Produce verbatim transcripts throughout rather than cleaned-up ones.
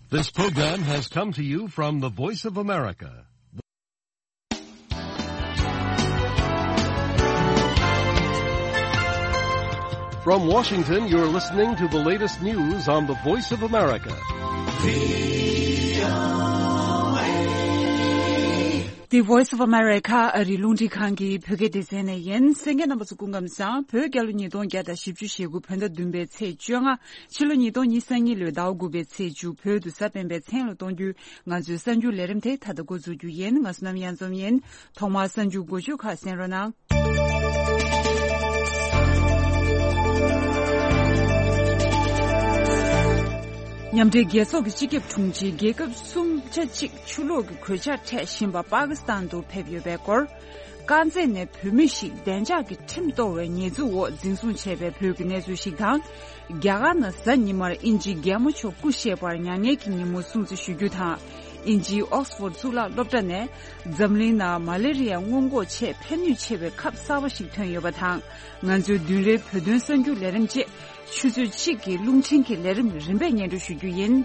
This program has come to you from the Voice of America. From Washington, you're listening to the latest news on the Voice of America. The Voice of America ཨ་རིའི་རླུང་འཕྲིན་ཁང་གི་བོད་སྐད་སྡེ་ཚན་ནས་ཡིན། གསན་མཁན་རྣམ་པ་ཚོ་སྐུ་ཁམས་བཟང་། བོད་རྒྱལ་ལོ་ཉིས་སྟོང་བརྒྱ་དང་བཞི་བཅུ་ཞེ་དགུ་བོད་ཟླ་བདུན་པའི་ཚེས་བཅོ་ལྔ། ཕྱི་ལོ་ཉིས་སྟོང་ཉི་ཤུ་རྩ་གཉིས་ལོའི་ཟླ་བ་དགུ་པའི་ཚེས་བཅུ། བོད་དུ་གཟའ་སྤེན་པའི་མཚན་ལ་གཏོང་རྒྱུའི་ང་ཚོའི་གསར་འགྱུར་ལས་རིམ་དེ་ད་ལྟ་འགོ་འཛུགས་རྒྱུ་ཡིན། ང་བསོད་ནམས་གཡང་འཛོམས་ཡིན། ཐོག་མར་གསར་འགྱུར་འགོ་བརྗོད་ཁག་གསན་རོགས་གནང་། མཉམ་འབྲེལ་རྒྱལ་ཚོགས་ཀྱི་སྤྱི་ཁྱབ་དྲུང་ཆེ་རྒྱལ་ཁབ་སུམ་ཆ་གཅིག་ཆུ་ལོག་གི་གོད་ཆག་འཕྲད་བཞིན་པ་པ་ཀི་སི་ཐན་དུ་ཕེབས་ཡོད་པའི་སྐོར། དཀར་མཛེས་ནས་བོད་མི་ཞིག་བདེ་འཇགས་ཀྱི་ཁྲིམས་གཏོར་བའི་ཉེས་འཛུགས་འོག་འཛིན་བཟུང་བྱས་པའི་བོད་ཀྱི་གནས་ཚུལ་ཞིག་དང་། རྒྱ་གར་ནང་གཟའ་ཉི་མར་དབྱིན་ཇིའི་རྒྱལ་མོ་མཆོག་སྐུ་གཤེགས་པར་མྱ་ངན་གྱི་ཉིན་མོ་སྲུང་བརྩི་ཞུ་རྒྱུ་དང་། དབྱིན་ཇིའི་ཨོག་སི་ཕོར་གཙུག་ལག་སློབ་གྲྭ་ནས་འཛམ་གླིང་ནང་མ་ལེ་རི་ཡ་སྔོན་འགོག་ཆེད་ཕན་ནུས་ཆེ་བའི་ཁབ་གསར་པ་ཞིག་ཐོན་ཡོད་པ་དང་། ང་ཚོའི་བདུན་རེའི་བོད་དོན་གསར་འགྱུར་ལས་རིམ་བཅས་ཆུ་ཚོད་གཅིག་གི་རླུང་འཕྲིན་གྱི་ལས་རིམ་རིམ་པས་སྙན་སྒྲོན་ཞུ་རྒྱུ་ཡིན།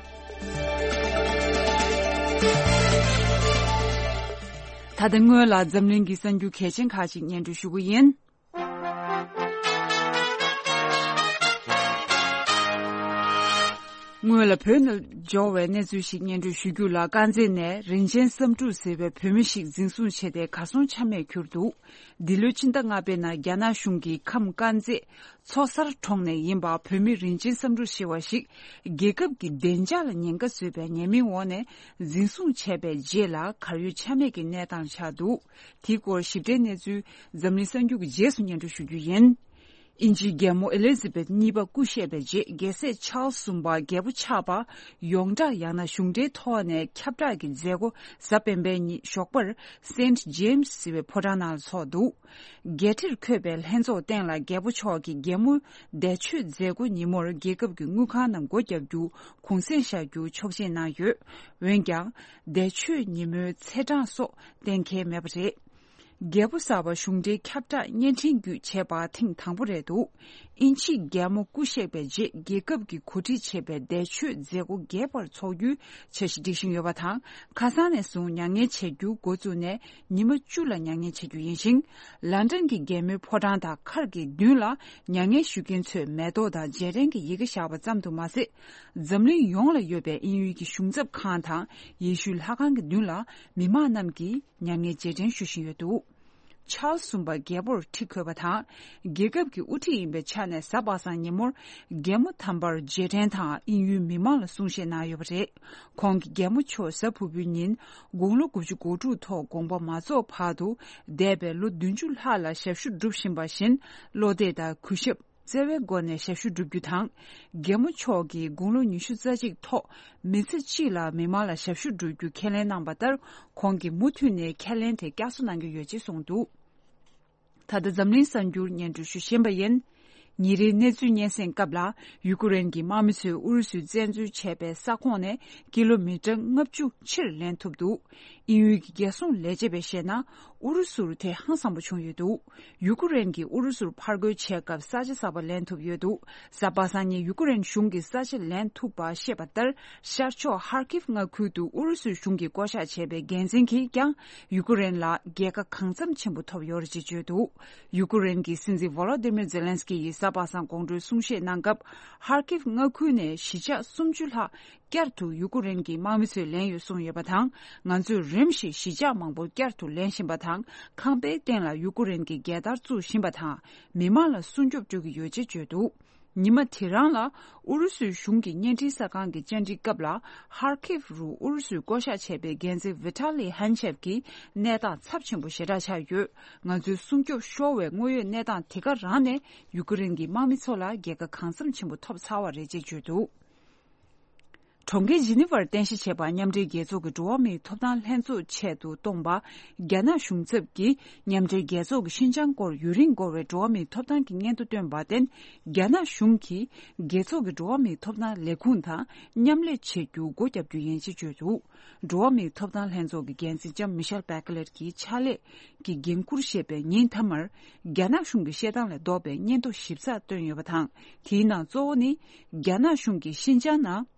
ད་ལྟ་སྔོན་ལ་འཛམ་གླིང་གི་གསར་འགྱུར་གལ་ཆེན་ཁག་ཅིག་སྙན་སྒྲོན་ཞུ་གི་ཡིན། སྔོན་ལ་བོད་ནང་འབྱོར་བའི་གནས་ཚུལ་ཞིག་སྙན་སྒྲོན་ཞུ་རྒྱུ་ལ། དཀར་མཛེས་ནས་རིན་ཆེན་བསམ་གྲུབ་ཟེར་བའི་བོད་མི་ཞིག་འཛིན་བཟུང་བྱས་ཏེ་གར་སོང་ཆ་མེད་གྱུར་འདུག་འདི་ལོའི་ཕྱི་ཟླ་ལྔ་པའི་ནང་རྒྱ་ནག་གཞུང་གིས་ཁམས་དཀར་མཛེས་མཚོ་གསར་གྲོང་ནས་ཡིན་པ་བོད་མི་རིན་ཆེན་བསམ་གྲུབ་ཟེར་བ་ཞིག་རྒྱལ་ཁབ་ཀྱི་བདེ་འཇགས་ལ་ཉེན་ཁ་བཟོས་པའི་ཉེས་མིང་འོག་ནས་འཛིན་བཟུང་བྱས་པའི་རྗེས་ལ་གར་ཡོད་ཆ་མེད་ཀྱི་གནས་སྟངས་ཆགས་འདུག་དེའི་སྐོར་ཞིབ་ཕྲའི་གནས་ཚུལ་འཛམ་གླིང་གསར་འགྱུར་གྱི་རྗེས་སུ་སྙན་སྒྲོན་ཞུ་རྒྱུ་ཡིན། དབྱིན་ཇིའི་རྒྱལ་མོ་ཨེ་ལི་ཛི་བེད་གཉིས་པ་སྐུ་གཤེགས་པའི་རྗེས་རྒྱལ་སྲས་ཆཱལ་གསུམ་པ་རྒྱལ་པོ་ཆགས་པ་ཡོངས་གྲགས་ཡང་ན་གཞུང་འབྲེལ་ཐོག་ནས་ཁྱབ་བསྒྲགས་ཀྱི་མཛད་སྒོ་གཟའ་སྤེན་པའི་ཉིན་ཞོགས་པར་སེན་ཊི་ཇེམ་སི་ཟེར་བའི་ཕོ་བྲང་ནང་ལ་ཚོགས་འདུག་རྒྱལ་ཁྲིར་འཁོད་པའི་ལྷན་ཚོགས་སྟེང་ལ་རྒྱལ་པོ་མཆོག་གིས་རྒྱལ་མོ་འདས་མཆོད་མཛད་སྒོ་ཉིན་མོར་རྒྱལ་ཁབ་ཀྱི་དངུལ་ཁང་ནང་སྒོ་བརྒྱབ་རྒྱུ་གུང་སེང་བཞག་རྒྱུ་ཆོག་མཆན་གནང་ཡོད། འོན་ཀྱང་འདས་མཆོད་ཉིན་མོའི་ཚེས་གྲངས་སོགས་གཏན་འཁེལ་མེད་པ་རེད། རྒྱལ་པོ་གསར་པ་གཞུང་འབྲེལ་ཁྱབ་བསྒྲགས་བརྙན་འཕྲིན་བརྒྱུད་བྱས་པ་ཐེངས་དང་པོ་རེད་འདུག་དབྱིན་ཇིའི་རྒྱལ་མོ་སྐུ་གཤེགས་པའི་རྗེས་རྒྱལ་ཁབ་ཀྱིས་གོ་སྒྲིག་བྱས་པའི་འདས་མཆོད་མཛད་སྒོ་རྒྱས་པར་འཚོགས་རྒྱུའི་འཆར་གཞི་སྒྲིག་བཞིན་ཡོད་པ་དང་། ཁ་སང་ནས་བཟུང་མྱ་ངན་བྱེད་རྒྱུ་འགོ་བཙུགས་ནས་ཉི་མ་བཅུ་ལ་མྱ་ངན་བྱེད་རྒྱུ་ཡིན་ཞིང་། ལན་ཀྲན་གྱི་རྒྱལ་མོའི་ཕོ་བྲང་དང་མཁར་གྱི་མདུན་ལ་མྱ་ངན་ཞུ་མཁན་ཚོས་མེ་ཏོག་དང་རྗེས་དྲན་གྱི་ཡི་གེ་བཞག་པ་ཙམ་དུ་མ་ཟད། འཛམ་གླིང་ཡོངས་ལ་ཡོད་པའི་དབྱིན་ཡུལ་གྱི་གཞུང་ཚབ་ཁང་དང་ཡེ་ཤུའི་ལྷ་ཁང་གི་མདུན་ལ་མི་མང་རྣམས་ཀྱིས་མྱ་ངན་རྗེས་དྲན་ཞུ་བཞིན་ཡོད་འདུག་ཆཱལ་གསུམ་པ་རྒྱལ་པོར་ཁྲི་འཁོད་པ་དང་། རྒྱལ་ཁབ་ཀྱི་དབུ་ཁྲིད་ཡིན་པའི་ཆ་ནས་གཟའ་པ་སངས་ཉིན་མོར་རྒྱལ་མོ་དམ་པར་རྗེས་དྲན་དང་དབྱིན་ཡུལ་མི་མང་ལ་གསུང་བཤད་གནང་ཡོད་པ་རེད། ཁོང་གིས་རྒྱལ་མོ་མཆོག་གཟའ་ཕུར་བུའི་ཉིན་དགུང་ལོ་དགུ་བཅུ་གོ་དྲུག་ཐོག་དགོངས་པ་མ་རྫོགས་བར་དུ་འདས་པའི་ལོ་བདུན་ཅུ་ལྷག་ལ་ཞབས་ཞུ་སྒྲུབ་བཞིན་པ་བཞིན་བློ་གཏད་དང་གུས་ཞབས། བརྩེ་བའི་སྒོ་ནས་ཞབས་ཞུ་བསྒྲུབ་རྒྱུ་དང་། རྒྱལ་མོ་མཆོག་གིས་དགུང་ལོ་ཉི་ཤུ་རྩ་གཅིག་ཐོག་མི་ཚེ་གཅིག་ལ་མི་མང་ལ་ཞབས་ཞུ་སྒྲུབ་རྒྱུ་ཁས་ལེན་གནང་བ་ལྟར། ཁོང་གིས་མུ་མཐུད་ནས་ཁས་ལེན་དེ་བསྐྱར་གསོ་གནང་གི་ཡོད་ཅེས་གསུངས་འདུག་ད་ལྟ་འཛམ་གླིང་གསར་འགྱུར་སྙན་སྒྲོན་ཞུ་བཞིན་པ་ཡིན། ཉིན་རེའི་གནས་ཚུལ་སྙན་སེང་སྐབས་ལ། ཡུ་ཀེ་རེན་གྱི་དམག་མི་ཚོས་ཨུ་རུ་སུས་བཙན་འཛུལ་བྱས་པའི་ས་ཁོངས་ནས་ཀི་ལོ་མི་ཊར་ལྔ་བཅུ་ཕྱིར་ལེན་ཐུབ་འདུག་དབྱིན་ཡུལ་གྱི་རྒྱལ་སྲུང་ལས་བྱེད་པས་བཤད་ན། ཨུ་རུ་སུར་དེ་ཧང་སངས་པོ་བྱུང་ཡོད་འདུག་ཡུ་ཀེ་རེན་གྱིས་ཨུ་རུ་སུར་ཕར་རྒོལ་བྱས་སྐབས་ས་ཆ་གསར་པ་ལེན་ཐུབ་ཡོད་འདུག་གཟའ་པ་སངས་ཉིན་ཡུ་ཀེ་རེན་གཞུང་གིས་ས་ཆ་ལེན་ཐུབ་པ་བཤད་པ་ལྟར། ཤར་ཕྱོགས་ཧར་ཀིབ་མངའ་ཁུལ་དུ་ཨུ་རུ་སུའི་གཞུང་གིས་བསྐོ་གཞག་བྱས་པའི་འགན་འཛིན་གྱིས་ཀྱང་ཡུ་ཀེ་རེན་ལ་རྒྱལ་ཁ་གང་འཚམ་ཆེན་པོ་ཐོབ་ཡོད་རེད་ཅེས་བརྗོད་འདུག་ཡུ་ཀེ་རེན་གྱི་སྲིད་འཛིན་ཝོ་ལོ་དི་མིར་ཛེ་ལན་སི་ཀི་ཡིས་གཟའ་པ་སངས་དགོང་དྲོའི་གསུང་བཤད་གནང་སྐབས། ཧར་ཀིབ་མངའ་ཁུལ་ནས་གཞིས་ཆགས་སུམ་ཅུ་ལྷག་བསྐྱར་དུ་ཡུ་ཀེ་རེན་གྱི་དམག་མི་ཚོས་ལེན་ཡོད་གསུངས་ཡོད་པ་དང་། ང་ཚོས་རིམ་བཞིན་གཞིས་ཆགས་མང་པོ་བསྐྱར་དུ་ལེན་བཞིན་པ་དང་། ཁང་པའི་སྟེང་ལ་ཡུ་ཀེ་རེན་གྱི་རྒྱལ་དར་བཙུགས་བཞིན་པ་དང་། མི་མང་ལ་སྲུང་སྐྱོབ་སྤྲོད་ཀྱི་ཡོད་ཅེས་བརྗོད་འདུག་ཉི་མ་དེ་རང་ལ་ཨུ་རུ་སུའི་གཞུང་གི་བརྙན་འཕྲིན་གསར་ཁང་གི་བཅར་འདྲིའི་སྐབས་ལ། ཧར་ཁིབ་རུ་ཨུ་རུ་སུས་བསྐོ་གཞག་བྱས་པའི་འགན་འཛིན་ཝི་ཏཱ་ལི་ཧན་ཆེབ་ཀྱིས་གནས་སྟངས་ཚབས་ཆེན་པོ་ཞེ་དྲག་ཆགས་ཡོད། ང་ཚོའི་སྲུང་སྐྱོབ་ཤོར་བའི་དངོས་ཡོད་གནས་སྟངས་དེ་ག་རང་ནས་ཡུ་ཀེ་རེན་གྱི་དམག་མི་ཚོ་ལ་རྒྱལ་ཁ་གང་འཚམ་ཆེན་པོ་ཐོབ་ཚར་བ་རེད་ཅེས་བརྗོད་འདུག་གྲོང་ཁྱེར་ཇི་ནི་ཝར་རྟེན་གཞི་བྱས་པ་མཉམ་འབྲེལ་རྒྱལ་ཚོགས་ཀྱི་འགྲོ་བ་མིའི་ཐོབ་ཐང་ལྷན་ཚོགས་ཆེད་དུ་བསྐོངས་པ། རྒྱ་ནག་གཞུང་ཚབ་ཀྱིས་མཉམ་འབྲེལ་རྒྱལ་ཚོགས་ཀྱི་ཤིན་ཅང་སྐོར་ཡུན་རིང་འགོར་བའི་འགྲོ་བ་མིའི་ཐོབ་ཐང་གི་སྙན་ཐོ་བཏོན་པར་བརྟེན། རྒྱ་ནག་གཞུང་གིས་རྒྱལ་ཚོགས་ཀྱི་འགྲོ་བ་མིའི་ཐོབ་ཐང་ལས་ཁུངས་དང་མཉམ་ལས་བྱེད་རྒྱུ་སྒོ་བརྒྱབ་རྒྱུ་ཡིན་ཞེས་བརྗོད་འདུག་འགྲོ་བ་མིའི་ཐོབ་ཐང་ལྷན་ཚོགས་ཀྱི་འགན་འཛིན་ལྕམ་མི་ཤེལ་བྷེ་ཀ་ལེར་གྱི་ཕྱག་ལས་ཀྱི་འགན་འཁུར་བཞེས་པའི་ཉིན་མཐའ་མར། རྒྱ་ནག་གཞུང་གི་བཤད་སྟངས་ལས་ལྡོག་པའི་སྙན་ཐོ་ཞིབ་ཚགས་བཏོན་ཡོད་པ་དང་། དེའི་ནང་གཙོ་བོ་ནི། རྒྱ་ནག་གཞུང་གིས་ཤིན་ཅང་ནང་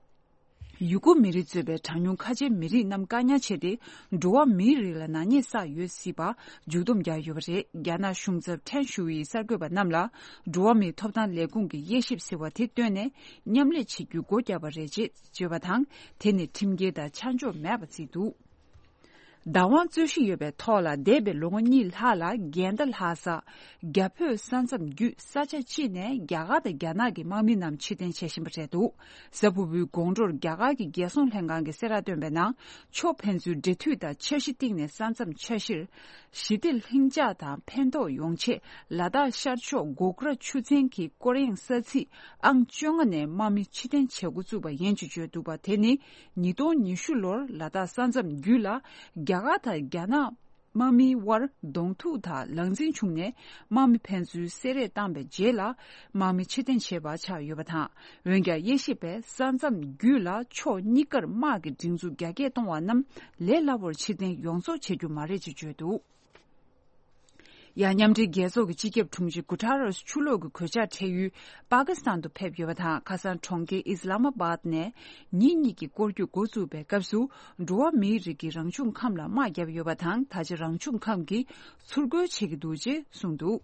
ཡུ་གུར་མི་རིགས་གཙོས་པའི་གྲངས་ཉུང་ཁ་ཆེའི་མི་རིགས་རྣམས་བཀག་ཉར་བྱས་ཏེ། འགྲོ་བ་མིའི་རིགས་ལ་ནག་ཉེས་བསགས་ཡོད་སྲིད་པ་མཇུག་སྡོམ་བརྒྱབ་ཡོད་པ་རེད། རྒྱ་ནག་གཞུང་ཚབ་ཁྲེན་ཞུ་ཡིས་གསར་འགོད་པ་རྣམས་ལ། འགྲོ་བ་མིའི་ཐོབ་ཐང་ལས་ཁུངས་ཀྱི་དབྱེ་ཞིབ་ཟེར་བ་དེ་བཏོན་ནས་མཉམ་ལས་བྱེད་རྒྱུའི་སྒོ་བརྒྱབ་པ་རེད་ཅེས་བརྗོད་པ་དང་། དེ་ནི་ཁྲིམས་འགལ་དང་ཆ་འཇོག་མེད་པ་བརྩིས་འདུག་བདག་དབང་རྩོད་གཞི་ཡོད་པའི་ཐོག་ལ། འདས་པའི་ལོ་ངོ་གཉིས་ལྷག་ལ་རྒན་དང་ལྷ་ས། རྒྱ་བོད་ས་མཚམས་བརྒྱུད་ས་ཆ་གཅིག་ནས་རྒྱ་གར་དང་རྒྱ་ནག་གི་དམག་མི་རྣམས་ཕྱིར་འཐེན་བྱེད་བཞིན་པ་རེད་འདུག་གཟའ་ཕུར་བུའི་དགོང་དྲོར་རྒྱ་གར་གྱི་རྒྱལ་སྲུང་ལྷན་ཁང་གིས་གསལ་བསྒྲགས་བཏོན་པའི་ནང་། ཕྱོགས་ཕན་ཚུན་འབྲེལ་མཐུད་དང་འཆར་གཞི་བཏིང་ནས་ས་མཚམས་འཆར་གཞིར། ཞི་བདེ་ལྷིང་འཇགས་དང་ཕན་ཐོགས་ཡོང་ཆེད། ལ་དྭགས་ཤར་ཕྱོགས་གོ་གྷལ་ཆུ་ཚན་གྱི་སྐོར་གཡེང་ས་ཚིགས་ཨང་བཅོ་ལྔ་ནས་དམག་མི་ཕྱིར་འཐེན་བྱེད་འགོ་བཙུགས་པ་ཡིན་ཅེས་བརྗོད་འདུག་པ། དེ་ནི་ཉིས་སྟོང་ཉི་ཤུ་ལོར་ལ་དྭགས་ས་མཚམས་བརྒྱུད་ལ་རྒྱ་གར་དང་རྒྱ་ནག་དམག་མིའི་དབར་གདོང་ཐུག་དང་ལངས་འཛིང་བྱུང་ནས། དམག་མི་ཕན་ཚུན་བསད་རེས་བཏང་པའི་རྗེས་ལ། དམག་མི་ཕྱིར་འཐེན་བྱས་པ་ཆགས་ཡོད་པ་དང་། འོན་ཀྱང་། དབྱེ་ཞིབ་པས་ས་མཚམས་བརྒྱུད་ལ་ཕྱོགས་གཉིས་ཀར་དམག་གི་སྒྲིག་འཛུགས་རྒྱ་སྐྱེད་གཏོང་བ་རྣམས་ལས་སླ་པོར་ཕྱིར་འཐེན་ཡོངས་རྫོགས་བྱེད་རྒྱུ་མ་རེད་ཅེས་བརྗོད་འདུག་ཡང་། མཉམ་འབྲེལ་རྒྱལ་ཚོགས་ཀྱི་སྤྱི་ཁྱབ་དྲུང་ཆེ་གུ་ཐ་རེས་ཆུ་ལོག་གི་གོད་ཆག་འཕྲད་ཡུལ་པ་ཀི་སི་ཐན་དུ་ཕེབས་ཡོད་པ་དང་། ཁ་སང་གྲོང་ཁྱེར་ཨིས་ལ་མ་བཱད་ནས་ཉིན་གཉིས་ཀྱི་སྐོར་སྐྱོད་འགོ་བཙུགས་པའི་སྐབས་སུ། འགྲོ་བ་མིའི་རིགས་ཀྱི་རང་བྱུང་ཁམས་ལ་དམག་བརྒྱབ་ཡོད་པ་དང་། ད་ཆ་རང་བྱུང་ཁམས་ཀྱིས་ཚུར་རྒོལ་བྱེད་ཀྱི་འདུག་ཅེས་གསུངས་འདུག་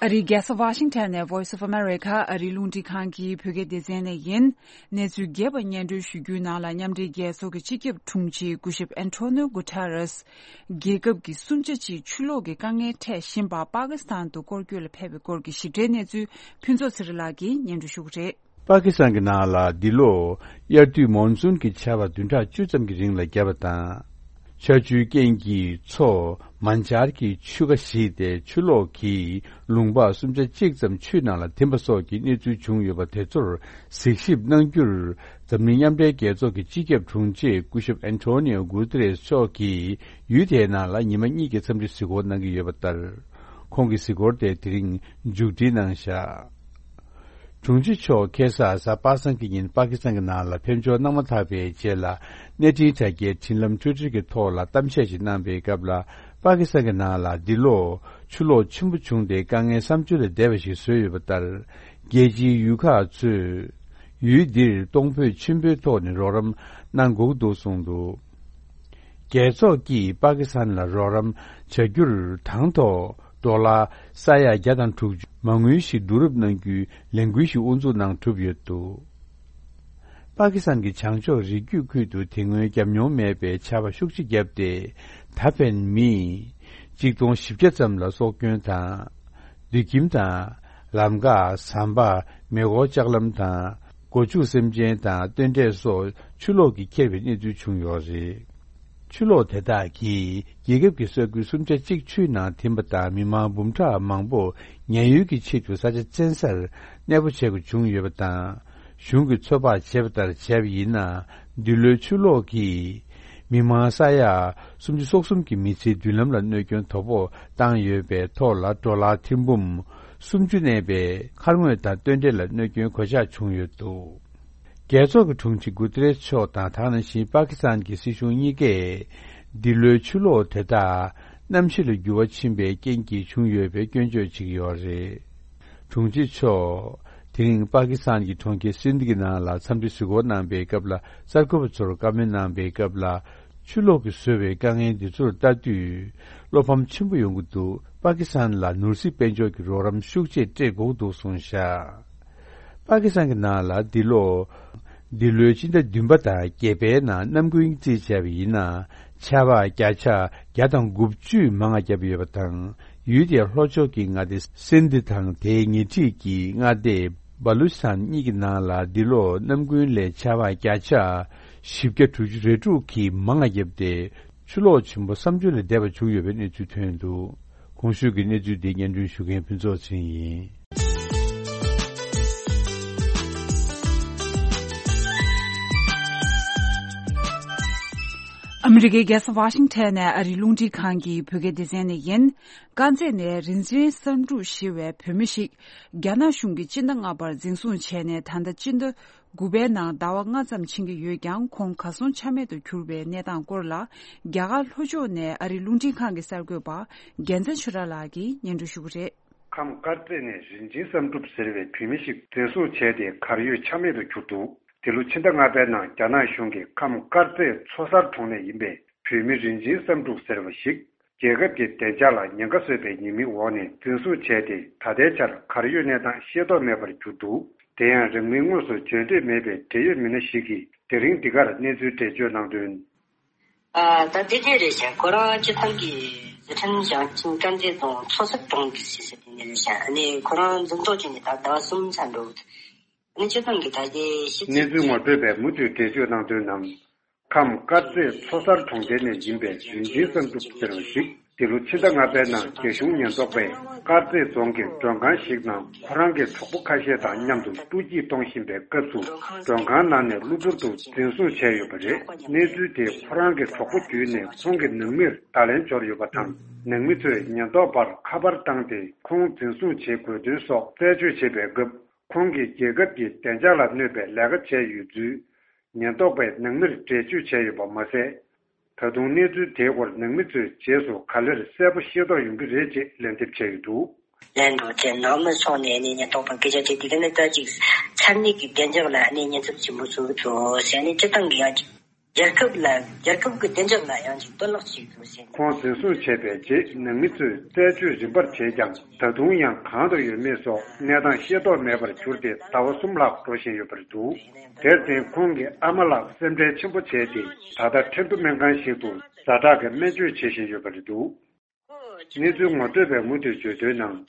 ཨ་རིའི་རྒྱལ་ས་ཝ་ཤིང་ཊོན་ནས་Voice of America ཨ་རིའི་རླུང་འཕྲིན་ཁང་གི་བོད་སྐད་སྡེ་ཚན་ནས་ཡིན། གནས་ཚུལ་རྒྱས་པ་སྙན་སྒྲོན་ཞུ་རྒྱུའི་ནང་ལ། མཉམ་འབྲེལ་རྒྱལ་ཚོགས་ཀྱི་སྤྱི་ཁྱབ་དྲུང་ཆེ་སྐུ་ཞབས་ཨན་ཐོ་ནིའོ་གུ་ཐ་རེས། རྒྱལ་ཁབ་ཀྱི་སུམ་ཆ་གཅིག་ཆུ་ལོག་གི་དཀའ་ངལ་འཕྲད་བཞིན་པ་པ་ཀི་སི་ཐན་དུ་སྐོར་སྐྱོད་ལ་ཕེབས་པའི་སྐོར་གྱི་ཞིབ་ཕྲའི་གནས་ཚུལ་ཕུན་ཚོགས་ཚེ་རིང་ལགས་ཀྱིས་སྙན་སྒྲོན་ཞུ་གི་རེད། པ་ཀི་སི་ཐན་གྱི་ནང་ལ་འདི་ལོ་དབྱར་དུས་མོན་སུན་གྱི་ཆར་པ་བདུན་ཕྲག་བཅུ་ཙམ་གྱི་རིང་ལ་བརྒྱབ་པ་དང་། ཆར་ཆུའི་རྐྱེན་གྱིས་མཚོ་མན་ཇར་གྱི་ཆུ་ཁ་བཞིས་ཏེ། ཆུ་ལོག་གིས་ལུང་པ་སུམ་ཆ་གཅིག་ཙམ་ཆུའི་ནང་ལ་ཐིམ་པ་སོགས་ཀྱི་གནས་ཚུལ་བྱུང་ཡོད་པ་དེ་ཚོར་གཟིགས་ཞིབ་གནང་རྒྱུར། འཛམ་གླིང་མཉམ་འབྲེལ་རྒྱལ་ཚོགས་ཀྱི་སྤྱི་ཁྱབ་དྲུང་ཆེ་སྐུ་ཞབས་ཨན་ཐོ་ནིའོ་གུ་ཏེ་རེས་མཆོག་གིས་ཡུལ་དེའི་ནང་ལ་ཉི་མ་གཉིས་ཀྱི་འཚམས་འདྲི་གཟིགས་སྐོར་གནང་གི་ཡོད་པ་ལྟར། ཁོང་གི་གཟིགས་སྐོར་དེ་དེ་རིང་མཇུག་སྒྲིལ་གནང་བཞག་དྲུང་ཆེ་མཆོག་ཁ་སང་གཟའ་པ་སངས་ཀྱི་ཉིན་པ་ཀི་སི་ཐན་གྱི་ནང་ལ་ཕེབས་འབྱོར་གནང་མ་ཐག་པའི་རྗེས་ལ། གནས་འཕྲིན་དྲ་རྒྱའི་འཕྲིན་ལམ་ཊུའི་ཊར་གྱི་ཐོག་ལ་གཏམ་བཤད་ཅིག་གནང་པའི་སྐབས་ལ། པ་ཀི་སི་ཐན་གྱི་ནང་ལ་འདི་ལོ་ཆུ་ལོག་ཆེན་པོ་བྱུང་སྟེ། དཀའ་ངལ་བསམ་བརྗོད་ལས་འདས་པ་ཞིག་བཟོས་ཡོད་པ་ལྟར། རྒྱལ་སྤྱིའི་ཡུལ་ཁག་ཚོས་ཡུལ་འདིར་གཏོང་ཕོད་ཆེན་པོའི་ཐོག་ནས་རོགས་རམ་གནང་དགོས་འདུག་གསུངས་འདུག་རྒྱལ་ཚོགས་ཀྱིས་པ་ཀི་སི་ཐན་ལ་རོགས་རམ་བྱ་རྒྱུར་དང་ཐོག་ཌོ་ལར་ས་ཡ་བརྒྱ་དང་དྲུག་ཅུ་མ་དངུལ་ཞིག་བསྡུ་རུབ་གནང་རྒྱུའི་ལས་འགུལ་ཞིག་དབུ་འཛུགས་གནང་གྲུབ་ཡོད་འདུག་པ་ཀི་སི་ཐན་གྱི་བྱང་ཕྱོགས་རི་རྒྱུད་ཁུལ་དུ་དེ་སྔོན་བརྒྱབ་མྱོང་མེད་པའི་ཆར་པ་ཤུགས་ཆེ་བརྒྱབ་སྟེ། ད་ཕན་མི་གཅིག་སྟོང་བཞི་བརྒྱ་ཙམ་ལ་སྲོག་སྐྱོན་དང་། སྡོད་ཁྱིམ་དང་། ལམ་འགག་ཟམ་པ། མེ་འཁོར་ལྕགས་ལམ་དང་། སྒོ་ཕྱུགས་སེམས་ཅན་དང་སྟོན་འབྲས་སོགས་ཆུ་ལོག་གིས་ཁྱེར་བའི་གནས་ཚུལ་བྱུང་ཡོད་རེད། ཆུ་ལོག་དེ་དག་གིས་རྒྱལ་ཁབ་ཀྱི་ས་ཁུལ་སུམ་ཆ་གཅིག་ཆུའི་ནང་ཐིམ་པ་དང་། མི་མང་འབུམ་ཕྲག་མང་པོ་ཉེན་གཡོལ་གྱི་ཆེད་དུ་ས་ཆ་བཙན་སར་གནས་སྤོ་བྱེད་དགོས་བྱུང་ཡོད་པ་དང་། གཞུང་གིས་ཚོད་དཔག་བྱས་པ་ལྟར་བྱས་པ་ཡིན་ན། འདི་ལོའི་ཆུ་ལོག་གིས་མི་མང་ས་ཡ་སུམ་ཅུ་སོ་གསུམ་གྱི་མི་ཚེའི་མདུན་ལམ་ལ་གནོད་སྐྱོན་དོ་ཕོག་བཏང་ཡོད་པའི་ཐོག་ལ། ཌོ་ལར་ཐེར་འབུམ་སུམ་ཅུ་གནས་པའི་མཁར་ངོས་དང་སྟོན་འབྲས་ལ་གནོད་སྐྱོན་གོད་ཆག་བྱུང་ཡོད་འདུག་རྒྱལ་ཚོགས་ཀྱི་དྲུང་ཆེ་གུ་ཏེ་རེས་མཆོག་དང་། ད་ག་ནང་བཞིན་པ་ཀི་སི་ཐན་གྱི་སྲིད་གཞུང་གཉིས་ཀས་འདི་ལོའི་ཆུ་ལོག་དེ་དག་གནམ་གཤིས་ལ་འགྱུར་བ་ཕྱིན་པའི་རྐྱེན་གྱིས་བྱུང་ཡོད་པའི་སྐྱོན་བརྗོད་བྱེད་ཀྱི་ཡོད་རེད། དྲུང་ཆེ་མཆོག་དེ་རིང་པ་ཀི་སི་ཐན་གྱི་གྲོང་ཁྱེར་སིན་དྷི་གི་ནང་ལ་འཚམས་འདྲི་གཟིགས་སྐོར་གནང་པའི་སྐབས་ལ། གསར་འགོད་པ་ཚོར་བཀའ་མོལ་གནང་པའི་སྐབས་ལ། ཆུ་ལོག་གིས་བཟོས་པའི་དཀའ་ངལ་འདི་ཚོར་ལྟ་དུས་བློ་ཕམ་ཆེན་པོ་ཡོང་གི་འདུག་པ་ཀི་སི་ཐན་ལ་ནོར་སྲིད་དཔལ་འབྱོར་གྱི་རོགས་རམ་ཤུགས་ཆེ་སྤྲད་དགོས་འདུག་གསུངས་བཞག་པ་ཀི་སི་ཐན་གྱི་ནང་ལ་འདི་ལོ། འདི་ལོའི་སྤྱི་ཟླ་བདུན་པ་དང་བརྒྱད་པའི་ནང་གནམ་དགུན་རྩིས་བྱས་པ་ཡིན་ན། ཆར་པ་བརྒྱ་ཆ་བརྒྱ་དང་དགུ་བཅུ་མང་བ་བརྒྱབ་ཡོད་པ་དང་། ཡུལ་དེའི་ལྷོ་ཕྱོགས་ཀྱི་མངའ་སྡེ་སིན་དྷི་དང་དེའི་ཉེ་འཁྲིས་ཀྱི་མངའ་སྡེ་བ་ལུ་ཆི་སི་ཐན་གཉིས་ཀྱི་ནང་ལ་འདི་ལོ་གནམ་དགུན་ལས་ཆར་པ་བརྒྱ་ཆ་བཞི་བརྒྱ་དྲུག་ཅུ་རེ་དྲུག་གིས་མང་བ་བརྒྱབ་སྟེ། ཆུ་ལོག་ཆེན་པོ་བསམ་བརྗོད་ལས་འདས་པ་བྱུང་ཡོད་པའི་གནས་ཚུལ་ཐོན་འདུག་གོང་ཞུས་ཀྱི་གནས་ཚུལ་འདི་སྙན་སྒྲོན་ཞུ་མཁན་ཕུན་ཚོགས་ཚེ་རིང་ཡིན། ཨ་མི་རི་ཀའི་རྒྱལ་ས་ཝ་ཤིང་ཊོན་ནས་ཨ་རིའི་རླུང་འཕྲིན་ཁང་གི་བོད་སྐད་སྡེ་ཚན་ནས་ཡིན། དཀར་མཛེས་ནས་རིན་ཆེན་བསམ་འགྲུབ་ཞེས་པའི་བོད་མི་ཞིག་རྒྱ་ནག་གཞུང་གིས་སྤྱི་ཟླ་ལྔ་པར་འཛིན་བཟུང་བྱས་ནས། ད་ལྟ་སྤྱི་ཟླ་དགུ་པའི་ནང་ཟླ་བ་ལྔ་ཙམ་ཕྱིན་གྱི་ཡོད་ཀྱང་། ཁོང་གར་སོང་ཆ་མེད་དུ་གྱུར་པའི་གནས་སྟངས་སྐོར་ལ། རྒྱ་གར་ལྷོ་ཕྱོགས་ནས་ཨ་རིའི་རླུང་འཕྲིན་ཁང་གི་གསར་འགོད་པ་རྒྱལ་མཚན་ཆོས་གྲགས་ལགས་ཀྱིས་སྙན་སྒྲོན་ཞུ་གི་རེད། ཁམས་དཀར་མཛེས་ནས་རིན་ཆེན་བསམ་གྲུབ་ཟེར་བའི་བུད་མེད་ཞིག་འཛིན་བཟུང་བྱས་ཏེ་གར་ཡོད་ཆ་མེད་དུ་གྱུར་འདུག་དེ་ལོ་ཕྱི་ཟླ་ལྔ་པའི་ནང་རྒྱ་ནག་གཞུང་གིས་ཁམས་དཀར་མཛེས་མཚོ་གསར་གྲོང་ནས་ཡིན་པའི་བུད་མེད་རིན་ཆེན་བསམ་གྲུབ་ཟེར་བ་ཞིག་རྒྱལ་ཁབ་ཀྱི་བདེ་འཇགས་ལ་ཉེན་ཁ་བཟོས་པའི་ཉེས་མིང་འོག་ནས་འཛིན་བཟུང་བྱས་ཏེ། ད་ལྟའི་ཆར་གར་ཡོད་གནས་སྟངས་ཤེས་རྟོགས་མེད་པར་གྱུར་འདུག་དེ་ཡང་རིང་མིན་དངོས་སུ་བརྗོད་འདོད་མེད་པའི་འབྲེལ་ཡོད་མི་སྣ་ཞིག་གིས་དེ་རིང་འདི་གར་གནས་ཚུལ་འགྲེལ་བརྗོད་གནང་དོན། ཨ། ད་དེ་འདྲས་རེད་ཤག་ཁོ་རང་སྤྱི་བཏང་གི་ཟི་ཁྲོན་ཞིང་ཆེན་དཀར་མཛེས་རྫོང་མཚོ་གསར་གྲོང་གི་སྲིད་ས་དེ་ནས་རེད་ཤག་ཨ་ནི་ཁོ་རང་འཛིན་བཟུང་བྱས་ནས་ད་ཟླ་བ་གསུམ་ཚར་འགྲོ། ཨ་ནི་སྤྱི་བཏང་གི་ད་ལྟའི་ཤེས་ཚད་གནས་ཚུལ་ངོ་སྤྲོད་པས་མུ་མཐུད་འགྲེལ་བརྗོད་གནང་དོན་ནང་། ཁམས་དཀར་མཛེས་མཚོ་གསར་གྲོང་རྡལ་ནས་ཡིན་པའི་རིན་ཆེན་བསམ་གྲུབ་ཟེར་བ་ཞིག་འདི་ལོ་ཕྱི་ཟླ་ལྔ་པའི་ནང་རྒྱ་གཞུང་ཉེན་རྟོག་པས་དཀར་མཛེས་རྫོང་གི་མགྲོན་ཁང་ཞིག་ནང་ཁོ་རང་གི་གྲོགས་པོ་ཁ་ཤས་དང་མཉམ་དུ་སྤྲོ་སྐྱིད་གཏོང་བཞིན་པའི་སྐབས་སུ་མགྲོན་ཁང་ནང་ནས་གློ་བུར་དུ་འཛིན་བཟུང་བྱས་ཡོད་པ་རེད། གནས་ཚུལ་དེ་ཁོ་རང་གི་གྲོགས་པོ་བརྒྱུད་ནས་ཁོང་གི་ནང་མིར་བརྡ་ལན་འབྱོར་ཡོད་པ་དང་། ནང་མི་ཚོས་ཉེན་རྟོག་པར་ཁ་པར་བཏང་སྟེ་ཁོང་འཛིན་བཟུང་བྱེད་དགོས་དོན་སོགས་རྩད་གཅོད་བྱེད་པའི་སྐབས། ཁོང་གིས་རྒྱལ་ཁབ་ཀྱི་བདེ་འཇགས་ལ་གནོད་པའི་ལས་ཀ་བྱས་ཡོད་ཚུལ་ཉེན་རྟོག་པས་ནང་མིར་འགྲེལ་བརྗོད་བྱས་ཡོད་པ་མ་ཟད། ད་དུང་གནས་ཚུལ་དེའི་སྐོར་ནང་མི་ཚོའི་རྗེས་སུ་ག་ལེར་གསལ་པོ་ཤེས་རྟོགས་ཡོང་གི་རེད་ཅེས་ལན་འདེབས་བྱས་ཡོད་འདུག་ལན་འགྲོ་དེ་ནོར་མི་སོང་ནས་ནི་ཉེན་རྟོག་པ་སྐད་ཆ་དྲིས་དེ་ག་ནི་ལྟ་ཅིག་ཚར་ནི་གི་བདེ་འཇགས་ལ་ནི་ཉེན་ཚབས་ཆེན་པོ་བཟོ་གི་འདུག་ཟེར་ནས་སྤྱི་བཏང་གི་ཡང་རྒྱལ་ཁབ་ལ་རྒྱལ་ཁབ་ཀྱི་བདེ་འཇགས་ལ་ཡང་ཅིག་གཏོར་བརླག་བྱེད་དགོས་ཟེར། ཁོང་འཛིན་བཟུང་བྱས་པའི་རྗེས་ནང་མི་ཚོས་རྩད་གཅོད་རིམ་པར་བྱས་ཀྱང་ད་དུང་ཡང་གང་དུ་ཡོད་མེད་སོགས་གནས་སྟངས་ཤེས་རྟོགས་མེད་པར་གྱུར་ཏེ་ཟླ་བ་གསུམ་ལྷག་འགྲོ་བཞིན་ཡོད་པ་རེད་འདུག་དེར་བརྟེན་ཁོང་གི་ཨ་མ་ལགས་སེམས་ཁྲལ་ཆེན་པོ་བྱས་ཏེ་ད་ལྟ་ཁྲིན་ཏུ་སྨན་ཁང་ཞིག་ཏུ་ཛ་དྲག་གི་སྨན་བཅོས་བྱེད་བཞིན་ཡོད་པ་རེད་འདུག་གནས་ཚུལ་ངོ་སྤྲོད་པས་མུ་མཐུད་བརྗོད་དོན་ནང་།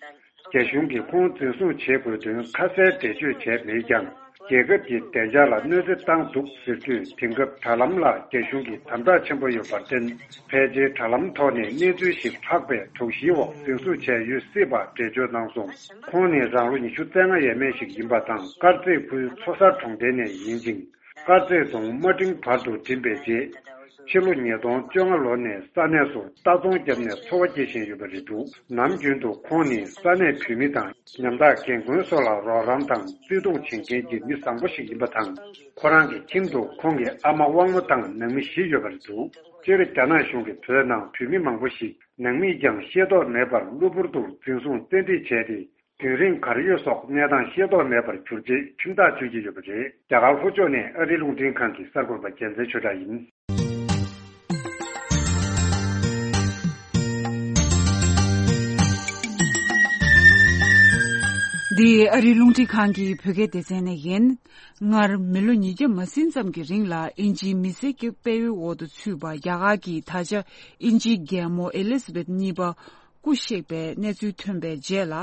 རྒྱ་གཞུང་གིས་ཁོང་འཛིན་བཟུང་བྱེད་དགོས་དོན་ཁ་གསལ་འགྲེལ་བརྗོད་བྱས་མེད་ཀྱང་། རྒྱལ་ཁབ་ཀྱི་བདེ་འཇགས་ལ་གནོད་འཚེ་བཏང་འདུག་ཟེར་དུས། དེང་སྐབས་དྲ་ལམ་ལ་རྒྱ་གཞུང་གིས་དམ་དྲག་ཆེན་པོ་ཡོད་པར་བརྟེན། ཕལ་ཆེར་དྲ་ལམ་ཐོག་ནས་གནས་ཚུལ་ཞིག་ལྷག་པའི་དོགས་གཞིའི་འོག་འཛིན་བཟུང་བྱས་ཡོད་སྲིད་པ་འགྲེལ་བརྗོད་གནང་སོང་། ཁོང་ནི་རང་ལོ་ཉི་ཤུ་རྩ་ལྔ་ཡས་མས་ཤིག་ཡིན་པ་དང་། དཀར་མཛེས་ཁུལ་མཚོ་གསར་གྲོང་རྡལ་ནས་ཡིན་ཅིང་། དཀར་མཛེས་རྫོང་དམའ་འབྲིང་བར་དུ་འགྲིམས་པའི་རྗེས། ཕྱི་ལོ་ཉིས་སྟོང་བཅོ་ལྔ་ལོ་ནས་ས་གནས་སུ་ལྟ་ཚོང་བརྒྱབ་ནས་འཚོ་བ་སྐྱེལ་བཞིན་ཡོད་པ་རེད་འདུག་ནམ་རྒྱུན་དུ་ཁོང་ནི་ས་གནས་བོད་མི་དང་ཉམ་ཐག་རྒན་རྒོན་སོགས་ལ་རོགས་རམ་དང་བརྩེ་དུང་བྱེད་མཁན་གྱི་མི་བཟང་པོ་ཞིག་ཡིན་པ་དང་། ཁོ་རང་གི་ཁྱིམ་དུ་ཁོང་གི་ཨ་མ་དབང་མོ་དང་ནང་མི་བཞི་ཡོད་པ་རེད་འདུག་སྤྱིར་རྒྱ་ནག་གཞུང་གིས་བོད་ནང་བོད་མི་མང་པོ་ཞིག་ནང་མིས་ཀྱང་ཤེས་རྟོགས་མེད་པར་གློ་བུར་དུ་འཛིན་བཟུང་བཙན་ཁྲིད་བྱས་ཏེ། རྒྱུན་རིང་གར་ཡོད་སོགས་གནས་སྟངས་ཤེས་རྟོགས་མེད་པར་གྱུར་རྗེས་ཁྲིམས་ཐག་གཅོད་ཀྱི་ཡོད་པ་རེད། རྒྱ་གར་ལྷོ་ཕྱོགས་ནས་ཨ་རིའི་རླུང་འཕྲིན་ཁང་གི་གསར་འགོད་པ་རྒྱལ་མཚན་ཆོས་གྲགས་ཡིན། འདི་ཨ་རིའི་རླུང་འཕྲིན་ཁང་གི་བོད་སྐད་སྡེ་ཚན་ནས་ཡིན། སྔར་མི་ལོ་ཉིས་བརྒྱ་མ་ཟིན་ཙམ་གྱི་རིང་ལ་དབྱིན་ཇིའི་མི་སེར་གྱི་དཔལ་ཡོན་འོག་ཏུ་ཚུད་པ་རྒྱ་གར་གྱི་ད་ཆ་དབྱིན་ཇིའི་རྒྱལ་མོ་ཨེ་ལི་ཛ་བེད་གཉིས་པ་སྐུ་གཤེགས་པའི་གནས་ཚུལ་ཐོན་པའི་རྗེས་ལ།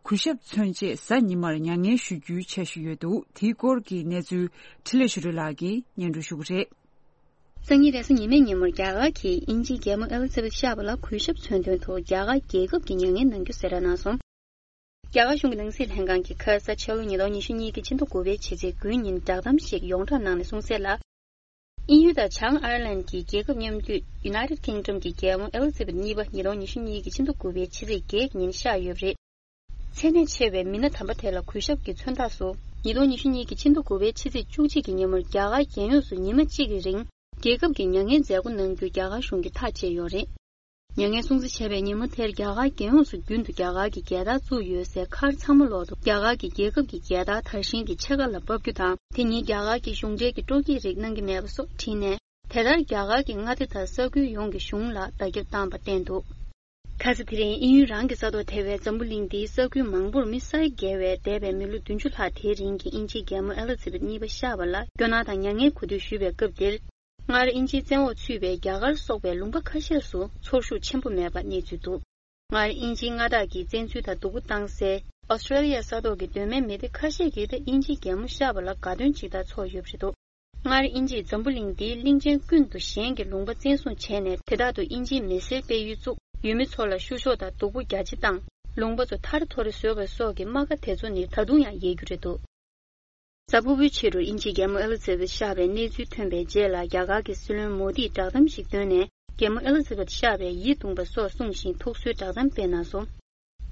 གུས་ཞབས་མཚོན་ཆེད་གཟའ་ཉི་མར་མྱ་ངན་ཞུ་རྒྱུའི་འཆར་གཞི་ཡོད་འདུག་དེའི་སྐོར་གྱི་གནས་ཚུལ་འཕྲིན་ལས་ཆོས་སྒྲོན་ལགས་ཀྱིས་སྙན་སྒྲོན་ཞུ་གི་རེད། སང་ཉིན་རེས་གཟའ་ཉི་མའི་ཉིན་མོར་རྒྱ་གར་གྱིས་དབྱིན་ཇིའི་རྒྱལ་མོ་ཨེ་ལི་ཛ་བེད་བཞི་པ་ལ་གུས་ཞབས་མཚོན་དོན་དུ་རྒྱ་གར་རྒྱལ་ཁབ་ཀྱི་མྱ་ངན་གནང་རྒྱུ་གསལ་བསྒྲགས་གནང་སོང་། རྒྱ་གར་གཞུང་གི་ནང་སྲིད་ལྷན་ཁང་གིས་ཁ་ས་ཕྱི་ལོ་ཉིས་སྟོང་ཉི་ཤུ་གཉིས་ཀྱི་ཕྱི་ཟླ་དགུ་པའི་ཕྱི་ཚེས་དགུའི་ཉིན་བསྒྲགས་གཏམ་ཞིག་ཡོངས་བསྒྲགས་གནང་ནས་གསུངས་གསལ་ལ། དབྱིན་ཡུལ་དང་བྱང་ཨའི་ལན་གྱི་རྒྱལ་ཁབ་མཉམ་འདུས་United Kingdom གྱི་རྒྱལ་མོ་ཨེ་ལི་ཛ་བེད་གཉིས་པ་ཉིས་སྟོང་ཉི་ཤུ་གཉིས་ཀྱི་ཕྱི་ཟླ་དགུ་པའི་ཕྱི་ཚེས་བརྒྱད་ཀྱི་ཉིན་གཤེགས་ཡོད་པ་རེད། མཚན་གནས་ཆེ་བའི་མི་སྣ་དམ་པ་དེ་ལ་གུས་ཞབས་ཀྱི་མཚོན་རྟགས་སུ། ཉིས་སྟོང་ཉི་ཤུ་གཉིས་ཀྱི་ཕྱི་ཟླ་དགུ་པའི་ཕྱི་ཚེས་བཅུ་གཅིག་གི་ཉིན་མོར་རྒྱ་གར་རྒྱལ་ཡོངས་སུ་ཉི་མ་གཅིག་གི་རིང་རྒྱལ་ཁབ་ཀྱི་མྱ་ངན་མཛད་སྒོ་གནང་རྒྱུ་རྒྱ་གར་གཞུང་གིས་ཐག་བཅད་ཡོད་རེད། མྱ་ངན་སྲུང་བརྩི་བྱས་པའི་ཉིན་མོ་དེར་རྒྱ་གར་རྒྱལ་ཡོངས་སུ་རྒྱུན་དུ་རྒྱ་གར་གྱི་རྒྱལ་དར་བཙུགས་ཡོད་སའི་མཁར་ཚང་མ་ལོག་ཏུ་རྒྱ་གར་གྱི་རྒྱལ་ཁབ་ཀྱི་རྒྱལ་དར་དར་ཤིང་གི་ཕྱེད་ཀ་ལ་ཕབ་རྒྱུ་དང་། དེ་ཉིན་རྒྱ་གར་གྱི་གཞུང་འབྲེལ་གྱི་སྤྲོ་སྐྱིད་རིགས་གནང་གི་མེད་པ་སོགས་བྲིས་ནས། དེ་ལྟར་རྒྱ་གར་གྱི་མངའ་སྡེ་དང་ས་ཁུལ་ཡོངས་ཀྱི་གཞུང་ལ་བརྡ་ཁྱབ་བཏང་པ་བསྟན་འདུག་ཁ་ས་དེ་རིང་དབྱིན་ཡུལ་རང་གི་ས་ཐོག་ཐེ་བའི་འཛམ་བུ་གླིང་འདིའི་ས་ཁུལ་མང་པོར་མི་ས་ཡ་བརྒལ་བས་འདས་པའི་མི་ལོ་བདུན་ཅུ་ལྷག་དེའི་རིང་གི་དབྱིན་ཇིའི་རྒྱལ་མོ་ཨེ་ལི་ཛ་བེད་གཉིས་པ་གཤེགས་པ་ལ་སྐྱོ་སྣང་དང་མྱ་ངན་གུས་འདུད་ཞུས་པའི་སྐབས་འདིར། སྔར་དབྱིན་ཇིའི་བཙན་འོག་ཚུད་པའི་རྒྱ་གར་སོགས་པའི་ལུང་པ་ཁ་ཤས་སུ་ཚོར་ཤུགས་ཆེན་པོ་མེད་པ་གནས་ཚུལ་འདུག་སྔར་དབྱིན་ཇིའི་མངའ་བདག་གིས་བཙན་འཛུལ་དང་སྡུག་པོ་བཏང་སའི་ཨོ་སི་ཀྲོ་ལི་ཡ་ས་ཐོག་གི་གདོད་མའི་མི་སྡེ་ཁ་ཤས་ཀྱིས་ད་དབྱིན་ཇིའི་རྒྱལ་མོ་གཤེགས་པ་ལ་དགའ་སྟོན་ཇི་ལྟར་ཚོགས་ཡོད་པ་རེད་འདུག་སྔར་དབྱིན་ཇིས་འཛམ་བུ་གླིང་འདིའི་གླིང་ཆེན་ཀུན་ཏུ་གཞན་གྱི་ལུང་པ་བཙན་བཟུང་བྱས་ནས། དེ་དག་ཏུ་དབྱིན་ཇིའི་མི་སེར་སྤེལ་ཡུལ་བཙུགས། ཡུལ་མི་ཚོ་ལ་བཤུ་གཞོག་དང་སྡུག་པོ་རྒྱ་ཆེ་བཏང་། ལུང་པ་ཚོ་ཐར་ཐོར་བཟོས་པ་སོགས་ཀྱི་རྨ་ཁ་དེ་ཚོ་ནི་ད་དུང་ཡང་ཡལ་རྒྱུ་རེད་འདུག་གཟའ་ཕུར་བུའི་ཕྱི་དྲོར་དབྱིན་ཇིའི་རྒྱལ་མོ་ཨེ་ལི་ཛ་བེད་གཤེགས་པའི་གནས་ཚུལ་ཐོན་པའི་རྗེས་ལ། རྒྱ་གར་གྱི་སྲིད་བློན་མོ་དིས་བསྒྲགས་གཏམ་ཞིག་བཏོན་ནས། རྒྱལ་མོ་ཨེ་ལི་ཛ་བེད་གཤེགས་པས་ཡིད་གདུང་བ་སོགས་གསུངས་ཤིང་། ཐུགས་གསོའི་བསྒྲགས་གཏམ་སྤེལ་གནང་སོང་།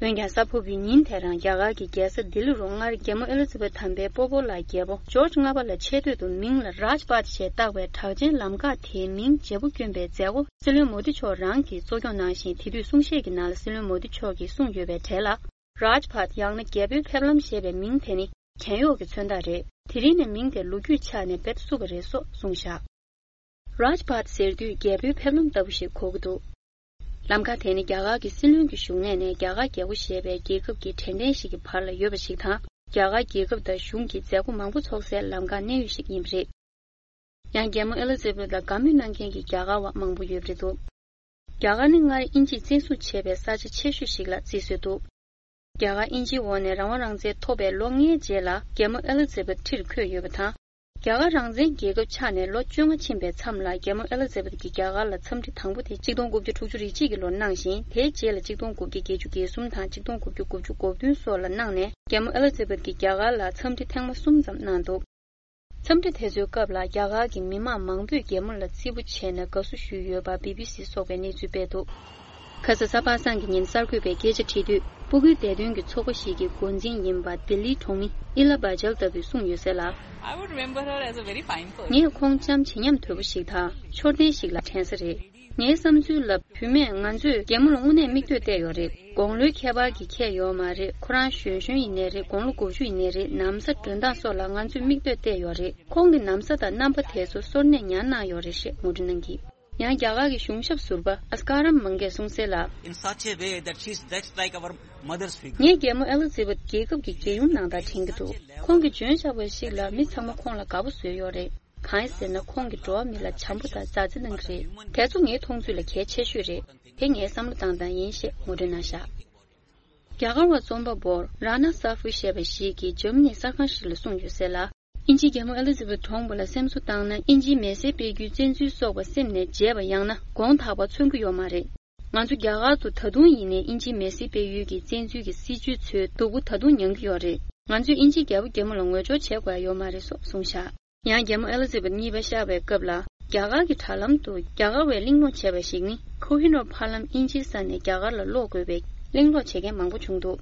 འོན་ཀྱང་། གཟའ་ཕུར་བུའི་ཉིན་དེ་རང་རྒྱ་གར་གྱི་རྒྱལ་ས་ལྡི་ལི་རུ་སྔར་རྒྱལ་མོ་ཨེ་ལི་ཛ་བེད་དམ་པའི་སྤོ་བོ་ལགས་རྒྱལ་པོ་ཇོརྗ་ལྔ་པ་ལ་ཆེ་བསྟོད་དུ་མིང་ལ་རཱཇ་པཱཐ་ཞེས་བཏགས་པའི་གྲགས་ཅན་ལམ་ཁ་དེའི་མིང་བརྗེ་པོ་བསྐྱོན་པའི་མཛད་སྒོ་སྲིད་བློན་མོ་དི་མཆོག་རང་གིས་གཙོ་སྐྱོང་གནང་ཞིང་། དེ་དུས་གསུང་བཤད་ཀྱི་ནང་ལ་སྲིད་བློན་མོ་དི་མཆོག་གིས་གསུངས་ཡོད་པའི་གྲས་ལ། རཱཇ་བྷཱད་ཡང་ན་རྒྱལ་པོའི་ཕེབས་ལམ་ཞེས་པའི་མིང་དེ་ནི་གྱེན་གཡོག་གི་མཚོན་རྟགས་རེད། དེ་རིང་ནས་མིང་དེ་ལོ་རྒྱུས་ཆ་ནས་རྦད་བསུབས་པ་རེད་སོགས་གསུངས་བཞག་རཱཇ་བྷཱད་ཟེར་དུས་རྒྱལ་པོའི་ཕེབས་ལམ་ལྟ་བུ་ཞིག་གོ་གི་འདུག་ལམ་ཁ་དེ་ནི་རྒྱ་གར་གྱི་སྲིད་བློན་གྱི་བཞུགས་གནས་ནས་རྒྱ་གར་རྒྱལ་པོ་ཞེས་པའི་རྒྱལ་ཁབ་ཀྱི་དྲན་རྟེན་ཞིག་གི་བར་ལ་ཡོད་པ་ཞིག་དང་། རྒྱ་གར་རྒྱལ་ཁབ་དང་གཞུང་གི་མཛད་སྒོ་མང་པོ་ཚོགས་སའི་ལམ་ཁ་གནས་ཡུལ་ཞིག་ཡིན་པ་རེད། ཡང་རྒྱལ་མོ་ཨེ་ལི་ཛེ་བྷེད་ལ་དགའ་མོས་གནང་མཁན་གྱི་རྒྱ་གར་བ་མང་པོ་ཡོད་པ་རེད་འདུག་རྒྱ་གར་ནི་སྔར་དབྱིན་ཇིས་བཙན་བཟུང་བྱས་པའི་ས་ཆ་ཆེ་ཤོས་ཤིག་ལ་བརྩི་སྲོལ་འདུག་རྒྱ་གར་དབྱིན་ཇིའི་འོག་ནས་རང་དབང་རང་བཙན་ཐོབ་པའི་ལོ་ལྔའི་རྗེས་ལ་རྒྱལ་མོ་ཨེ་ལི་ཛེ་བྷེད་ཁྲིར་འཁོད་ཡོད་པ་དང་། རྒྱ་གར་རང་བཙན་རྒྱལ་ཁབ་ཆགས་ནས་ལོ་བཅོ་ལྔ་ཕྱིན་པའི་མཚམས་ལ་རྒྱལ་མོ་ཨེ་ལི་ཛེ་བྷེད་ཀྱིས་རྒྱ་གར་ལ་འཚམས་འདྲི་དང་པོ་དེ་ཆིག་སྟོང་དགུ་བརྒྱ་དྲུག་ཅུ་རེ་གཅིག་གི་ལོར་གནང་ཞིང་། དེའི་རྗེས་ལ་ཆིག་སྟོང་དགུ་བརྒྱ་བརྒྱད་ཅུ་གྱ་གསུམ་དང་ཆིག་སྟོང་དགུ་བརྒྱ་དགུ་བཅུ་གོ་བདུན་སོགས་ལ་གནང་ནས། རྒྱལ་མོ་ཨེ་ལི་ཛེ་བྷེད་ཀྱིས་རྒྱ་གར་ལ་འཚམས་འདྲི་ཐེངས་མ་གསུམ་ཙམ་གནང་འདུག་འཚམས་འདྲི་དེ་ཚོའི་སྐབས་ལ་རྒྱ་གར་གྱི་མི་མང་མང་པོས་རྒྱལ་མོ་ལ་བརྩི་བཀུར་བྱས་ནས་དགའ་བསུ་ཞུས་ཡོད་པ་བི་བི་སི་སོགས་པས་གནས་ཚུལ་སྤེལ་འདུག་ཁ་ས་གཟའ་པ་སངས་ཀྱི་ཉིན་གསར་འགོད་པས་སྐད་ཆ་དྲིས་དུས། སྤུ་གུའི་བདེ་དོན་གྱི་ཚོགས་པ་ཞིག་གི་འགོ་འཛིན་ཡིན་པ་ལྡི་ལིའི་གྲོང་མི་ཨི་ལ་བྷ་ཇལ་ལྟ་བུས་གསུངས་ཡོད་ཟེར་ལ། I would remember her as a very fine person. ངས་ཁོང་ལྕམ་བྱེད་སྙམ་དོད་པོ་ཞིག་དང་འཕྱོར་ལྡན་ཞིག་ལ་དྲན་ས་རེད། ངའི་བསམ་ཚུལ་ལ། བུད་མེད་ང་ཚོས་རྒྱལ་མོ་ལ་དངོས་གནས་མིག་ལྟོས་བལྟས་ཡོད་རེད། དགུང་ལོའི་ཁྱད་པར་གྱིས་ཁྱད་ཡོད་མ་རེད། ཁོ་རང་གཞོན་གཞོན་ཡིན་ནའི་རེད། དགུང་ལོ་དགུ་བཅུ་ཡིན་ནའི་རེད། ན་བཟའ་སྒྲོན་སྟངས་སོགས་ལ་ང་ཚོས་མིག་ལྟོས་བལྟས་ཡོད་རེད། ཁོང་གི་ན་བཟའ་དང་རྣམ་པ་དེ་ཚོ་སོར་གནས་ཉར་གནང་ཡོད་རེད་ཞེས་ངོ་སྤྲོད་གནང་གིས། ཡང་རྒྱ་གར་གྱི་གཞུང་ཞབས་ཟུར་པ་ཨ་སྐ་རམ་མང་གིས་གསུངས་གསལ་ལ། In such a way that she's just like our mother's figure. ངས་རྒྱལ་མོ་ཨེ་ལི་ཛེ་བྷེད་རྒྱལ་ཁབ་ཀྱི་རྒྱལ་ཡུམ་ནང་ལྟར་དྲན་གྱི་འདུག་ཁོང་གིས་འཇོན་ཤོས་པ་ཞིག་ལ་མི་ཚང་མ་ཁོང་ལ་དགའ་པོ་བཟོས་ཡོད་རེད། གང་ཡིན་ཟེར་ན། ཁོང་གིས་འགྲོ་བ་མི་ལ་བྱམས་པོ་དང་མཛའ་བརྩེ་གནང་གི་རེད། དེ་ཚོ་ངའི་མཐོང་ཚུལ་ལ་གལ་ཆེ་ཤོས་རེད། དེ་ངའི་བསམ་བློ་བཏང་སྟངས་ཡིན་ཞེས་ངོ་སྤྲོད་གནང་བཞག་རྒྱ་གར་བ་རྩོམ་པ་པོ་ར་ན་ས་ཧྥུ་ཞེས་པ་ཞིག་གིས་འཇར་མ་ནིའི་གསར་ཁང་ཞིག་ལ་གསུངས་ཡོད་གསལ་ལ། དབྱིན་ཇིས་རྒྱལ་མོ་ཨེ་ལི་ཛེ་བྷེད་གྲོངས་པ་ལ་སེམས་གསོ་བཏང་ན། དབྱིན་ཇིའི་མེ་སེར་སྤེལ་རྒྱུའི་བཙན་འཛུལ་སོགས་པ་སེམས་ནས་བརྗེད་པ་ཡང་ན་དགོངས་དག་པ་མཚོན་གྱི་ཡོད་མ་རེད། ང་ཚོ་རྒྱ་གར་དུ་ད་དུང་ཡིན་ནའི་དབྱིན་ཇིའི་མེ་སེར་སྤེལ་ཡུལ་གྱི་བཙན་འཛུལ་གྱི་སྲིད་བྱུས་ཚོའི་སྡུག་པོ་ད་དུང་མྱང་གི་ཡོད་རེད། ང་ཚོས་དབྱིན་ཇིའི་རྒྱལ་པོ་རྒྱལ་མོ་ལ་ངོ་སྦྱོར་བྱེད་དགོས་ཡ་ཡོད་མ་རེད་སོགས་གསུངས་བཞག་ཡང་རྒྱལ་མོ་ཨེ་ལི་ཛེ་བྷེད་གཉིས་པ་གཤེགས་པའི་སྐབས་ལ། རྒྱ་གར་གྱི་དྲ་ལམ་དུ་རྒྱ་གར་བས་གླེང་སློང་བྱས་པ་ཞིག་ནི། ཁོ་ཧི་ནོར་ཕ་ལམ་དབྱིན་ཇིའི་ས་ནས་རྒྱ་གར་ལ་སློག་དགོས་པའི་གླེང་སློང་བྱེད་མཁན་མང་པོ་བྱུང་འདུག་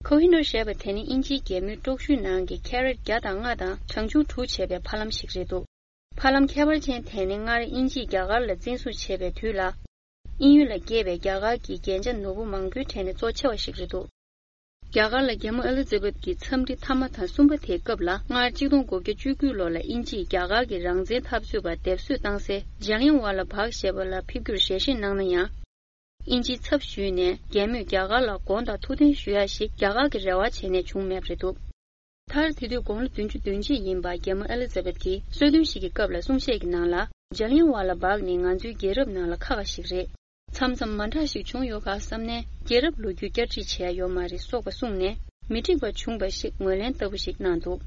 ཁོ་ཧི་ནོར་ཞེས་པ་དེ་ནི་དབྱིན་ཇིའི་རྒྱལ་མོའི་པྲོག་ཞུའི་ནང་གི་ཁེ་རེཊ་བརྒྱ་དང་ལྔ་དང་གྲངས་ཆུང་དྲུག་བྱས་པའི་ཕ་ལམ་ཞིག་རེད་འདུག་ཕ་ལམ་ཁྱད་པར་ཅན་དེ་ནི་སྔར་དབྱིན་ཇིས་རྒྱ་གར་ལ་བཙན་བཟུང་བྱས་པའི་དུས་ལ། དབྱིན་ཡུལ་ལ་སྐྱེས་པའི་རྒྱ་གར་གྱི་རྒྱན་ཆ་ནོར་བུ་མང་པོའི་གྲས་ནས་གཙོ་ཆེ་བ་ཞིག་རེད་འདུག་རྒྱ་གར་ལ་རྒྱལ་མོ་ཨེ་ལི་ཛེ་བྷེད་ཀྱི་འཚམས་འདྲི་མཐའ་མ་དང་གསུམ་པ་དེའི་སྐབས་ལ། སྔར་ཆིག་སྟོང་དགུ་བརྒྱ་བཅུ་དགུ་ལོ་ལ་དབྱིན་ཇིས་རྒྱ་གར་གྱི་རང་བཙན་འཐབ་རྩོད་པ་སྡེབ་གསོད་བཏང་སའི་ཇ་ལིན་ཝ་ལ་བྷག་ཞེས་པ་ལ་ཕེབས་རྒྱུར་ཞལ་བཞེས་གནང་ན་ཡང་། དབྱིན་ཇིའི་ཚབ་ཞུས་ནས་རྒྱལ་མོས་རྒྱ་གར་ལ་དགོངས་དག་ཐུགས་བདེན་ཞུ་ཡ་ཞིག་རྒྱ་གར་གྱིས་རེ་བ་བྱས་ནས་བྱུང་མེད་པ་རེད་འདུག་མཐར་དེ་དུས་དགུང་ལོ་བདུན་ཅུ་དོན་གཅིག་ཡིན་པ་རྒྱལ་མོ་ཨེ་ལི་ཛེ་བྷེད་ཀྱིས་གསོལ་སྟོན་ཞིག་གི་སྐབས་ལ་གསུང་བཤད་ཀྱི་ནང་ལ། ཇ་ལིན་ཝ་ལ་བྷག་ནི་ང་ཚོའི་རྒྱལ་རབས་ནང་ལ་ཁག་ཁག་ཞིག་རེད། མཚམས་མཚམས་མ་འདྲ་ཞིག་བྱུང་ཡོད་ག་བསམ་ནས། རྒྱལ་རབས་ལོ་རྒྱུས་བསྐྱར་སྒྲིག་བྱས་ཡ་ཡོད་མ་རེད་སོགས་པ་གསུངས་ནས། མི་འགྲིག་པ་བྱུང་བ་ཞིག་ངོས་ལེན་ལྟ་བུ་ཞིག་གནང་འདུག་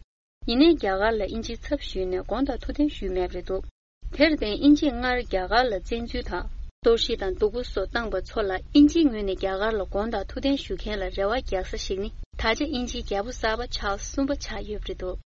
ཡིན་ནའི་རྒྱ་གར་ལ་དབྱིན་ཇིའི་ཚབ་ཞུས་ནས་དགོངས་དག་ཐུགས་བདེན་ཞུས་མེད་པ་རེད་འདུག་དེར་བརྟེན་དབྱིན་ཇིས་སྔར་རྒྱ་གར་ལ་བཙན་འཛུལ་དང་། གཏོར་བཤིག་དང་སྡུག་པོ་སོགས་བཏང་པ་ཚོ་ལ་དབྱིན་ཇིའི་ངོས་ནས་རྒྱ་གར་ལ་དགོངས་དག་ཐུགས་བདེན་ཞུ་མཁན་ལ་རེ་བ་རྒྱག་ས་ཞིག་ནི། ད་ཆ་དབྱིན་ཇིའི་རྒྱལ་པོ་གསར་པ་ཆཱལ་སི་གསུམ་པ་ཆགས་ཡོད་པ་རེད་འདུག་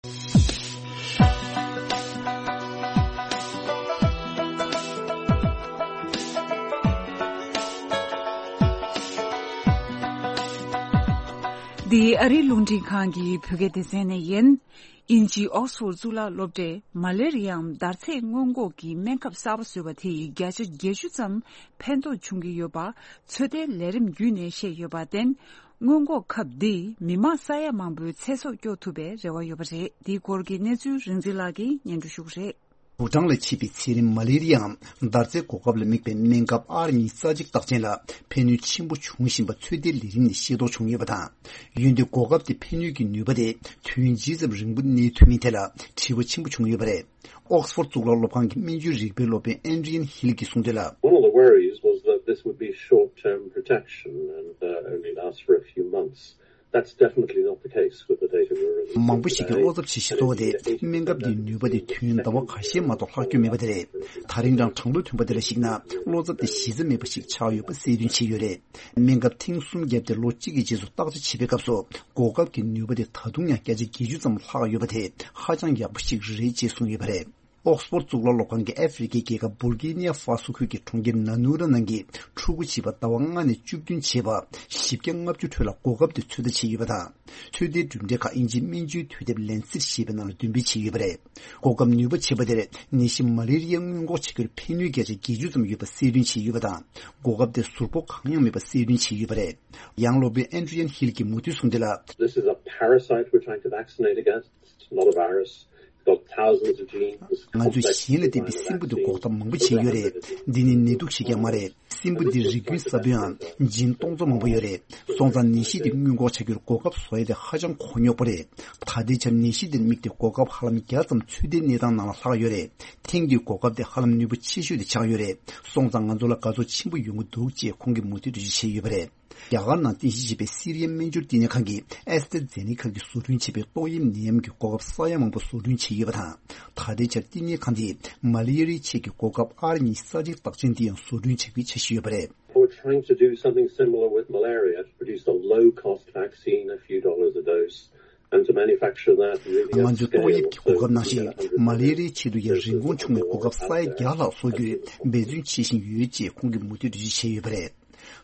འདི་ཨ་རིའི་རླུང་འཕྲིན་ཁང་གི་བོད་སྐད་སྡེ་ཚན་ནས་ཡིན། དབྱིན་ཇིའི་ཨོག་སི་ཕོར་གཙུག་ལག་སློབ་གྲྭས་མ་ལེ་རི་ཡའམ་འདར་ཚད་སྔོན་འགོག་གི་སྨན་ཁབ་གསར་པ་བཟོས་པ་དེས་བརྒྱ་ཆ་བརྒྱད་ཅུ་ཙམ་ཕན་ཐོགས་བྱུང་གི་ཡོད་པ་ཚོད་ལྟའི་ལས་རིམ་བརྒྱུད་ནས་བཤད་ཡོད་པར་བརྟེན། སྔོན་འགོག་ཁབ་འདིས་མི་མང་ས་ཡ་མང་པོའི་ཚེ་སྲོག་སྐྱོབ་ཐུབ་པའི་རེ་བ་ཡོད་པ་རེད། འདིའི་སྐོར་གྱི་གནས་ཚུལ་རིག་འཛིན་ལགས་ཀྱིས་སྙན་སྒྲོན་ཞུ་གི་རེད། བུ་ཊང་ལ་མཆེད་པའི་ཚད་རིམས་མ་ལེ་རི་ཡའམ་འདར་ཚད་འགོག་ཁབ་ལ་དམིགས་པའི་སྨན་ཁབ་ཨར་ཉི་ཤུ་རྩ་གཅིག་རྟགས་ཅན་ལ་ཕན་ནུས་ཆེན་པོ་འབྱུང་བཞིན་པ་ཚོད་ལྟའི་ལས་རིམ་ནས་ཤེས་རྟོགས་བྱུང་ཡོད་པ་དང་། འོན་ཏེ་འགོག་ཁབ་དེ་ཕན་ནུས་ཀྱི་ནུས་པ་དེ་དུས་ཡུན་ཇི་ཙམ་རིང་པོ་གནས་ཐུབ་མིན་ཐད་ལ་དྲི་བ་ཆེན་པོ་བྱུང་ཡོད་པ་རེད། ཨོག་སི་ཕོར་གཙུག་ལག་སློབ་ཁང་གི་སྨན་བཅོས་རིག་པའི་སློབ་དཔོན་ཨེན་ཌི་ཡན་ཧིལ་གྱིས་གསུངས་དོན་ལ། One of the worries was that this would be short-term protection and uh, only last for a few months. That's definitely not the case with the data we're releasing today. མང་པོ་ཞིག་གིས་བློ་འཚབ་བྱེད་བཞིན་འདུག་སྟེ། སྨན་ཁབ་འདིའི་ནུས་པ་དེ་དུས་ཡུན་ཟླ་བ་ཁ་ཤས་མ་གཏོགས་ལྷག་རྒྱུ་མེད་པ་དེ་རེད། ད་རིང་རང་གྲངས་ཐོ་ཐོན་པ་དེ་ལ་གཞིགས་ན། བློ་འཚབ་དེ་གཞི་རྩ་མེད་པ་ཞིག་ཆགས་ཡོད་པ་གསལ་སྟོན་བྱས་ཡོད་རེད། སྨན་ཁབ་ཐེངས་གསུམ་བརྒྱབ་སྟེ་ལོ་གཅིག་གི་རྗེས་སུ་བརྟག་དཔྱད་བྱེད་པའི་སྐབས་སུ། འགོག་ཁབ་ཀྱི་ནུས་པ་དེ་ད་དུང་ཡང་བརྒྱ་ཆ་བརྒྱད་ཅུ་ཙམ་ལྷག་ཡོད་པ་དེ་ཧ་ཅང་ཡག་པོ་ཞིག་རེད་ཅེས་གསུངས་ཡོད་པ་རེད། ཨོག་སི་ཕོར་གཙུག་ལག་སློབ་ཁང་གིས་ཨ་ཧྥེ་རི་ཁའི་རྒྱལ་ཁབ་བུལ་གེ་ནི་ཡ་ཧྥ་སོ་ཁུལ་གྱི་གྲོང་ཁྱེར་ན་ནུ་ར་ནང་གི་ཕྲུ་གུ་བྱིས་པ་ཟླ་བ་ལྔ་ནས་བཅུ་བདུན་བྱས་པ་བཞི་བརྒྱ་ལྔ་བཅུ་ཁྲོད་ལ་གོ་སྐབས་དེ་ཚོད་ལྟ་བྱས་ཡོད་པ་དང་། ཚོད་ལྟའི་གྲུབ་འབྲས་ཁག་དབྱིན་ཇིའི་སྨན་བཅོས་དུས་དེབ་ལན་སིཊ་ཞེས་པའི་ནང་ལ་འདོན་སྤེལ་བྱས་ཡོད་པ་རེད། གོ་སྐབས་ནུས་པ་ཆེ་བ་དེར་ནད་གཞི་མ་ལེ་རི་ཡ་སྔོན་འགོག་བྱ་རྒྱུར་ཕན་ནུས་བརྒྱ་ཆ་བརྒྱད་ཅུ་ཙམ་ཡོད་པ་གསལ་སྟོན་བྱས་ཡོད་པ་དང་། གོ་སྐབས་དེ་ཟུར་ཕོག་གང་ཡང་མེད་པ་གསལ་སྟོན་བྱས་ཡོད་པ་རེད། ཡང་སློབ་དཔོན་ཨན་ཌྲི་ཡན་ཧིལ་གྱིས་མུ་མཐུད་གསུངས་དོན་ལ། This is a parasite we're trying to vaccinate against. It's not a virus. It's got thousands of genes. It's ང་ཚོས་complex གཞན་ལ་བརྟེན་པའི་སྲིན་འབུ་དེ་འགོག་ཐབས་མང་པོ་བྱས་ཡོད་རེད། འདི་ནི་ནད་དུག་ཞིག་ཀྱང་མ་རེད། སྲིན་འབུ་འདི་རིགས་རྒྱུན་ས་བོན་ཨང་ཇིན་སྟོང་ཚོ་མང་པོ་ཡོད་རེད། སོང་ཙང་ནད་གཞི་འདི་སྔོན་འགོག་བྱ་རྒྱུར་གོ་སྐབས་བཟོ་ཡ་དེ་ཧ་ཅང་གོ་རྙོག་པོ་རེད། ད་ལྟའི་ཆར་ནད་གཞི་འདིར་དམིགས་ཏེ་གོ་སྐབས་ཧ་ལམ་བརྒྱ་ཙམ་ཚོད་ལྟའི་གནས་སྟངས་ནང་ལ་ལྷག་ཡོད་རེད། ཐེངས་འདིའི་གོ་སྐབས་དེ་ཧ་ལམ་ནུས་པ་ཆེ་ཤོས་དེ་ཆགས་ཡོད་རེད། སོང་ཙང་ང་ཚོ་ལ་དགའ་ཚོར་ཆེན་པོ་ཡོང་གི་འདུག་ཅེས་ཁོང་གིས་མུ་མཐུད་འགྲེལ་བརྗོད་བྱས་ཡོད་པ་རེད། རྒྱ་གར་ནང་རྟེན་གཞི་བྱས་པའི་སི་རི་ཡའི་སྨན་སྦྱོར་བསྟི་གནས་ཁང་གིས་ཨེ་སི་ཏྲ་ཛེ་ནེ་ཀ་གིས་བཟོ་སྐྲུན་བྱས་པའི་ཏོག་དབྱིབས་ནད་ཡམས་ཀྱི་གོ་སྐབས་ས་ཡ་མང་པོ་བཟོ་སྐྲུན་བྱས་ཡོད་པ་དང་། ད་ལྟའི་ཆར་བསྟི་གནས་ཁང་དེས་མ་ལེ་རི་ཡའི་ཆེད་ཀྱི་གོ་སྐབས་ཨར་ཉི་ཤུ་རྩ་གཅིག་རྟགས་ཅན་དེ་ཡང་བཟོ་སྐྲུན་བྱ་རྒྱུའི་འཆར་གཞི་ཡོད་པ་རེད། We're trying to do something similar with malaria, to produce a low-cost vaccine, a few dollars a dose, and to manufacture that really at scale. ང་ཚོས་ཏོག་དབྱིབས་ཀྱི་གོ་སྐབས་ནང་བཞིན་མ་ལེ་རི་ཡའི་ཆེད་དུ་ཡང་རིན་གོང་ཆུང་བའི་གོ་སྐབས་ས་ཡ་བརྒྱ་ལྷག་བཟོ་རྒྱུའི་འབད་བརྩོན་བྱེད་བཞིན་ཡོད་ཅེས་ཁོང་གིས་མུ་མཐུད་འགྲེལ་བརྗོད་བྱས་ཡོད་པ་རེད།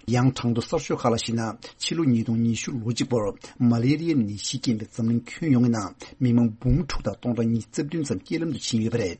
ཡང་གྲངས་ཐོ་གསར་ཤོས་ཁག་ལ་གཞིགས་ན། ཕྱི་ལོ་ཉིས་སྟོང་ཉི་ཤུ་ལོ་གཅིག་བར་མ་ལེ་རི་ཡའི་ནད་གཞིས་རྐྱེན་པས་འཛམ་གླིང་ཁྱོན་ཡོངས་ཀྱི་ནང་མི་མང་འབུམ་དྲུག་དང་སྟོང་ཕྲག་ཉི་ཤུ་རྩ་བདུན་ཙམ་རྐྱེན་ལམ་དུ་ཕྱིན་ཡོད་པ་རེད།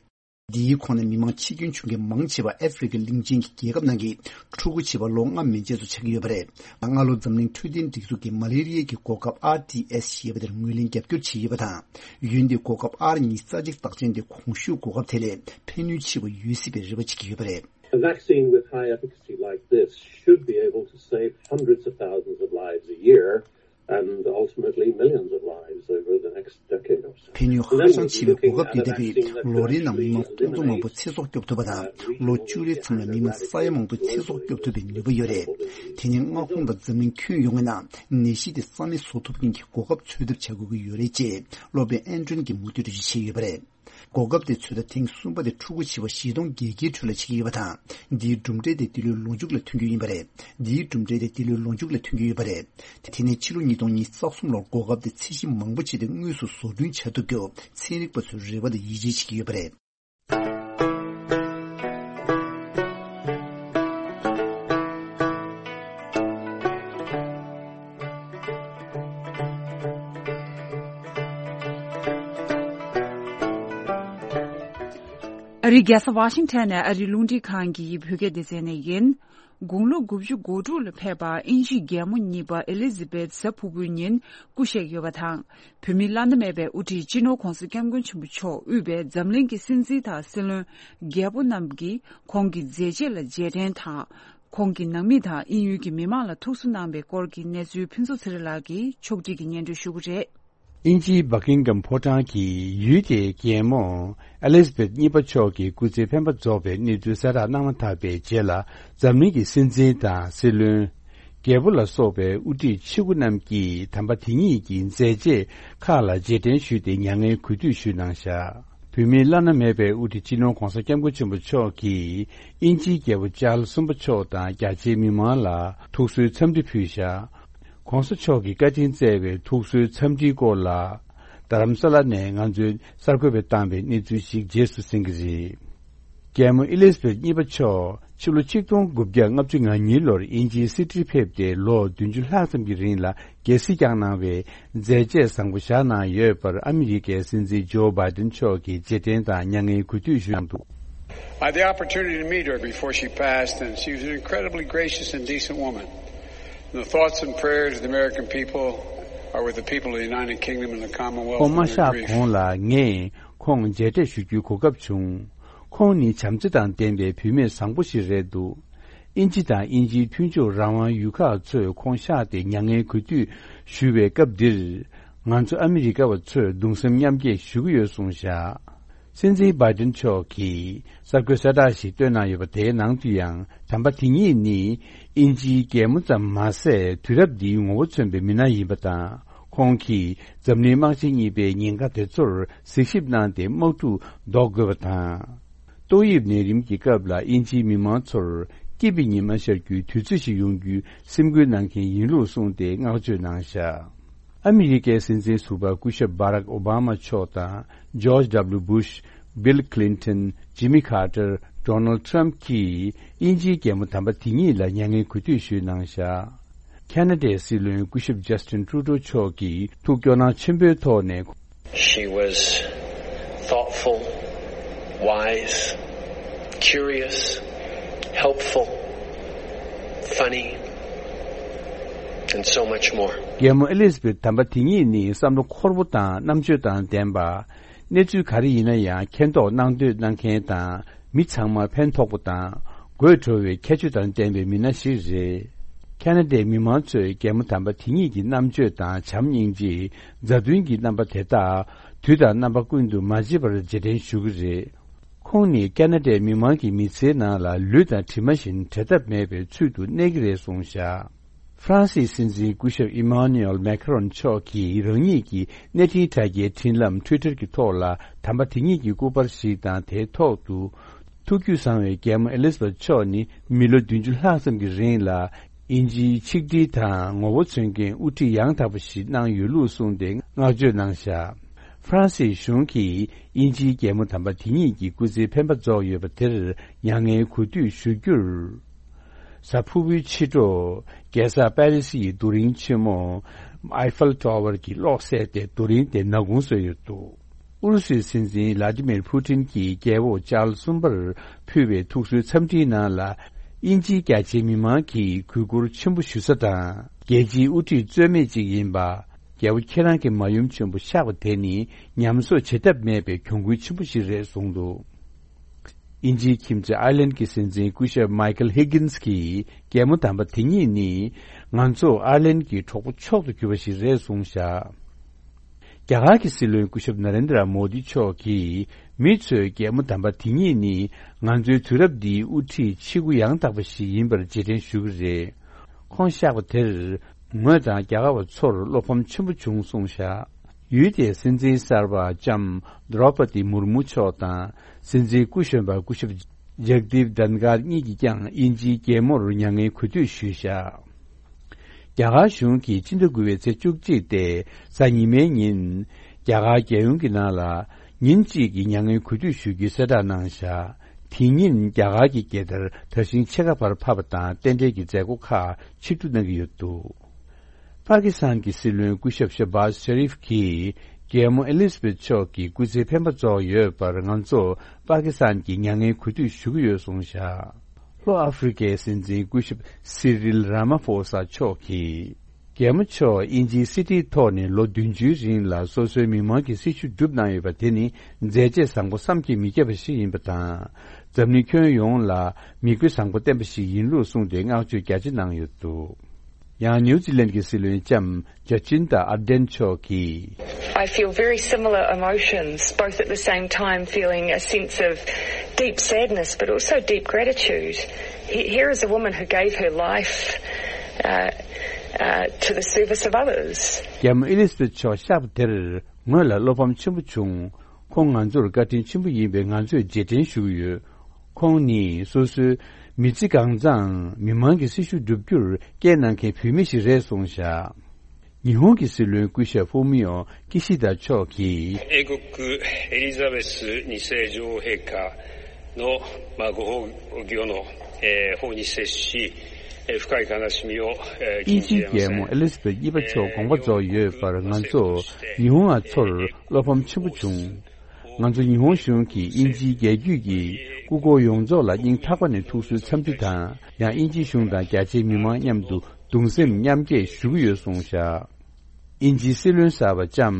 འདིའི་ཁོངས་ནས་མི་མང་འཆི་སྐྱོན་བྱུང་མཁན་མང་ཆེ་བ་ཨ་ཧྥེ་རི་ཁ་གླིང་ཆེན་གྱི་རྒྱལ་ཁབ་ནང་གི་ཕྲུ་གུ་བྱིས་པ་ལོ་ལྔ་མན་ཆད་ཚོ་ཆགས་ཀྱི་ཡོད་པ་རེད། སྔ་ལོ་འཛམ་གླིང་འཕྲོད་བསྟེན་སྒྲིག་འཛུགས་ཀྱིས་མ་ལེ་རི་ཡའི་གོ་སྐབས་ཨར་ཌི་ཨེས་ཞེས་པ་དེར་ངོས་ལེན་རྒྱབ་སྐྱོར་བྱས་ཡོད་པ་དང་། འོན་ཏེ་གོ་སྐབས་ཨར་ཉི་ཤུ་རྩ་གཅིག་རྟགས་ཅན་དེ་གོང་ཞུས་གོ་སྐབས་དེ་ལས་ཕན་ནུས་ཆེ་བ་ཡོད་སྲིད་པའི་རེ་བ་བྱེད་ཀྱི་ཡོད་པ་རེད། A vaccine with high efficacy like this should be able to save hundreds of thousands of lives a year and ultimately millions of lives over the next decade or so. ཕན་ནུས་ཧ་ཅང་ཆེ་བའི་གོ་སྐབས་དེ་ལྡན་པའི་ལོ་རེའི་ནང་མི་མང་སྟོང་ཚོ་མང་པོ་ཚེ་སྲོག་སྐྱོབ་ཐུབ་པ་དང་། ལོ་བཅུ་རེའི་མཚམས་ལ་མི་མང་ས་ཡ་མང་པོའི་ཚེ་སྲོག་སྐྱོབ་ཐུབ་པའི་ནུས་པ་ཡོད་རེད། དེ་ནི་མངའ་ཁོངས་དང་འཛམ་གླིང་ཁྱོན་ཡོངས་ཀྱི་ནང་ནད་གཞི་དེ་རྩ་མེད་བཟོ་ཐུབ་མཁན་གྱི་གོ་སྐབས་འཚོལ་ཐབས་བྱ་དགོས་ཀྱི་ཡོད་རེད་ཅེས་སློབ་དཔོན་ཨན་ཏྲོན་གྱིས་མུ་མཐུད་འགྲེལ་བརྗོད་བྱས་ཡོད་པ་རེད། གོ་སྐབས་དེ་ཚོད་ལྟ་ཐེངས་གསུམ་པ་དེ་ཕྲུ་གུ་བྱིས་པ་བཞི་སྟོང་བརྒྱད་བརྒྱའི་ཁྲོད་ལ་བྱེད་ཀྱི་ཡོད་པ་དང་། འདིའི་གྲུབ་འབྲས་དེ་འདི་ལོའི་ལོ་མཇུག་ལ་ཐོན་རྒྱུ་ཡིན་པ་རེད། འདིའི་གྲུབ་འབྲས་དེ་འདི་ལོའི་ལོ་མཇུག་ལ་ཐོན་རྒྱུ་ཡོད་པ་རེད། དེ་ནས་ཕྱི་ལོ་ཉིས་སྟོང་ཉི་ཤུ་རྩ་གསུམ་ལོར་གོ་སྐབས་དེ་ཚད་གཞི་མང་པོ་བྱས་ཏེ་དངོས་སུ་བཟོ་སྐྲུན་བྱ་ཐུབ་རྒྱུ་ཚན་རིག་པ་ཚོས་རེ་བ་དང་ཡིད་ཆེས་བྱེད་ཀྱི་ཡོད་པ་རེད། ཨ་རིའི་རྒྱལ་ས་ཝ་ཤིང་ཊོན་ནས་ཨ་རིའི་རླུང་འཕྲིན་ཁང་གི་བོད་སྐད་སྡེ་ཚན་ནས་ཡིན། དགུང་ལོ་དགུ་བཅུ་གོ་དྲུག་ལ་ཕེབས་པ་དབྱིན་ཇིའི་རྒྱལ་མོ་གཉིས་པ་ཨེ་ལི་ཛི་བེད་གཟའ་ཕུར་བུའི་ཉིན་སྐུ་གཤེགས་ཡོད་པ་དང་། བོད་མིའི་བླ་ན་མེད་པའི་དབུ་ཁྲིད་སྤྱི་ནོར་༧གོང་ས་༧སྐྱབས་མགོན་ཆེན་པོ་མཆོག་དབུས་པའི་འཛམ་གླིང་གི་སྲིད་འཛིན་དང་སྲིད་བློན་རྒྱལ་པོ་རྣམས་ཀྱིས་ཁོང་གི་མཛད་རྗེས་ལ་རྗེས་དྲན་དང་། ཁོང་གི་ནང་མི་དང་དབྱིན་ཡུལ་གྱི་མི་མང་ལ་ཐུགས་གསོ་གནང་བའི་སྐོར་གྱི་གནས་ཚུལ་ཕུན་ཚོགས་ཚེ་རིང་ལགས་ཀྱིས་ཕྱོགས་སྒྲིག་གིས་སྙན་སྒྲོན་ཞུ་གི་རེད། དབྱིན་ཇིའི་བྷ་ཀིང་གམ་ཕོ་བྲང་གིས་ཡུལ་དེའི་རྒྱལ་མོ་ཨེ་ལི་ཛ་བེད་གཉིས་པ་མཆོག་གི་སྐུ་ཚེ་འཕེན་པ་རྫོགས་པའི་གནས་ཚུལ་གསལ་བསྒྲགས་གནང་མ་ཐག་པའི་རྗེས་ལ། འཛམ་གླིང་གི་སྲིད་འཛིན་དང་སྲིད་བློན། རྒྱལ་པོ་ལ་སོགས་པའི་དབུ་ཁྲིད་ཆེ་དགུ་རྣམས་ཀྱིས་དམ་པ་དེ་ཉིད་ཀྱི་མཛད་རྗེས་ཁག་ལ་རྗེས་དྲན་ཞུས་ཏེ་མྱ་ངན་གུས་འདུད་ཞུས་གནང་བཞག་བོད་མིའི་བླ་ན་མེད་པའི་དབུ་ཁྲིད་སྤྱི་ནོར་༧གོང་ས་༧སྐྱབས་མགོན་ཆེན་པོ་མཆོག་གིས་དབྱིན་ཇིའི་རྒྱལ་པོ་ཅཱལ་གསུམ་པ་མཆོག་དང་རྒྱ་ཆེའི་མི་མང་ལ་ཐུགས་གསོའི་འཚམས་འདྲི་ཕུལ་བཞག་གོང་ས་མཆོག་གི་བཀའ་དྲིན་སྩལ་བའི་ཐུགས་གསོའི་འཚམས་འདྲིའི་སྐོར་ལ། རྡ་རམ་ས་ལ་ནས་ང་ཚོས་གསར་འགོད་པས་བཏང་བའི་གནས་ཚུལ་ཞིག་རྗེས་སུ་གསན་གྱི་རེད། རྒྱལ་མོ་ཨེ་ལི་ཛ་བེད་གཉིས་པ་མཆོག་ཕྱི་ལོ་ཆིག་སྟོང་དགུ་བརྒྱ་ལྔ་བཅུ་ང་གཉིས་ལོར་དབྱིན་ཇིའི་སིཌ་ནིར་ཕེབས་ཏེ་ལོ་བདུན་ཅུ་ལྷག་ཙམ་གྱི་རིང་ལ་རྒྱལ་སྲིད་བསྐྱངས་གནང་བའི་མཛད་རྗེས་བཟང་པོ་བཞག་གནང་ཡོད་པར་ཨ་མི་རི་ཀའི་སྲིད་འཛིན་ཇོ་བྷའི་ཌེན་མཆོག་གིས་རྗེས་དྲན་དང་མྱ་ངན་གུས་འདུད་ཞུས་གནང་འདུག I had the opportunity to meet her before she passed, and she was an incredibly gracious and decent woman. And the thoughts and prayers of the American people are with the people of the United Kingdom and the Commonwealth. ཁོང་མ་གཤེགས་གོང་ལ་ངས་ཁོང་མཇལ་འཕྲད་ཞུ་རྒྱུའི་གོ་སྐབས་བྱུང་། ཁོང་ནི་བྱམས་བརྩེ་དང་ལྡན་པའི་བུད་མེད་བཟང་པོ་ཞིག་རེད་འདུག་དབྱིན་ཇི་དང་དབྱིན་ཇིའི་མཐུན་ཕྱོགས་རང་དབང་ཡུལ་ཁག་ཚོས་ཁོང་གཤེགས་ཏེ་མྱ་ངན་གུས་འདུད་ཞུ་བའི་སྐབས་འདིར། ང་ཚོ་ཨ་མི་རི་ཀ་བ་ཚོས་གདུང་སེམས་མཉམ་སྐྱེད་ཞུ་གི་ཡོད་གསུངས་བཞག་སྲིད་འཛིན་བྷའི་ཌེན་མཆོག་གིས་གསར་འགོད་གསལ་བསྒྲགས་ཤིག་བཏོན་གནང་ཡོད་པ་དེའི་ནང་དུ་ཡང་། དམ་པ་དེ་ཉིད་ནི་དབྱིན་ཇིའི་རྒྱལ་མོ་ཙམ་མ་ཟད། དུས་རབས་འདིའི་ངོ་བོ་མཚོན་པའི་མི་སྣ་ཡིན་པ་དང་། ཁོང་གིས་འཛམ་གླིང་དམག་ཆེན་གཉིས་པའི་ཉེན་ཁ་དེ་ཚོར་གཟིགས་ཞིབ་གནང་སྟེ་དམག་འཁྲུག་ཟློག་དགོས་པ་དང་། ཏོག་དབྱིབས་ནད་རིམས་ཀྱི་སྐབས་ལ་དབྱིན་ཇིའི་མི་མང་ཚོར་སྐྱིད་པའི་ཉི་མ་ཤར་རྒྱུའི་དུས་ཚོད་ཅིག་ཡོང་རྒྱུའི་སེམས་འགུལ་གནང་མཁན་ཡིན་ལུགས་གསུངས་ཏེ་བསྔགས་བརྗོད་གནང་བཞག་ཨ་མི་རི་ཀའི་སྲིད་འཛིན་ཟུར་པ་སྐུ་ཞབས་Barack Obama་མཆོག་དང་George W Bush། Bill Clinton, Jimmy Carter, Donald Trump གྱིས་དབྱིན་ཇིའི་རྒྱལ་མོ་དམ་པ་དེ་ཉིད་ལ་མྱ་ངན་གུས་འདུད་ཞུས་གནང་བཞག་ཁ་ན་ཌའི་སྲིད་བློན་སྐུ་ཞབས་Justin Trudeau མཆོག་གིས་ཐུགས་སྐྱོ་སྣང་ཆེན་པོའི་ཐོག་ནས། She was thoughtful, wise, curious, helpful, funny, and so much more. རྒྱལ་མོ་ཨེ་ལི་ཛ་བེད་དམ་པ་དེ་ཉིད་ནི་བསམ་བློ་འཁོར་པོ་དང་རྣམ་དཔྱོད་དང་ལྡན་པ། གནས་ཚུལ་ག་རེ་ཡིན་ན་ཡང་མཁྱེན་རྟོགས་གནང་འདོད་གནང་མཁན་དང་། མི་ཚང་མར་ཕན་ཐོགས་པ་དང་། དགོད་བྲོ་བའི་ཁྱད་ཆོས་དང་ལྡན་པའི་མི་སྣ་ཞིག་རེད། ཁ་ན་ཌའི་མི་མང་ཚོས་རྒྱལ་མོ་དམ་པ་དེ་ཉིད་ཀྱི་རྣམ་དཔྱོད་དང་བྱམས་སྙིང་རྗེ། མཛའ་མཐུན་གྱི་རྣམ་པ་དེ་དག་དུས་དང་རྣམ་པ་ཀུན་ཏུ་མ་བརྗེད་པར་རྗེས་དྲན་ཞུ་གི་རེད། ཁོང་ནི་ཁ་ན་ཌའི་མི་མང་གི་མི་ཚེའི་ནང་ལ་ལུས་དང་གྲིབ་མ་བཞིན་བྲལ་ཐབས་མེད་པའི་ཚུལ་དུ་གནས་ཀྱི་རེད་གསུངས་བཞག་ཧྥ་རན་སིའི་སྲིད་འཛིན་སྐུ་ཞབས་ཨི་མཱ་ནུ་ཨེལ་མེ་ཁ་རོན་མཆོག་གིས་རང་ཉིད་ཀྱི་གནས་འཕྲིན་དྲ་རྒྱའི་འཕྲིན་ལམ་Twitter གྱི་ཐོག་ལ་དམ་པ་དེ་ཉིད་ཀྱི་སྐུ་པར་ཞིག་དང་། དེའི་ཐོག་ཏུ། ཐུགས་རྒྱུད་བཟང་བའི་རྒྱལ་མོ་ཨེ་ལི་ཛ་བེད་མཆོག་ནི་མི་ལོ་བདུན་ཅུ་ལྷག་ཙམ་གྱི་རིང་ལ། དབྱིན་ཇིའི་ཆིག་སྒྲིལ་དང་ངོ་བོ་མཚོན་མཁན་དབུ་ཁྲིད་ཡང་དག་པ་ཞིག་གནང་ཡོད་ལུགས་གསུངས་ཏེ་བསྔགས་བརྗོད་གནང་བཞག་ཧྥ་རན་སིའི་གཞུང་གིས་དབྱིན་ཇིའི་རྒྱལ་མོ་དམ་པ་དེ་ཉིད་ཀྱི་སྐུ་ཚེའི་འཕེན་པ་རྫོགས་ཡོད་པ་དེར་མྱ་ངན་གུས་འདུད་ཞུ་རྒྱུར། གཟའ་ཕུར་བུའི་ཕྱི་དྲོ། རྒྱལ་ས་པེ་རི་སི་ཡི་རྡོ་རིང་ཆེན་མོ། Eiffel Tower གྱི་གློག་བསད་དེ་རྡོ་རིང་དེ་ནག་ཁུང་བཟོས་ཡོད་འདུག་ཨུ་རུ་སུའི་སྲིད་འཛིན་Vladimir Putin གྱིས་རྒྱལ་པོ་ཅཱལ་གསུམ་པར་ཕུལ་བའི་ཐུགས་གསོའི་འཚམས་འདྲིའི་ནང་ལ། དབྱིན་ཇིའི་རྒྱ་ཆེའི་མི་མང་གིས་གུས་བཀུར་ཆེན་པོ་ཞུ་ས་དང་། རྒྱལ་སྤྱིའི་དབུ་ཁྲིད་རྩོད་མེད་ཅིག་ཡིན་པ། རྒྱལ་པོ་ཁྱེད་རང་གི་མ་ཡུམ་ཆེན་པོ་གཤེགས་པ་དེ་ནི་ཉམས་གསོ་བྱེད་ཐབས་མེད་པའི་གྱོང་གུན་ཆེན་པོ་ཞིག་རེད་གསུངས་འདུག་དབྱིན་ཇིའི་ཁྱིམ་མཚེས་ཨའི་ལན་གྱི་སྲིད་འཛིན་སྐུ་ཞབས་Michael Higgins གྱིས་རྒྱལ་མོ་དམ་པ་དེ་ཉིད་ནི་ང་ཚོ་ཨའི་ལན་གྱི་གྲོགས་པོ་མཆོག་ཏུ་གྱུར་པ་ཞིག་རེད་གསུངས་བཞག་རྒྱ་གར་གྱི་སྲིད་བློན་སྐུ་ཞབས་Narendra Modi མཆོག་གིས་མི་ཚོས་རྒྱལ་མོ་དམ་པ་དེ་ཉིད་ནི་ང་ཚོའི་དུས་རབས་འདིའི་དབུ་ཁྲིད་ཆེ་དགུ་ཡང་དག་པ་ཞིག་ཡིན་པར་རྗེས་དྲན་ཞུ་གི་རེད། ཁོང་གཤེགས་པ་དེར་ངོས་དང་རྒྱ་གར་བ་ཚོར་བློ་ཕམ་ཆེན་པོ་བྱུང་གསུངས་བཞག་ཡུལ་དེའི་སྲིད་འཛིན་གསར་པ་ལྕམ་Droupadi Murmu མཆོག་དང་སྲིད་འཛིན་སྐུ་གཞོན་པ་སྐུ་ཞབས་Jagdeep Dhankhar གཉིས་ཀྱིས་ཀྱང་དབྱིན་ཇིའི་རྒྱལ་མོར་མྱ་ངན་གུས་འདུད་ཞུས་བཞག་རྒྱ་གར་གཞུང་གིས་སྤྱི་ཟླ་དགུ་པའི་ཚེས་བཅུ་གཅིག་སྟེ་གཟའ་ཉི་མའི་ཉིན། རྒྱ་གར་རྒྱལ་ཡོངས་ཀྱི་ནང་ལ་ཉིན་གཅིག་གི་མྱ་ངན་གུས་འདུད་ཞུ་རྒྱུའི་གསལ་བསྒྲགས་གནང་བཞག་དེ་ཉིན་རྒྱ་གར་གྱི་རྒྱལ་དར་དར་ཤིང་ཕྱེད་ཀ་བར་ཕབ་པ་དང་རྟེན་འབྲེལ་གྱི་མཛད་སྒོ་ཁག་ཆིབས་བསྒྱུར་གནང་གི་ཡོད་འདུག་པ་ཀི་སི་ཐན་གྱི་སྲིད་བློན་སྐུ་ཞབས་ཤ་བཱ་ཤ་རིབ་ཀྱིས་རྒྱལ་མོ་ཨེ་ལི་ཛ་བེད་མཆོག་གི་སྐུ་ཚེའི་འཕེན་པ་རྫོགས་ཡོད་པར་ང་ཚོ་པ་ཀི་སི་ཐན་གྱིས་མྱ་ངན་གུས་འདུད་ཞུ་གི་ཡོད་གསུངས་བཞག་ལྷོ་ཨ་ཧྥེ་རི་ཀའི་སྲིད་འཛིན་སྐུ་ཞབས་སི་རིལ་ར་མ་ཧྥོ་ས་མཆོག་གིས། རྒྱལ་མོ་མཆོག་དབྱིན་ཇིའི་སྲིད་ཁྲིའི་ཐོག་ནས་ལོ་བདུན་ཅུའི་རིང་ལ་སོ་སོའི་མི་མང་གི་སྲི་ཞུ་བསྒྲུབས་གནང་ཡོད་པ་དེ་ནི་མཛད་རྗེས་བཟང་པོ་བསམ་གྱིས་མི་ཁྱབ་པ་ཞིག་ཡིན་པ་དང་། འཛམ་གླིང་ཁྱོན་ཡོངས་ལ་མིག་དཔེ་བཟང་པོ་བསྟན་པ་ཞིག་ཡིན་ལུགས་གསུངས་ཏེ་བསྔགས་བརྗོད་རྒྱ་ཆེ་གནང་ཡོད་འདུག་ཡང་ནིའུ་ཛི་ལན་གྱི་སྲིད་བློན་ལྕམ་ཇ་ཅིན་ཏ་ཨར་ཌེན་མཆོག་གིས། I feel very similar emotions, both at the same time feeling a sense of deep sadness but also deep gratitude. He- Here is a woman who gave her life uh, uh, to the service of others. རྒྱལ་མོ་ཨེ་ལི་ཛ་བེད་མཆོག་གཤེགས་པ་དེར་ངོས་ལ་བློ་ཕམ་ཆེན་པོ་བྱུང་། ཁོང་ང་ཚོར་བཀའ་དྲིན་ཆེན་པོ་ཡིན་པས་ང་ཚོས་རྗེས་དྲན་ཞུ་གི་ཡོད། ཁོང་ནི་སོ་སོའི་མི་ཚེ་གང་ཚང་མི་མང་གི་སྲི་ཞུ་བསྒྲུབ་རྒྱུར་སྐྱེལ་གནང་མཁན་བུད་མེད་ཞིག་རེད་གསུངས་བཞག་ཉི་ཧོང་གི་སྲིད་བློན་སྐུ་ཞབས་ཧྥུ་མི་ཡོ་ཀི་ཤི་ད་མཆོག་གིས།英国エリザベス二世女王陛下の、まあ、ご崩御の、えー、報に接し、えー、深い悲しみを、えー、དབྱིན་ཇིའི་རྒྱལ་མོ་ཨེ་ལི་ཛ་བེད་གཉིས་པ་མཆོག་དགོངས་པ་རྫོགས་ཡོད་པར་ང་ཚོ་ཉི་ཧོང་བ་ཚོར་བློ་ཕམ་ཆེན་པོ་བྱུང་། ང་ཚོ་ཉི་ཧོང་གཞུང་གིས་དབྱིན་ཇིའི་རྒྱལ་རྒྱུད་ཀྱི་སྐུ་འཁོར་ཡོངས་རྫོགས་ལ་སྙིང་ཐག་པ་ནས་ཐུགས་གསོའི་འཚམས་འདྲི་དང་ཡང་དབྱིན་ཇིའི་གཞུང་དང་རྒྱ་ཆེའི་མི་མང་མཉམ་དུ་གདུང་སེམས་མཉམ་སྐྱེད་ཞུ་གི་ཡོད་གསུངས་བཞག་དབྱིན་ཇིའི་སྲིད་བློན་གསར་པ་ལྕམ་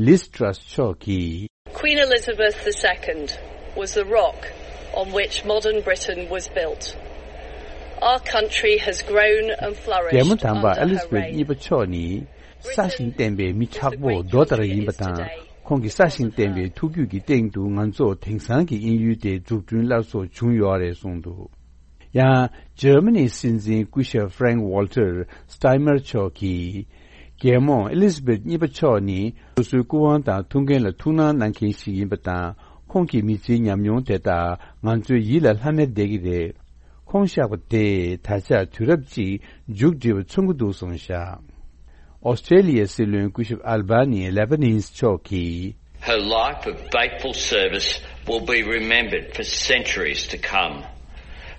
ལིས་ཊྲ་སི་མཆོག་གིས། Queen Elizabeth the Second was the rock on which modern Britain was built. Our country has grown and རྒྱལ་མོ་flourished དམ་པ་under ཨེ་ལི་ཛ་her བེད་reign. གཉིས་པ་མཆོག་ནི་ས་ཞིང་བརྟན་པའི་མི་དྲག་པོ་རྡོ་ལྟར་ཡིན་པ་དང་། ཁོང་གི་ས་ཞིང་བརྟན་པའི་ཐུགས་རྒྱུད་ཀྱི་སྟེང་དུ་ང་ཚོ་དེང་སང་གི་དབྱིན་ཡུལ་དེ་འཛུགས་སྐྲུན་སླར་གསོ་བྱུང་ཡོད་རེད་གསུངས་འདུག་ཡང་འཇར་མ་ནིའི་སྲིད་འཛིན་སྐུ་ཞབས་Frank Walter Steinmeier མཆོག་གིས། རྒྱལ་མོ་ཨེ་ལི་ཛ་བེད་གཉིས་པ་མཆོག་ནི་སོ་སོའི་སྐུ་དབང་དང་ཐུགས་འགན་ལ་ཐུགས་སྣང་གནང་མཁན་ཞིག་ཡིན་པ་དང་། ཁོང་གི་མི་ཚེའི་ཉམས་མྱོང་དེ་དག་ང་ཚོའི་ཡིད་ལ་ལྷམ་མེར་བསྡད་ཀྱི་རེད། ཁོང་གཤེགས་པ་དེས་ད་ཆ་དུས་རབས་གཅིག་མཇུག་སྒྲིལ་བ་མཚོན་གྱི་འདུག་གསུངས་བཞག་ཨོ་སི་ཀྲེ་ལི་ཡའི་སྲིད་བློན་སྐུ་ཞབས་ཨལ་བྷ་ནི་ལེ་བྷ་ནིས་མཆོག་གིས། Her life of faithful service will be remembered for centuries to come.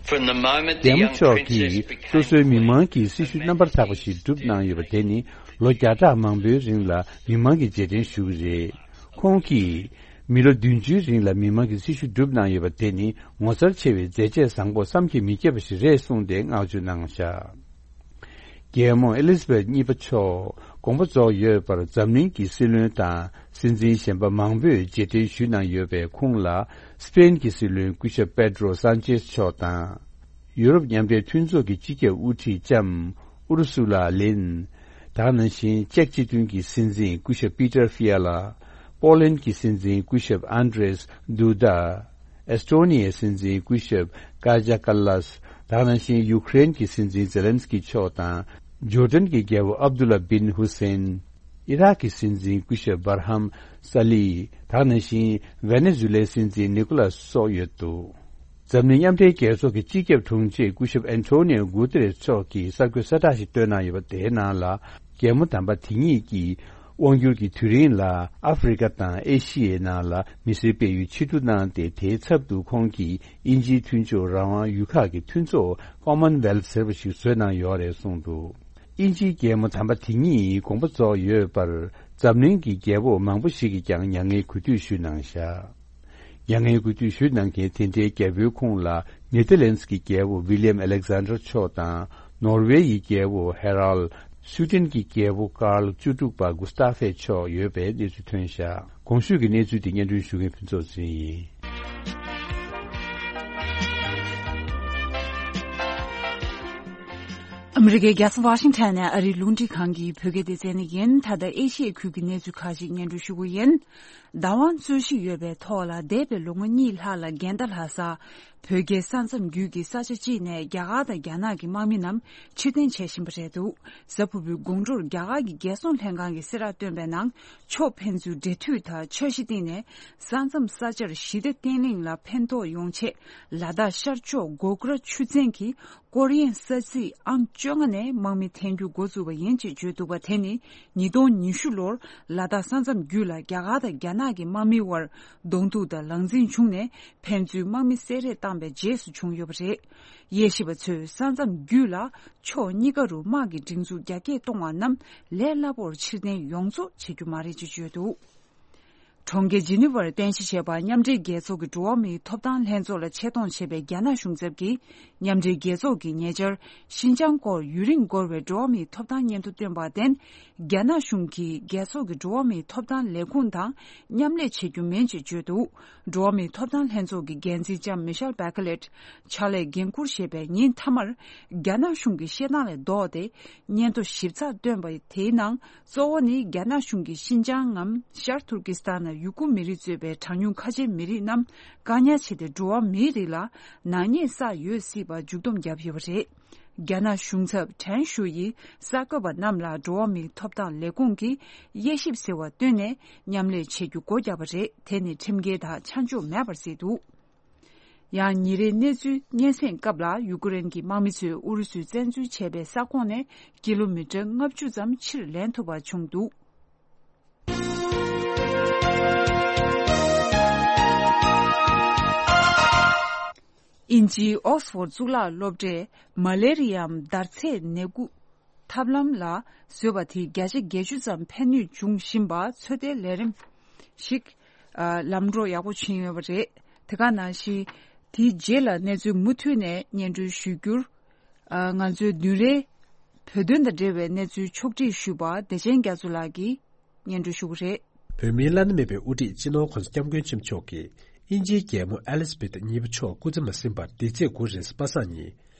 From the moment the རྒྱལ་མོ་young མཆོག princess གིས་became སོ་སོའི་མི་མང་གི་སྲི་ཞུ་རྣམ་པར་དག་པ་ཞིག་བསྒྲུབས་གནང་ཡོད་པ་དེ་ནི་ལོ་བརྒྱ་ཕྲག་མང་པོའི་རིང་ལ་མི་མང་གི་རྗེས་དྲན་ཞུ་གི་རེད། ཁོང་གིས་མི་ལོ་བདུན་ཅུའི་རིང་ལ་མི་མང་གི་སྲི་ཞུ་བསྒྲུབས་གནང་ཡོད་པ་དེ་ནི་ངོ་མཚར་ཆེ་བའི་མཛད་རྗེས་བཟང་པོ་བསམ་གྱིས་མི་ཁྱབ་པ་ཞིག་རེད་གསུངས་ཏེ་བསྔགས་བརྗོད་གནང་བཞག་རྒྱལ་མོ་ཨེ་ལི་ཛ་བེད་གཉིས་པ་མཆོག་དགོངས་པ་རྫོགས་ཡོད་པར་འཛམ་གླིང་གི་སྲིད་བློན་དང་སྲིད་འཛིན་གཞན་པ་མང་པོས་རྗེས་དྲན་ཞུས་གནང་ཡོད་པའི་ཁོངས་ལ་སི་པེན་གྱི་སྲིད་བློན་སྐུ་ཞབས་པེ་ཏྲོ་སཱན་ཅེས་མཆོག་དང་། ཡུ་རོབ་མཉམ་འབྲེལ་མཐུན་ཚོགས་ཀྱི་སྤྱི་ཁྱབ་དབུ་ཁྲིད་ལྕམ་ཨུ་རུ་སུ་ལ་ལེན། ད་ག་ནང་བཞིན་ཅེཀ་སྤྱི་མཐུན་གྱི་སྲིད་འཛིན་སྐུ་ཞབས་པི་ཏར་ཧྥི་ཡ་ལ། པོ་ལན་གྱི་སྲིད་འཛིན་སྐུ་ཞབས་ཨན་ཏྲེས་དུ་ད། ཨེས་ཏྲོ་ནི་ཡའི་སྲིད་འཛིན་སྐུ་ཞབས་ཀ་ཇ་ཀ་ལཱས། ད་ག་ནང་བཞིན་ཡུ་ཁུ་རེན་གྱི་སྲིད་འཛིན་ཛེ་ལན་སི་ཀི་མཆོག་དང་། ཇོར་ཌན་གྱི་རྒྱལ་པོ་ཨབ་དུ་ལ་བིན་ཧུ་སེན། ཨི་རག་གི་སྲིད་འཛིན་སྐུ་ཞབས་བར་ཧམ་ས་ལི། ད་ག་ནང་བཞིན་ཝེ་ནེ་ཛུ་ལའི་སྲིད་འཛིན་ནི་ཀོ་ལཱས་སོགས་ཡོད་འདུག་འཛམ་གླིང་མཉམ་འབྲེལ་རྒྱལ་ཚོགས་ཀྱི་སྤྱི་ཁྱབ་དྲུང་ཆེ་སྐུ་ཞབས་ཨན་ཐོ་ནིའོ་གུ་ཏེ་རེས་མཆོག་གིས་གསར་འགོད་གསལ་བསྒྲགས་ཤིག་བཏོན་གནང་ཡོད་པ་དེའི་ནང་ལ། རྒྱལ་མོ་དམ་པ་དེ་ཉིད་ཀྱིས་དབང་སྒྱུར་གྱི་དུས་རིང་ལ་ཨ་ཧྥེ་རི་ཀ་དང་ཨེ་ཤི་ཡའི་ནང་ལ་མི་སེར་སྤེལ་ཡུལ་ཕྱིར་བསྡུ་གནང་སྟེ། དེའི་ཚབ་ཏུ་ཁོང་གིས་དབྱིན་ཇིའི་མཐུན་ཕྱོགས་རང་དབང་ཡུལ་ཁག་གི་མཐུན་ཚོགས་ཀོ་མན་ཝེལ་ཟེར་བ་ཞིག་བཟོས་གནང་ཡོད་རེད་གསུངས་འདུག་དབྱིན་ཇིའི་རྒྱལ་མོ་དམ་པ་དེ་ཉིད་དགོངས་པ་རྫོགས་ཡོད་པར་འཛམ་གླིང་གི་རྒྱལ་པོ་མང་པོ་ཞིག་གིས་ཀྱང་མྱ་ངན་གུས་འདུད་ཞུས་གནང་བཞག་མྱ་ངན་གུས་འདུད་ཞུས་གནང་མཁན་དེ་འདྲའི་རྒྱལ་པོའི་ཁོངས་ལ་ནེ་ཐར་ལན་སི་གི་རྒྱལ་པོ་ཝི་ལི་ཡམ་ཨ་ལེག་ཛན་ཌར་མཆོག་དང་། ནོར་ཝེ་ཡི་རྒྱལ་པོ་ཧེ་རལ། སུའི་ཌེན་གྱི་རྒྱལ་པོ་ཀཱརལ་བཅུ་དྲུག་པ་གུ་སྟ་ཧྥེ་མཆོག་ཡོད་པའི་གནས་ཚུལ་ཐོན་བཞག་གོང་ཞུས་ཀྱི་གནས་ཚུལ་དེ་སྙན་སྒྲོན་ཞུ་མཁན་ཕུན་ཚོགས་ཚེ་རིང་ཡིན། ཨ་མི་རི་ཀའི་རྒྱལ་ས་ཝ་ཤིང་ཊོན་ནས་ཨ་རིའི་རླུང་འཕྲིན་ཁང་གི་བོད་སྐད་སྡེ་ཚན་ནས་ཡིན། ད་ལྟ་ཨེ་ཤི་ཡའི་ཁུལ་གྱི་གནས་ཚུལ་ཁག་ཅིག་སྙན་སྒྲོན་ཞུ་གི་ཡིན། བདག་དབང་རྩོད་གཞི་ཡོད་པའི་ཐོག་ལ་འདས་པའི་ལོ་ངོ་གཉིས་ལྷག་ལ་འགལ་ཟླ་ལྷག་ས་བོད་རྒྱའི་ས་མཚམས་བརྒྱུད་ཀྱི་ས་ཆ་གཅིག་ནས་རྒྱ་གར་དང་རྒྱ་ནག་གི་དམག་མི་རྣམས་ཕྱིར་འཐེན་བྱེད་བཞིན་པ་རེད་འདུག་གཟའ་ཕུར་བུའི་དགོང་དྲོར་རྒྱ་གར་གྱི་རྒྱལ་སྲུང་ལྷན་ཁང་གིས་གསལ་བསྒྲགས་བཏོན་པའི་ནང་། ཕྱོགས་ཕན་ཚུན་འབྲེལ་མཐུད་དང་འཆར་གཞི་བཏིང་ནས་ས་མཚམས་ས་ཆར་ཞི་བདེ་བརྟན་ལྷིང་ལ་ཕན་ཐོགས་ཡོང་ཆེད། ལ་དྭགས་ཤར་ཕྱོགས་གོ་གྷལ་ཆུ་ཚན་གྱི་ཀོ་རི་ཡན་ས་ཚིགས་ཨང་བཅོ་ལྔ་ནས་དམག་མི་འཐེན་རྒྱུ་འགོ་བཙུགས་པ་ཡིན་ཅེས་བརྗོད་འདུག་པ། དེ་ནི་ཉིས་སྟོང་ཉི་ཤུ་ལོར་ལ་དྭགས་ས་མཚམས་བརྒྱུད་ལ་རྒྱ་གར་དང་རྒྱ་ནག་གི་དམག་མིའི་དབར་གདོང་ཐུག་དང་ལངས་འཛིང་བྱུང་ནས་ཕན་ཚུན་དམག་མི་བསད་རེས་བཏང་པའི་རྗེས་སུ་བྱུང་ཡོད་པ་རེད། དབྱེ་ཞིབ་པ་ཚོས་ས་མཚམས་བརྒྱུད་ལ་ཕྱོགས་གཉིས་ཀ་རུ་དམག་གི་སྒྲིག་འཛུགས་རྒྱ་སྐྱེད་གཏོང་བ་རྣམས་ལས་སླ་པོར་ཕྱིར་འཐེན་ཡོང་ཚོད་བྱེད་རྒྱུ་མ་རེད་ཅེས་བརྗོད་འདུག་གྲོང་ཁྱེར་ཇི་ནི་ཝར་རྟེན་གཞི་བྱས་པ་མཉམ་འབྲེལ་རྒྱལ་ཚོགས་ཀྱི་འགྲོ་བ་མིའི་ཐོབ་ཐང་ལྷན་ཚོགས་ལ་ཆེད་གཏོང་བྱས་པའི་རྒྱ་ནག་གཞུང་ཚབ་ཀྱིས་མཉམ་འབྲེལ་རྒྱལ་ཚོགས་ཀྱིས་ཉེ་ཆར་ཤིན་ཅང་སྐོར་ཡུན་རིང་འགོར་བའི་འགྲོ་བ་མིའི་ཐོབ་ཐང་སྙན་ཐོ་བཏོན་པར་བརྟེན། རྒྱ་ནག་གཞུང་གིས་རྒྱལ་ཚོགས་ཀྱི་འགྲོ་བ་མིའི་ཐོབ་ཐང་ལས་ཁུངས་དང་མཉམ་ལས་བྱེད་རྒྱུ་མིན་ཅེས་བརྗོད་འདུག་འགྲོ་བ་མིའི་ཐོབ་ཐང་ལྷན་ཚོགས་ཀྱི་འགན་འཛིན་ལྕམ་མི་ཤེལ་བྷེ་ཁ་ལེད་ཕྱག་ལས་འགན་འཁུར་བཞེས་པའི་ཉིན་མཐའ་མར། རྒྱ་ནག་གཞུང་གི་བཤད་སྟངས་ལས་ལྡོག་སྟེ། སྙན་ཐོ་ཞིབ་ཚགས་བཏོན་པ་དེའི་ནང་། གཙོ་བོ་ནི་རྒྱ་ནག་གཞུང་གིས་ཤིན་ཅང་ངམ་ཤར་ཐུར་ཀི་སི་ཐན་ནང་ཡུ་གུར་མི་རིགས་གཙོས་པའི་གྲངས་ཉུང་ཁ་ཆེའི་མི་རིགས་རྣམས་བཀག་ཉར་བྱས་ཏེ། འགྲོ་བ་མིའི་རིགས་ལ་ནག་ཉེས་བསགས་ཡོད་སྲིད་པར་མཇུག་བསྡོམས་བརྒྱབ་ཡོད་པ་རེད། རྒྱ་ནག་གཞུང་ཚབ་ཁྲེན་ཞུ་ཡིས་གསར་འགོད་པ་རྣམས་ལ་འགྲོ་བ་མིའི་ཐོབ་ཐང་ལས་ཁུངས་ཀྱིས་དབྱེ་ཞིབ་ཟེར་བ་བཏོན་ནས་མཉམ་ལས་བྱེད་རྒྱུ་སྒོ་བརྒྱབ་པ་རེད། དེ་ནི་ཁྲིམས་འགལ་དང་ཆ་འཇོག་མེད་པར་གཟིགས་འདུག་ཡང་ཉིན་རེའི་གནས་ཚུལ་སྙན་སེང་སྐབས་ལ། ཡུ་ཀེ་རེན་གྱི་དམག་མི་ཚོས་ཨུ་རུ་སུས་བཙན་འཛུལ་བྱས་པའི་ས་ཁོངས་ནས་ཀི་ལོ་མི་ཊར་ལྔ་བཅུ་ཙམ་ཕྱིར་ལེན་ཐུབ་པ་བྱུང་འདུག་དབྱིན་ཇིའི་ཨོག་སི་ཕོར་གཙུག་ལག་སློབ་གྲྭས་མ་ལེ་རི་ཡའམ་འདར་ཚད་ནད་འགོག་ཐབས་ལམ་ལ་བཟོས་པ་དེས་བརྒྱ་ཆ་བརྒྱད་ཅུ་ཙམ་ཕན་ནུས་འབྱུང་བཞིན་པ་ཚོད་ལྟའི་ལས་རིམ་ཞིག་ཨ། ལམ་འགྲོ་ཡག་པོ་ཕྱིན་ཡོད་པ་རེད། དེ་ག་ནང་བཞིན་དེའི་རྗེས་ལ་གནས་ཚུལ་མུ་མཐུད་ནས་སྙན་སྒྲོན་ཞུ་རྒྱུར། ཨ། ང་ཚོའི་བདུན་རེའི་བོད་དོན་དང་འབྲེལ་བའི་གནས་ཚུལ་ཕྱོགས་སྒྲིག་ཞུས་པ་བདེ་ཆེན་རྒྱ་མཚོ་ལགས་ཀྱིས་སྙན་སྒྲོན་ཞུ་གི་རེད། བོད་མིའི་བླ་ན་མེད་པའི་དབུ་ཁྲིད་སྤྱི་ནོར་༧གོང་ས་༧སྐྱབས་མགོན་ཆེན་པོ་མཆོག་གིས་དབྱིན་ཇིའི་རྒྱལ་མོ་ཨེ་ལི་ཛ་བེད་གཉིས་པ་མཆོག་སྐུ་ཚེ་མ་ཟིན་པར་འདི་ཚེས་དགུ་རེས་གཟའ་པ་སངས་ཉིན་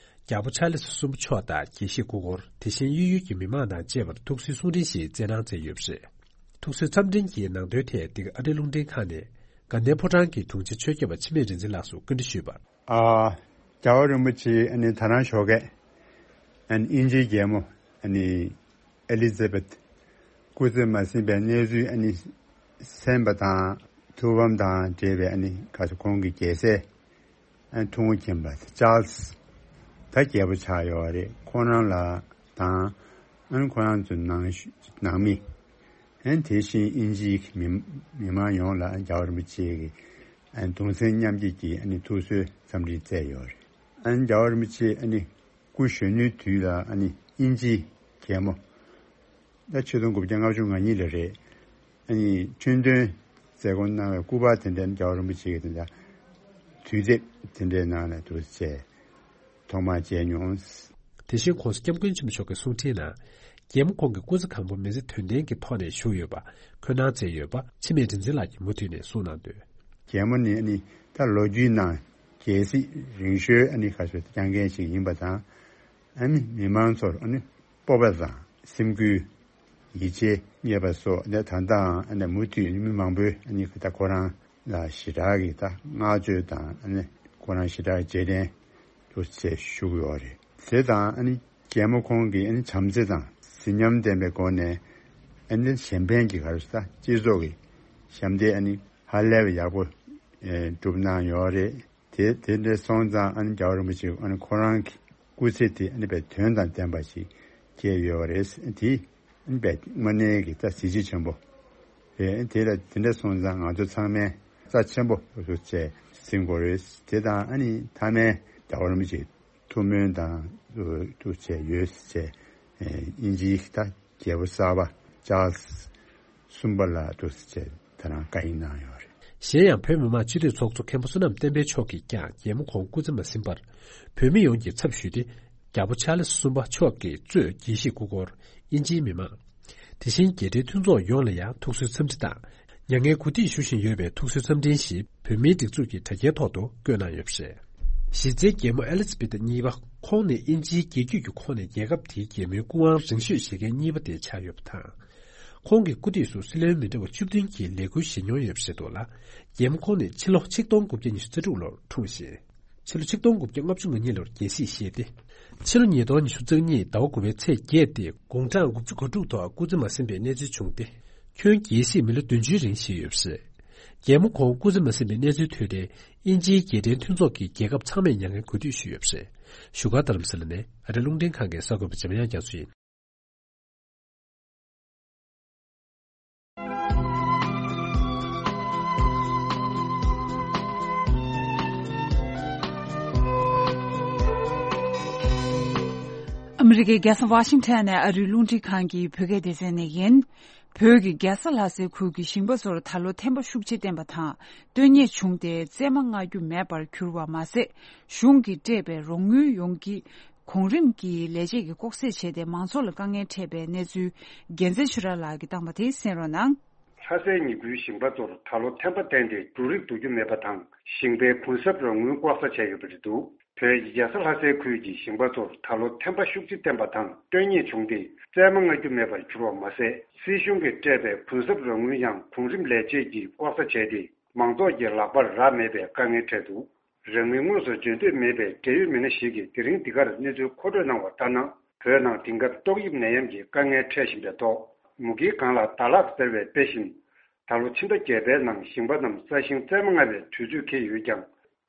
རྒྱལ་པོ་ཆར་ལི་སི་གསུམ་པ་མཆོག་དང་དགེ་བཤེས་སྐུ་འཁོར། དེ་བཞིན་གཡས་གཡོན་གྱི་མི་མང་དང་བཅས་པར་ཐུགས་གསོའི་གསུང་འཕྲིན་ཞིག་སྩལ་གནང་མཛད་ཡོད་པ་རེད། ཐུགས་གསོའི་འཚམས་འཕྲིན་གྱི་ནང་དོན་ཐད་འདི་ག་ཨ་རིའི་རླུང་འཕྲིན་ཁང་ནས་དགའ་ལྡན་ཕོ་བྲང་གི་དྲུང་ཆེ་ཆོས་སྐྱོབ་པ་འཆི་མེད་རིག་འཛིན་ལགས་སུ་བཀའ་འདྲི་ཞུས་པར། ཨ། རྒྱལ་བ་རིན་པོ་ཆེ་ཨ་ནི་ད་རང་ཞོགས་ཀས་ཨ་ནི་དབྱིན་ཇིའི་རྒྱལ་མོ་ཨ་ནི་ཨེ་ལི་ཛ་བེད་སྐུ་ཚེ་མ་ཟིན་པའི་གནས་ཚུལ་ཨ་ནི་གསན་པ་དང་ཐུགས་ཕམ་དང་འབྲེལ་བའི་ཨ་ནི་ག་ཚོད་ཁོང་གི་རྒྱལ་སྲས་ཨ་ནི་ཐུང་ངུ་མཁྱེན་པ་ཅཱལ་སི་ད་རྒྱལ་པོ་ཆགས་ཡོད་རེད། ཁོང་རང་ལ་དང་ཨ་ནི་ཁོང་རང་ཚོའི་ནང་ནང་མི་ཨ་ནི་དེ་བཞིན་དབྱིན་ཇིའི་མི་མི་མང་ཡོངས་ལ་རྒྱལ་བ་རིན་པོ་ཆེ་གི་ཨ་ནི་གདུང་སེམས་མཉམ་སྐྱེད་ཀྱི་ཨ་ནི་ཐུགས་གསོའི་འཚམས་འདྲི་བསྩལ་ཡོད་རེད། ཨ་ནི་རྒྱལ་བ་རིན་པོ་ཆེ་ཨ་ནི་སྐུ་གཞོན་ནུའི་དུས་ལ་ཨ་ནི་དབྱིན་ཇིའི་རྒྱལ་མོ། ད་ཆིག་སྟོང་དགུ་བརྒྱ་ལྔ་བཅུ་ང་གཉིས་ལ་རེད། ཨ་ནི་ཁྲིན་ཏུའུ་མཛད་སྒོ་གནང་བའི་སྐུ་པར་དེ་འདྲའི་རྒྱལ་བ་རིན་པོ་ཆེ་གི་དེ་འདྲ་དུས་དེབ་དེ་འདྲའི་ནང་ནས་འདུག་སེ་ཐོག་མར་མཇལ་མྱོང་། དེ་བཞིན་༧གོང་ས་༧སྐྱབས་མགོན་ཆེན་པོ་མཆོག་གི་གསུང་འཕྲིན་ནང་། རྒྱལ་མོ་ཁོང་གི་སྐུ་ཚེ་གང་པོ་མི་ཚེ་དོན་ལྡན་གྱི་ཐོག་ནས་བཞུགས་ཡོད་པ་ཁོ་ན་མཛད་ཡོད་པ་འཆི་མེད་རིག་འཛིན་ལགས་ཀྱིས་མུ་མཐུད་ནས་གསུངས་གནང་དོན། རྒྱལ་མོ་ནི་ཨ་ནི་ད་ལོ་རྒྱུས་ནང་རྒྱལ་སྲིད་རིང་ཤོས་ཨ་ནི་ཁ་ཤོ་སྐྱོང་མཁན་ཞིག་ཡིན་པ་དང་། ཨ་ནི་མི་མང་ཚོར་ཨ་ནི་སྤོབས་པ་དང་སེམས་འགུལ། ཡིད་ཆེས་རྙེད་པ་སོགས་ནས་ད་ལྟའང་ཨ་ནི་མུ་མཐུད་མི་མང་པོས་ཨ་ནི་ད་ཁོ་རང་ལ་ཞེ་དྲག་གི་ད་བསྔགས་བརྗོད་དང་ཨ་ནི་ཁོ་རང་ཞེ་དྲག་རྗེས་དྲན་དུ་ཚེ་ཞུ་གི་ཡོད་རེད། དེ་དང་ཨ་ནི་རྒྱལ་མོ་ཁོང་གི་ཨ་ནི་བྱམས་བརྩེ་དང་གཟི་ཉམས་ལྡན་པའི་སྒོ་ནས་ཨ་ནི་གཞན་ཕན་གྱི་ག་རེ་ཟ་སྤྱི་ཚོགས་ཀྱི་ཞབས་འདེགས་ཨ་ནི་ཧ་ལས་པའི་ཡག་པོ་སྒྲུབ་གནང་ཡོད་རེད། དེ་དེ་འདྲ་སོང་ཙང་ཨ་ནི་རྒྱལ་བ་རིན་པོ་ཆེ་ཨ་ནི་ཁོ་རང་གི་སྐུ་ཚེ་དེ་ཨ་ནི་དཔེ་དོན་དང་ལྡན་པ་ཞིག་སྐྱེལ་ཡོད་པ་རེད། དེ་ཨ་ནི་དཔེ་དངོས་གནས་ཀྱི་ད་གཟི་བརྗིད་ཆེན་པོ་རེད། དེ་ལ་དེ་འདྲ་སོང་ཙང་ང་ཚོ་ཚང་མས་རྩ་ཆེན་པོ་ཞུ་བྱས་ཟིན་དགོས་རེད། དེ་དང་ཨ་ནི་མཐའ་མའི་རྒྱལ་བ་རིན་པོ་ཆེ་ཐུགས་སྨོན་དང་ཐུགས་བྱས་ཡོད་ཟེར་བྱས་དབྱིན་ཇིའི་ད་རྒྱལ་པོ་གསར་པ་ཅཱལ་སི་གསུམ་པ་ལ་འདུག་ཟེར་བྱས་ད་རང་བཀའ་ཡིག་གནང་ཡོད་རེད། གཞན་ཡང་བོད་མི་མང་སྤྱི་འཐུས་ཚོགས་གཙོ་མཁན་པོ་བསོད་ནམས་བསྟན་འཕེལ་མཆོག་གིས་ཀྱང་རྒྱལ་མོ་ཁོང་སྐུ་ཚེ་མ་ཟིན་པར་བོད་མི་ཡོངས་ཀྱི་ཚབ་ཞུས་ཏེ། རྒྱལ་པོ་ཆཱལ་སི་གསུམ་པ་མཆོག་གིས་གཙོས་རྒྱལ་སྲིད་སྐུ་འཁོར། དབྱིན་ཇིའི་མི་མང་། དེ་བཞིན་རྒྱལ་སྤྱིའི་མཐུན་ཚོགས་ཡོངས་ལ་ཡང་ཐུགས་གསོའི་འཚམས་འདྲི་དང་། མྱ་ངན་གུས་འདུད་ཞུ་བཞིན་ཡོད་པའི་ཐུགས་གསོའི་འཚམས་འཕྲིན་ཞིག་བོད་མིའི་སྒྲིག་འཛུགས་ཀྱི་དྲ་རྒྱའི་ཐོག་ཏུ་བཀོད་གནང་ཡོད་པ་རེད། གཞི་རྩའི་རྒྱལ་མོ་ཨེ་ལི་ཛ་བེ་ཐ་གཉིས་པ་ཁོང་ནི་དབྱིན་ཇིའི་རྒྱལ་རྒྱུད་ཀྱི་ཁོངས་ནས་རྒྱལ་ཁབ་དེའི་རྒྱལ་མོའི་སྐུ་དབང་རིང་ཤོས་བཞེས་མཁན་གཉིས་པ་དེ་ཆགས་ཡོད་པ་དང་། ཁོང་གི་སྐུ་དུས་སུ་སྲིད་བློན་མི་འདྲ་བ་བཅུ་བདུན་གྱིས་ལས་འཁུར་བཞེས་མྱོང་ཡོད་པ་རེད་འདུག་ལ། རྒྱལ་མོ་ཁོང་ནི་ཕྱི་ལོ་ཆིག་སྟོང་དགུ་བརྒྱ་ཉི་ཤུ་རྩ་དྲུག་ལོར་འཁྲུངས་ཤིང་། ཕྱི་ལོ་ཆིག་སྟོང་དགུ་བརྒྱ་ལྔ་བཅུ་ང་གཉིས་ལོར་རྒྱལ་སྲིད་བཞེས་ཏེ། ཕྱི་ལོ་ཉིས་སྟོང་ཉི་ཤུ་རྩ་གཉིས་ཟླ་བ་དགུ་པའི་ཚེས་བརྒྱད་དེ་དགུང་གྲངས་དགུ་བཅུ་གོ་དྲུག་ཐོག་སྐུ་ཚེ་མ་ཟིན་པའི་གནས་ཚུལ་བྱུང་སྟེ། ཁྱོན་རྒྱལ་སྲིད་མི་ལོ་བདུན་ཅུའི་རིང་བཞེས་ཡོད་པ་རེད། རྒྱལ་མོ་ཁོང་སྐུ་ཚེ་མ་ཟིན་པའི་གནས་ཚུལ་ཐོས་ཏེ་དབྱིན་ཇིའི་རྒྱལ་ཕྲན་མཐུན་ཚོགས་ཀྱིས་རྒྱལ་ཁབ་ཚང་མས་མྱ་ངན་གུས་འདུད་ཞུས་ཡོད་པ་རེད། བཞུགས་སྒར་རྡ་རམ་ས་ལ་ནས་ཨ་རི་རླུང་འཕྲིན་ཁང་གི་གསར་འགོད་པ་འཇམ་དབྱངས་རྒྱ་མཚོ་ཡིན། ཨ་མི་རི་ཀའི་རྒྱལ་ས་ཝ་ཤིང་ཊོན་ནས་ཨ་རིའི་རླུང་འཕྲིན་ཁང་གི་བོད་སྐད་སྡེ་ཚན་ནས་ཡིན། བོད་ཀྱི་རྒྱལ་ས་ལྷ་སའི་ཁུལ་གྱི་ཞིང་པ་ཚོར་ད་ལོ་ཐན་པ་ཤུགས་ཆེ་བསྟན་པ་དང་། བཏོན་ཉེས་བྱུང་སྟེ་རྩེད་མ་མངགས་རྒྱུ་མེད་པར་གྱུར་བ་མ་ཟད། གཞུང་གིས་སྤྲད་པའི་རོགས་དངུལ་ཡོངས་ཀྱིས། གོང་རིམ་གྱི་ལས་བྱེད་ཀྱིས་ལྐོག་བསད་བྱས་ཏེ་མང་ཚོགས་ལ་དཀའ་ངལ་འཕྲད་པའི་གནས་ཚུལ་རྒྱལ་མཚན་ཆོས་གྲགས་ལགས་ཀྱིས་བཏང་བ་དེ་གསན་རོགས་གནང་། ལྷ་སའི་ཉིན་དགུའི་ཞིང་པ་ཚོར་ད་ལོ་ཐན་པ་བསྟན་ཏེ་འབྲུ་རིགས་བསྡུ་རྒྱུ་མེད་པ་དང་ཞིང་པའི་གུན་གསབ་རོགས་དངུལ་ལྐོག་ཟ་བྱས་ཡོད་པ་རེད་འདུག་བོད་ཀྱི་རྒྱལ་ས་ལྷ་སའི་ཁུལ་གྱི་ཞིང་པ་ཚོར་ད་ལོ་ཐན་པ་ཤུགས་ཆེ་བསྟན་པ་དང་བཏོན་ཉེས་བྱུང་སྟེ་རྩེད་མ་མངགས་རྒྱུ་མེད་པར་གྱུར་བ་མ་ཟད། སྲིད་གཞུང་གིས་སྤྲད་པའི་གུན་གསབ་རོགས་དངུལ་ཡང་གོང་རིམ་ལས་བྱེད་ཀྱིས་ལྐོག་ཟ་བྱས་ཏེ་མང་ཚོགས་ཀྱི་ལག་པར་རག་མེད་པའི་དཀའ་ངལ་འཕྲད་འདུག་རང་ངོས་དངོས་སུ་འཇོན་འདོད་མེད་པའི་འབྲེལ་ཡོད་མི་སྣ་ཞིག་གིས་དེ་རིང་འདི་གར་གནས་ཚུལ་མཁོ་སྤྲོད་གནང་བ་ལྟར་ན། བོད་ནང་དེང་སྐབས་ཏོག་དབྱིབས་ནད་ཡམས་ཀྱི་དཀའ་ངལ་འཕྲད་བཞིན་པའི་ཐོག་མུ་གེའི་སྒང་ལ་ཟླ་ལྷག་ཟེར་བའི་དཔེ་བཞིན། ད་ལོ་ཕྱི་ཟླ་བརྒྱད་པའི་ནང་ཞིང་པ་རྣམས་ས་ཞིང་རྩེད་མ་མངགས་པའི་དུས་ཚོད་འཁེལ་ཡོད་ཀྱང་།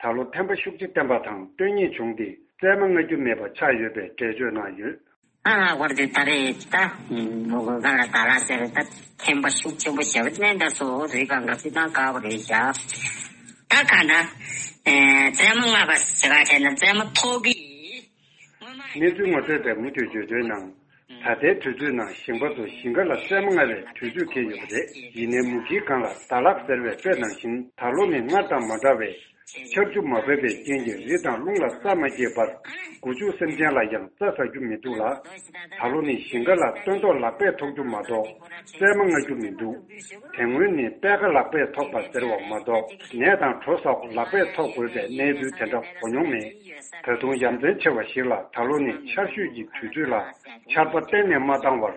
ད་ལོ་ཐན་པ་ཤུགས་ཆེ་བསྟན་པ་དང་བཏོན་ཉེས་བྱུང་སྟེ་རྩེད་མ་མངགས་རྒྱུ་མེད་པ་ཆགས་ཡོད་པའི་འགྲེལ་བརྗོད་གནང་ཡོད། ཨ་ང་བར་དུ་ད་རེས་ད་མུ་གེའི་སྒང་ལ་ཟླ་ལྷག་ཟེར་བའི་ད་ཐན་པ་ཤུགས་ཆེན་པོ་བྱས་པ་ནས་ད་གཙོ་བོ་རི་སྒང་གི་སྤྱི་བཏང་དཀར་པོ་རེད་བཞག་ད་ག་ན། ཨེ། རྩེད་མ་མངགས་པ་ཟེར་ག་བྱས་ན་རྩེད་མ་ཐོག་གི། གནས་ཚུལ་ངོ་སྤྲོད་པས་མུ་མཐུད་བརྗོད་དོན་ནང་། ད་ལྟའི་དུས་ཚོད་ནང་ཞིང་པ་ཚོ་ཞིང་ཁ་ལ་རྩེད་མ་མངགས་པའི་དུས་ཚོད་འཁེལ་ཡོད་པ་རེད། ཡིན་ནའི་མུ་གེའི་སྒང་ལ་ཟླ་ལྷག་ཟེར་བའི་དཔེ་ནང་བཞིན་ད་ལོ་ནི་སྔར་དང་མ་འདྲ་བའི་ཆར་ཆུ་མ་བབས་པའི་རྐྱེན་གྱིས་རི་དང་རླུང་ལ་རྩྭ་མ་སྐྱེས་པར་སྒོ་ཕྱུགས་སེམས་ཅན་ལ་ཡང་རྩྭ་ཟ་རྒྱུ་མི་འདུག་ལ། ད་ལོ་ནི་ཞིང་ཁ་ལ་སྟོན་ཐོག་ལག་པས་ཐོགས་རྒྱུ་མ་གཏོགས་རྩེད་མ་མངགས་རྒྱུ་མི་འདུག་དེ་སྔོན་ནི་པད་ཁ་ལག་པས་ཐོགས་པ་ཟེར་བ་མ་གཏོགས་ནས་དང་གྲོ་ཟ་ལག་པས་ཐོགས་དགོས་པའི་གནས་ཚུལ་དེ་འདྲ་གོ་མྱོང་མེད། ད་དུང་ཡ་མཚན་ཆེ་བ་ཞིག་ལ་ད་ལོ་ནི་ཆར་ཞོད་ཀྱི་དུས་ཚོད་ལ་ཆར་པ་གཏན་ནས་མ་བཏང་བར།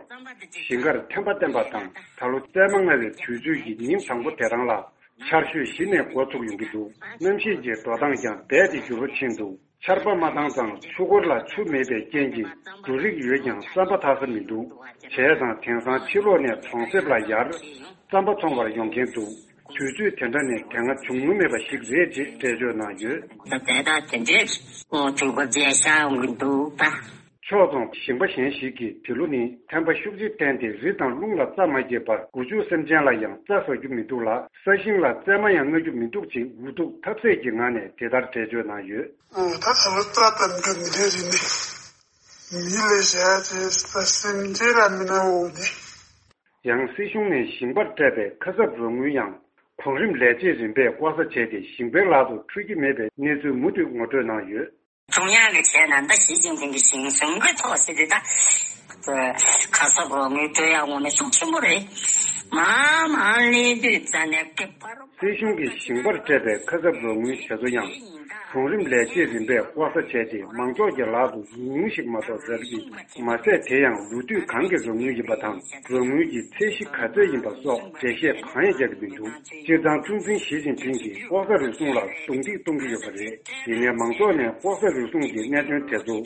ཞིང་ཁར་ཐན་པ་བསྟན་པ་དང་ད་ལོ་རྩེད་མ་མངགས་པའི་དུས་ཚོད་ཀྱི་ཉིན་དང་པོ་དེ་རང་ལ་ཆར་ཞོད་གཞི་ནས་འགོ་ཚུགས་ཡོང་གི་འདུག་གནམ་གཤིས་ཀྱི་འགྲོ་སྟངས་ཀྱང་རྦད་དེ་འགྱུར་བ་ཕྱིན་འདུག་ཆར་པ་མ་བཏང་ཙང་ཆུ་འཁོར་ལ་ཆུ་མེད་པའི་རྐྱེན་གྱིས་འབྲུ་རིགས་ཡོད་ཀྱང་རྩམ་པ་འཐག་ས་མི་འདུག་བྱས་ཙང་དེང་སང་ཕྱི་ལོགས་ནས་གྲོང་གསེབ་ལ་ཡར་རྩམ་པ་འཚོང་བར་ཡོང་མཁན་འདུག་དུས་ཚོད་དེ་འདྲ་ནི་དེ་སྔ་བྱུང་མྱོང་མེད་པ་ཞིག་རེད་ཅེས་འགྲེལ་བརྗོད་གནང་ཡོད། ད་ལྟ་དེ་འདྲའི་དུས་འཁོར་ཅིག་ཤར་ཡོང་གི་འདུག་ད། ཕྱོགས་མཚུངས་ཞིང་པ་གཞན་ཞིག་གིས་དེ་ལོ་ནི་ཐན་པ་ཤུགས་ཆེ་བསྟན་ཏེ་རི་དང་རླུང་ལ་རྩྭ་མ་སྐྱེས་པར་སྒོ་ཕྱུགས་སེམས་ཅན་ལ་ཡང་རྩྭ་ཟ་རྒྱུ་མི་འདུག་ལ། ས་ཞིང་ལ་རྩལ་མ་ཡང་རྔ་རྒྱུ་མི་འདུག་ཅེས་འུ་ཐུག་ཐབས་ཟད་ཀྱི་ངང་ནས་དེ་ལྟར་འགྲེལ་བརྗོད་གནང་ཡོད། ཨོ་ད་ད་ལོ་རྩྭ་དང་འགྲོ་མི་འདོད་རི་ནི་མི་ལས་བྱ་ཅེས་ས་སེམས་ཅན་ལ་མི་ན་འོ་ནི། ཡང་སྲིད་གཞུང་ནས་ཞིང་པར་སྤྲད་པའི་ཁ་གསབ་རོགས་དངུལ་ཡང་གོང་རིམ་ལས་བྱེད་རིམ་པས་ལྐོག་ཟ་བྱས་ཏེ་ཞིང་པའི་ལག་ཏུ་འཕྲོད་ཀྱི་མེད་པའི་གནས་ཚུལ་མུ་མཐུད་ངོ་སྤྲོད་གནང་ཡོད། 中央的钱难道习近平的心胸会透视的？他这卡萨布罗没对啊，我们说全部人，妈妈你对咱那个巴罗。 སྲིད་གཞུང་གིས་ཞིང་པར་སྤྲད་པའི་ཁ་གསབ་རོགས་དངུལ་དེ་ཚོ་ཡང་གོང་རིམ་ལས་བྱེད་རིམ་པས་ལྐོག་ཟ་བྱས་ཏེ་མང་ཚོགས་ཀྱི་ལག་ཏུ་ཉུང་ཉུང་ཞིག་མ་གཏོགས་ཟ་གི་མ་ཟད། དེ་ཡང་ལོ་དུས་གང་གི་རོགས་དངུལ་ཡིན་པ་དང་རོགས་དངུལ་གྱི་ཚད་གཞི་ག་ཚོད་ཡིན་པ་སོགས་འགྲེལ་བཤད་གང་ཡང་རྒྱག་གི་མི་འདུག་སྤྱིར་བཏང་ཁྲུང་ཆིང་ཞི་ཅིན་ཕིང་གིས་ལྐོག་ཟ་རུལ་སུངས་ལ་རྡུང་རྡེག་གཏོང་གི་ཡོད་པ་རེད། ཡིན་ནའི་མང་ཚོགས་ནས་ལྐོག་ཟ་རུལ་སུངས་ཀྱི་གནད་དོན་དེ་ཚོ་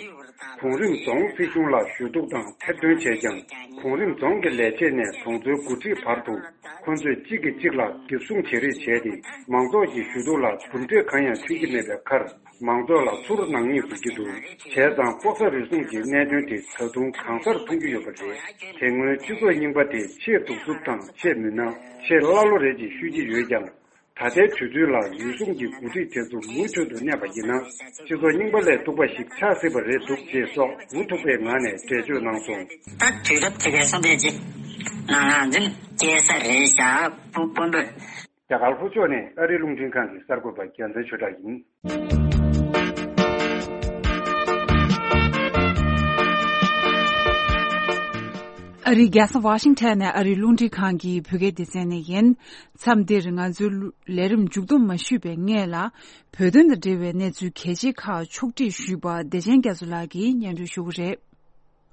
གོང་རིམ་རྫོང་སྲིད་གཞུང་ལ་ཞུ་གཏུག་དང་ཐེར་འདོན་བྱས་ཀྱང་། གོང་རིམ་རྫོང་གི་ལས་བྱེད་ནས་གྲོང་ཚོའི་འགོ་ཁྲིད་བར་དུ་ཁོ་ཚོས་གཅིག་གིས་གཅིག་ལ་རྒྱབ་སྲུང་བྱེད་རེས་བྱས་ཏེ། མང་ཚོགས་ཀྱི་ཞུ་གཏུག་ལ་གྲུབ་འབྲས་གང་ཡང་ཐོན་གྱི་མེད་པའི་ཁར། མང་ཚོགས་ལ་ཚུར་ནག་ཉེས་འཛུགས་ཀྱི་འདུག་བྱས་ཙང་ལྐོག་ཟ་རུལ་སུངས་ཀྱི་གནད་དོན་དེ་ད་དུང་གང་སར་མཐོང་རྒྱུ་ཡོད་པ་རེད། དེ་སྔོན་སྤྱི་ཚོགས་རྙིང་པ་དེ་ཆེས་གདུག་རྩུབ་དང་ཆེས་མུན་ནག་ཆེས་ཀླ་ཀློ་རེད་ཅེས་ཤོད་ཀྱི་ཡོད་ཀྱང་། ད་ལྟའི་དུས་ཚོད་ལ་རུལ་སུངས་ཀྱི་འགོ་ཁྲིད་དེ་ཚོ་མུ་མཐུད་དུ་གནས་པ་ཡིན་ན། སྤྱི་ཚོགས་རྙིང་པ་ལས་སྡུག་པ་ཞིག་ཆགས་སྲིད་པ་རེད་འདུག་ཅེས་སོགས་འུ་ཐུག་པའི་ངང་ནས་འགྲེལ་བརྗོད་གནང་སོང་། ད་དུས་རབས་དེ་གའི་སོང་དེ་རྗེས་ནང་ལ་འཛིན་སྐྱེལ་ས་རེད་བཞག་སྤུ་སྤུན་པོས། རྒྱ་གར་ལྷོ་ཕྱོགས་ནས་ཨ་རིའི་རླུང་འཕྲིན་ཁང་གི་གསར་འགོད་པ་རྒྱལ་མཚན་ཆོས་གྲགས་ཡིན། ཨ་རིའི་རྒྱལ་ས་ཝ་ཤིང་ཊོན་ནས་ཨ་རིའི་རླུང་འཕྲིན་ཁང་གི་བོད་སྐད་སྡེ་ཚན་ནས་ཡིན། མཚམས་འདིར་ང་ཚོའི་ལས་རིམ་མཇུག་བསྡོམས་མ་ཞུས་པའི་སྔོན་ལ། བོད་དོན་དང་འབྲེལ་བའི་གནས་ཚུལ་གལ་ཆེ་ཁག་ཕྱོགས་སྒྲིག་ཞུས་པ་བདེ་ཆེན་རྒྱ་མཚོ་ལགས་ཀྱིས་སྙན་སྒྲོན་ཞུ་གི་རེད།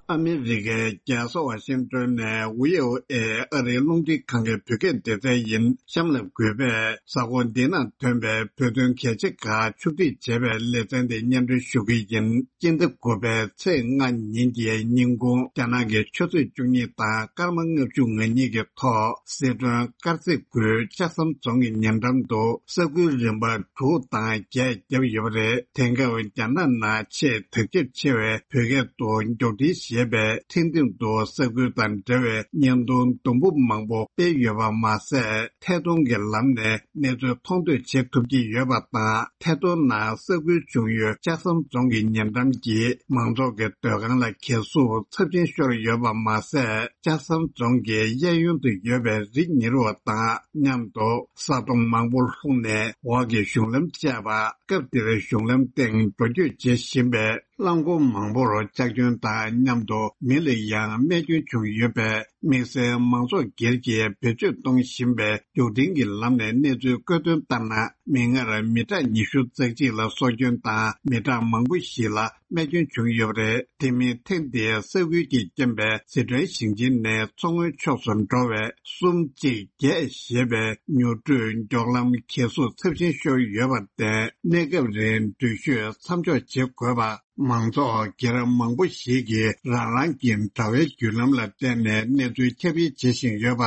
ཨ་མི་རི་ཀའི་རྒྱལ་ས་ཝ་ཤིང་ཊོན་ནས་ཝི་ཨོ་ཨེ་ཨ་རིའི་རླུང་འཕྲིན་ཁང་གི་བོད་སྐད་སྡེ་ཚན་ཡིན། གཤམ་ལ་གུས་པས་གཟའ་འཁོར་འདི་ནང་ཐོན་པའི་བོད་དོན་གལ་ཆེ་ཁག་ཕྱོགས་སྒྲིག་བྱས་པའི་ལེ་ཚན་དེ་སྙན་སྒྲོན་ཞུ་གི་ཡིན། སྤྱི་ཟླ་དགུ་པའི་ཚེས་ལྔ་ཉིན་གྱི་ཉིན་གུང་རྒྱ་ནག་གི་ཆུ་ཚོད་བཅུ་གཉིས་དང་སྐར་མ་ལྔ་བཅུ་ང་གཉིས་ཀྱི་ཐོག་སི་ཁྲོན་དཀར་མཛེས་ཁུལ་ལྕགས་ཟམ་རྫོང་གི་ཉེ་འགྲམ་དུ་ས་ཁུལ་རིམ་པ་དྲུག་དང་བརྒྱད་བརྒྱབ་ཡོད་པ་རེད། དེང་སྐབས་རྒྱ་ནག་ནང་ཆེས་དར་ཁྱབ་ཆེ་བའི་བོད་སྐད་དུ་མགྱོགས་འཕྲིན་ཞེས་པའི་འཕྲིན་སྟེང་དུ་ས་ཁུལ་དང་འབྲེལ་བའི་བརྙན་ཐུང་དུམ་བུ་མང་པོ་སྤེལ་ཡོད་པ་མ་ཟད། ཐད་གཏོང་གི་ལམ་ནས་གནས་ཚུལ་མཐོང་ཐོས་བྱེད་ཐུབ་ཀྱི་ཡོད་པ་དང་། ཐད་གཏོང་ནང་ས་ཁུལ་བྱུང་ཡུལ་ལྕགས་ཟམ་རྫོང་གི་ཉེ་འགྲམ་གྱི་མང་ཚོགས་ཀྱི་སྡོད་ཁང་ལ་གས་སྲུབས་ཚབས་ཆེན་ཤོར་ཡོད་པ་མ་ཟད། ལྕགས་ཟམ་རྫོང་གི་གཡས་གཡོན་དུ་ཡོད་པའི་རི་ཉིལ་བ་དང་མཉམ་དུ་ས་དོང་མང་པོ་ལྷུང་ནས་འོག་གི་གཞུང་ལམ་བཅད་པ། སྐབས་དེར་གཞུང་ལམ་སྟེང་འགྲོ་སྐྱོད་བྱེད་བཞིན་པའི་རླངས་འཁོར་མང་པོར་ཆག་སྐྱོན་དང་མཉམ་དུ་མི་ལ་ཡང་རྨས་སྐྱོན་བྱུང་ཡོད་པས། དམིགས་བསལ་མང་ཚོགས་སྒེར་གྱིས་བེད་སྤྱོད་གཏོང་བཞིན་པའི་མགྱོགས་འཕྲིན་གྱི་ལམ་ནས་གནས་ཚུལ་བཀོད་དོན་ལྟར་ན། མིག་སྔར་མི་གྲངས་ཉི་ཤུ་རྩ་གཅིག་ལ་སྲོག་སྐྱོན་དང་མི་གྲངས་མང་པོ་ཞིག་ལ་རྨས་སྐྱོན་བྱུང་ཡོད་པ་རེད། དེ་མིན་ཐེངས་འདིའི་ས་ཁུལ་གྱི་རྐྱེན་པས་སི་ཁྲོན་ཞིང་ཆེན་ནས་མཚོ་སྔོན་ཕྱོགས་སུ་འགྲོ་བའི་གསུམ་གཅིག་བརྒྱད་ཞེས་པའི་མྱུར་བགྲོད་མགྱོགས་ལམ་གས་སྲུབས་ཚབས་ཆེན་ཤོར་ཡོད་པར་བརྟེན། གནས་སྐབས་རིང་འགྲུལ་བཞུད་མཚམས་འཇོག་བྱེད་དགོས་པ། མང་ཚོགས་སྒེར་མང་པོ་ཞིག་གིས་རང་རང་གི་དྲ་བའི་བརྒྱུད་ལམ་ལ་བརྟེན་ནས་གནས་ཚུལ་ཁྱབ་སྤེལ་བྱེད་བཞིན་ཡོད་པ་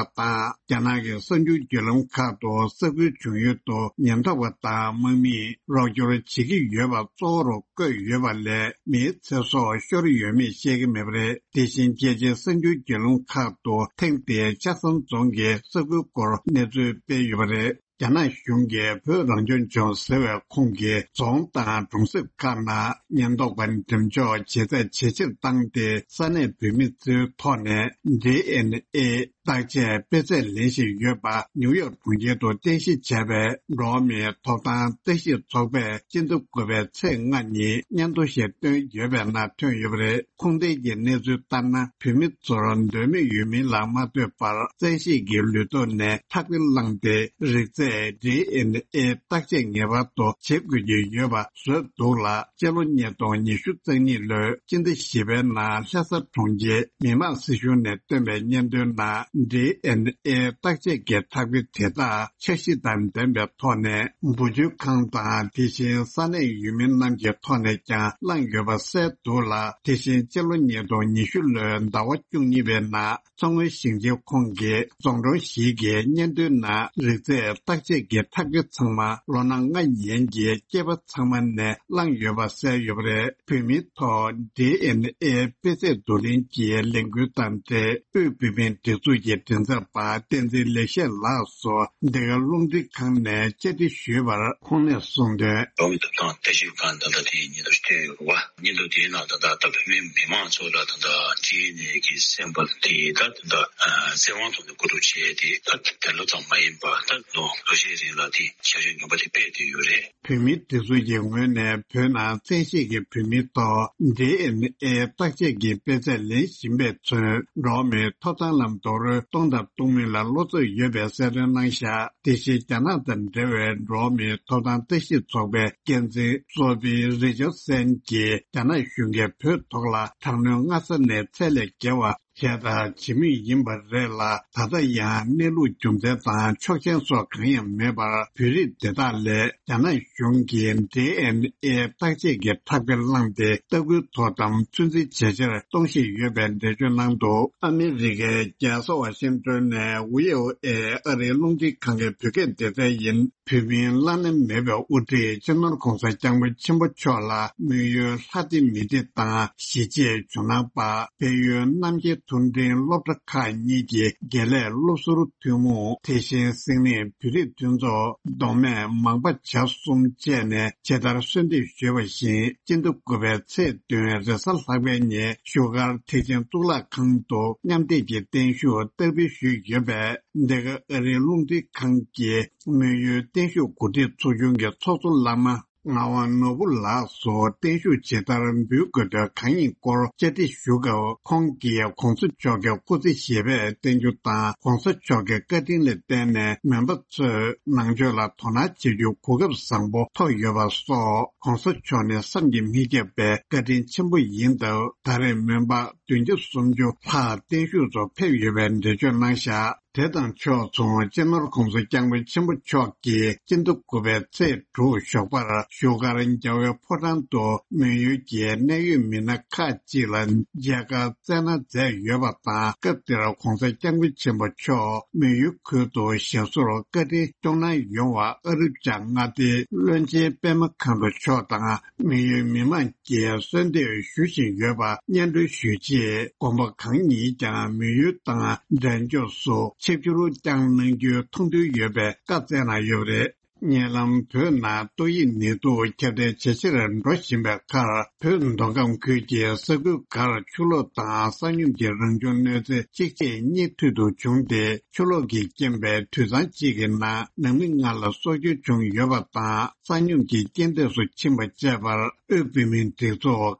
དང་། རྒྱ་ནག་གི་གསར་འགྱུར་བརྒྱུད་ལམ་ཁག་ཏུ་ས་ཁུལ་བྱུང་ཡུལ་དུ་ཉེན་རྟོག་པ་དང་དམག་མིས་རོགས་སྐྱོར་བྱེད་ཀྱི་ཡོད་པ་གཙོ་བོར་བཀོད་ཡོད་པ་ལས། མིའི་ཚེ་སྲོག་ཤོར་ཡོད་མེད་བཤད་ཀྱི་མེད་པ་རེད། དེ་བཞིན་རྒྱལ་སྤྱིའི་གསར་འགྱུར་བརྒྱུད་ལམ་ཁག་ཏུ་ཐེངས་འདིའི་ལྕགས་ཟམ་རྫོང་གི་ས་ཁུལ་སྐོར་གནས་ཚུལ་སྤེལ་ཡོད་པ་རེད། རྒྱ་ནག་གཞུང་གིས་བོད་རང་སྐྱོང་ལྗོངས་ཟེར་བའི་ཁོངས་ཀྱི་རྫོང་དང་གྲོང་གསེབ་ཁག་ནང་ཉེན་རྟོག་པ་འགྲེམས་འཇོག་ཇེ་ཚད་ཇེ་ཆེར་བཏང་སྟེ། ས་གནས་བོད་མི་ཚོའི་ཐོག་ནས་ཌི་ཨེན་ཨེ་བརྟག་དཔྱད་སྤེལ་ཚད་ལེན་བཞིན་ཡོད་པ། ནིའུ་ཡོག་གྲོང་ཁྱེར་དུ་རྟེན་གཞི་བྱས་པའི་འགྲོ་བ་མིའི་ཐོབ་ཐང་ལྟ་ཞིབ་ཚོགས་པས་སྤྱི་ཟླ་དགུ་པའི་ཚེས་ལྔ་ཉིན་སྙན་ཐོ་ཞིག་བཏོན་ཡོད་པའི་ནང་ཐོན་ཡོད་པ་རེད། ཁུངས་ལྡན་གྱི་གནས་ཚུལ་ལྟར་ན། བོད་མི་ཚོར་འདོད་མོས་ཡོད་མིན་ལ་མ་ལྟོས་པར། བཙན་ཤེད་ཀྱི་ལུས་སྟོབས་ནས་ལྷག་པའི་བླངས་ཏེ། རིགས་རྫས་ཌི་ཨེན་ཨེ་བརྟག་དཔྱད་ངེས་པར་དུ་བྱེད་དགོས་ཀྱི་ཡོད་པ་བཟོས་འདུག་ལ། སྤྱི་ལོ་ཉིས་སྟོང་ཉི་ཤུ་རྩ་གཉིས་ལོའི་སྤྱི་ཟླ་བཞི་པའི་ནང་ལྷ་ས་གྲོང་ཁྱེར་མི་དམངས་སྲིད་གཞུང་ནས་བཏོན་པའི་སྙན་ཐོའི་ནང་ ཌི་ཨེན་ཨེ་བརྟག་དཔྱད་ཀྱི་ཐག་གི་དེ་དག་འཆར་གཞི་དང་ལྡན་པའི་ཐོག་ནས་འབུལ་སྤྱོད་ཁང་དང་དེ་བཞིན་ས་གནས་ཡུལ་མི་རྣམས་ཀྱི་ཐོག་ནས་ཀྱང་བླངས་ཡོད་པ་གསལ་འདུག་ལ། དེ་བཞིན་སྤྱི་ལོ་ཉིས་སྟོང་ཉི་ཤུ་ལོའི་ཟླ་བ་བཅུ་གཉིས་པའི་ནང་མཚོ་སྔོན་ཞིང་ཆེན་ཁོངས་ཀྱི་རྫོང་གྲོང་བཞི་གི་སྙན་ཐོའི་ནང་རིགས་རྫས་བརྟག་དཔྱད་ཀྱི་ཐག་གི་ཚང་མ་ལོ་ན་ལྔ་ཡན་གྱི་སྐྱེས་པ་ཚང་མ་ནས་བླངས་ཡོད་པ་གསལ་ཡོད་པ་རེད། བོད་མིའི་ཐོག་ཌི་ཨེན་ཨེ་དཔེ་ཚད་བསྡུ་ལེན་གྱི་ལས་འགུལ་དང་འབྲེལ་དབུས་བོད་མིའི་སྒྲིག་འཛུགས་ཀྱི་མགྲིན་ཚབ་པ་བསྟན་འཛིན་ལེགས་བཤད་ལགས་སུ་འདི་ག་རླུང་འཕྲིན་ཁང་ནས་བཅར་འདྲི་ཞུས་པར་ཁོང་ནས་གསུངས་དོན། རང་གི་ཐོབ་ཐང་ལྟ་ཞིབ་ཁང་ད་ལྟ་དེ་ཡི་ཉིན་ཐོ་བསྟན་ཡོད་རེད་བ། ཉིན་ཐོ་དེའི་ནང་ད་ལྟ་ད་བོད་མི་མི་མང་ཚོ་ལ་ད་ལྟ་ཌི་ཨེན་ཨེ་གི་སེམས་པ་དེ་ད་ད་ལྟ་བཙན་དབང་ཐོག་ནས་བཀོད་སྒྲིག་བྱས་ཏེ་ད་དེ་ལོ་ཙམ་མ་ཡིན་པར་ད་ལོ་ལོ་ཤས་རིང་ལ་དེ་བྱ་སྤྱོད་ངན་པ་དེ་སྤེལ་བསྡད་ཡོད་རེད། བོད་མིའི་སྒྲིག་འཛུགས་ཀྱི་ངོས་ནས་བོད་ནང་བཙན་ཤེད་ཀྱིས་བོད་མིའི་ཐོག་ཌི་ཨེན་ཨེ་བརྟག་དཔྱད་ཀྱི་དཔེ་ཚད་ལེན་བཞིན་པས་མཚོན། འགྲོ་བ་མིའི་ཐོབ་ཐང་ལ་རྡོག་རོལ་གཏོང་དང་གཏོང་མུས་ལ་བློ་འཚབ་ཡོད་པའི་གསལ་སྟོན་གནང་བཞག་དེ་བཞིན་རྒྱ་ནག་དང་འབྲེལ་བའི་འགྲོ་བ་མིའི་ཐོབ་ཐང་ལྟ་ཞིབ་ཚོགས་པའི་འགན་འཛིན་སོ་ཕི་རི་ཅར་སན་གྱིས་རྒྱ་ནག་གཞུང་གིས་བོད་ཐོག་ལ་དྲག་གནོན་སྔ་ས་ནས་ཚད་ལས་བརྒལ་བ་བྱས་དང་བྱེད་མུས་ཡིན་པ་རེད་ལ། ད་ལྟ་ཡང་གནས་ལུགས་རྒྱུ་མཚན་དང་ཆོག་མཆན་སོགས་གང་ཡང་མེད་པར་བོད་རིགས་དེ་དག་ལས་རྒྱ་ནག་གཞུང་གིས་ཌི་ཨེན་ཨེ་བརྟག་དཔྱད་ཀྱི་ཐག་གི་བླངས་ཏེ་ལྟ་སྐུལ་དོ་དམ་ཚོད་འཛིན་ཇེ་ཆེར་གཏོང་བཞིན་ཡོད་པའི་འགྲེལ་བརྗོད་གནང་འདུག་ཨ་མི་རི་ཀའི་རྒྱལ་ས་ཝ་ཤིང་ཏོན་ནས་ཝི་ཨོ་ཨེ་ཨ་རིའི་རླུང་འཕྲིན་ཁང་གི་བོད་སྐད་སྡེ་ཚན་ཡིན། བོད་མིའི་བླ་ན་མེད་པའི་དབུ་ཁྲིད་སྤྱི་ནོར་༧གོང་ས་༧སྐྱབས་མགོན་ཆེན་པོ་མཆོག་ལ་དམིགས་ཡུལ་ལྷ་སྡེ་མི་སྡེ་དང་གཞིས་བྱེས་ཇོ་ནང་པ། དཔལ་ཡུལ་རྣམ་རྒྱལ་མཐོ་འབྲིང་སློབ་གྲྭ་ཁག་གཉིས་ཀྱི་དགེ་ལས་སློབ་ཟུར་ཐུན་མོང་། དེ་བཞིན་སིང་ནི་བོད་རིགས་མཐུན་ཚོགས་མདོ་སྨད་མང་པ་བྱ་གསུམ་བཅས་ནས་ཇི་ལྟར་གསོལ་འདེབས་ཞུས་པ་བཞིན། སྤྱི་ཟླ་དགུ་པའི་ཚེས་བདུན་རེས་གཟའ་ལྷག་པའི་ཉིན་བཞུགས་སྒར་ཐེག་ཆེན་གཙུག་ལག་ཁང་དུ་མཉམ་འདེགས་ཀྱི་བརྟན་བཞུགས་བསྟར་འབུལ་ཞུས་ཡོད་པས། འདི་ག་ཨ་རིའི་རླུང་འཕྲིན་ཁང་གི་དམིགས་ཡུལ་བརྟན་བཞུགས་གོ་སྒྲིག་ཚོགས་ཆུང་གི་ཚོགས་གཙོ་བླ་མ་ངག་དབང་ནོར་བུ་ལགས་སུ་བརྟན་བཞུགས་ཇི་ལྟར་འབུལ་དགོས་དོན་གང་ཡིན་སྐོར་བཅར་འདྲི་ཞུ་སྐབས། ཁོང་གིས་༧གོང་ས་མཆོག་གི་སྐུ་ཚེ་ཞབས་པད་བརྟན་རྒྱུ་དང་༧གོང་ས་མཆོག་གི་བཀའ་དྲིན་ལ་བརྟེན་ནས་མོན་པ་ཚོས་ནང་ཆོས་ལ་དོ་སྣང་བྱེད་རྒྱུ་གོ་སྐབས་བཟང་པོ་ཐོབ་ཡོད་པ་སོགས། ༧གོང་ས་མཆོག་ནི་བསམ་གྱིས་མི་ཁྱབ་པའི་བཀའ་དྲིན་ཆེན་པོ་ཡིན་སྟབས། ད་རེས་མོན་པ་བདུན་བརྒྱ་སུམ་ཅུ་ལྷག་བརྟན་བཞུགས་སུ་ཕེབས་ཡོད་པའི་འགྲེལ་བརྗོད་གནང་བཞག་དེ་དང་ཕྱོགས་མཚུངས། སྤྱི་ནོར་༧གོང་ས་༧སྐྱབས་མགོན་ཆེན་པོ་མཆོག་གིས་སྤྱི་ཟླ་དགུ་པའི་ཚེས་དྲུག་ཞོགས་པར་བཞུགས་སྒར་རྒྱལ་བའི་ཕོ་བྲང་དུ་མོན་ཡུལ་གྱི་གནད་ཡོད་མི་སྣ་ཁག་ཅིག་ལ་མཇལ་ཁ་བསྩལ་གནང་མཛད་ཡོད་པ་དང་། སྐབས་དེར་༧གོང་ས་༧སྐྱབས་མགོན་ཆེན་པོ་མཆོག་མོན་ཡུལ་ཁུལ་དུ་ཞབས་སོར་བཀའ་དྲིན་སྐྱོང་གནང་ཡོང་བར་ཨ་རིབ་ཅག་མངའ་སྡེའི་བློན་ཆེན་པད་མ་མཁའ་འགྲོ་མཆོག་དང་། མོན་ཡུལ་མི་མང་གིས་གསོལ་འདེབས་ཞུ་བཞིན་ཡོད་པ་སྙན་སྒྲོན་ཞུས་རྗེས། དགོན་པ་གང་ཉིད་ཀྱང་མོན་ཡུལ་དང་འབྲས་ལྗོངས་སུ་ཆིབས་བསྒྱུར་བསྐྱངས་གནང་རྒྱུའི་ཐུགས་འདུན་ཡོད་པའི་བཀའ་སྩལ་གནང་ཡོད་པ་རེད། ཉེ་ལམ་བོད་ནང་ཏོག་དབྱིབས་ནད་དུག་ཁྱབ་གདལ་ཇེ་ཆེར་འགྲོ་བཞིན་པའི་ཁར། བོད་མདོ་ཁམས་ཁུལ་གྱི་ས་ཁུལ་འགར་ཆུ་ལོག་དང་ས་སྙོམས་ཀྱི་རང་བྱུང་གནོད་འཚེ་གཅིག་རྗེས་གཉིས་མཐུད་དུ་བྱུང་སྟེ། ཆུ་ལོག་གི་རྐྱེན་པས་དུད་ཚང་གཅིག་གི་ནང་ནང་མི་ལྔ་ལ་སྲོག་སྐྱོན་བྱུང་ཡོད་པ་དང་། ས་སྙོམས་ཀྱི་རྐྱེན་འདས་སུ་ཕྱིན་པ་བཅས་པར། དབུས་བོད་མིའི་སྒྲིག་འཛུགས་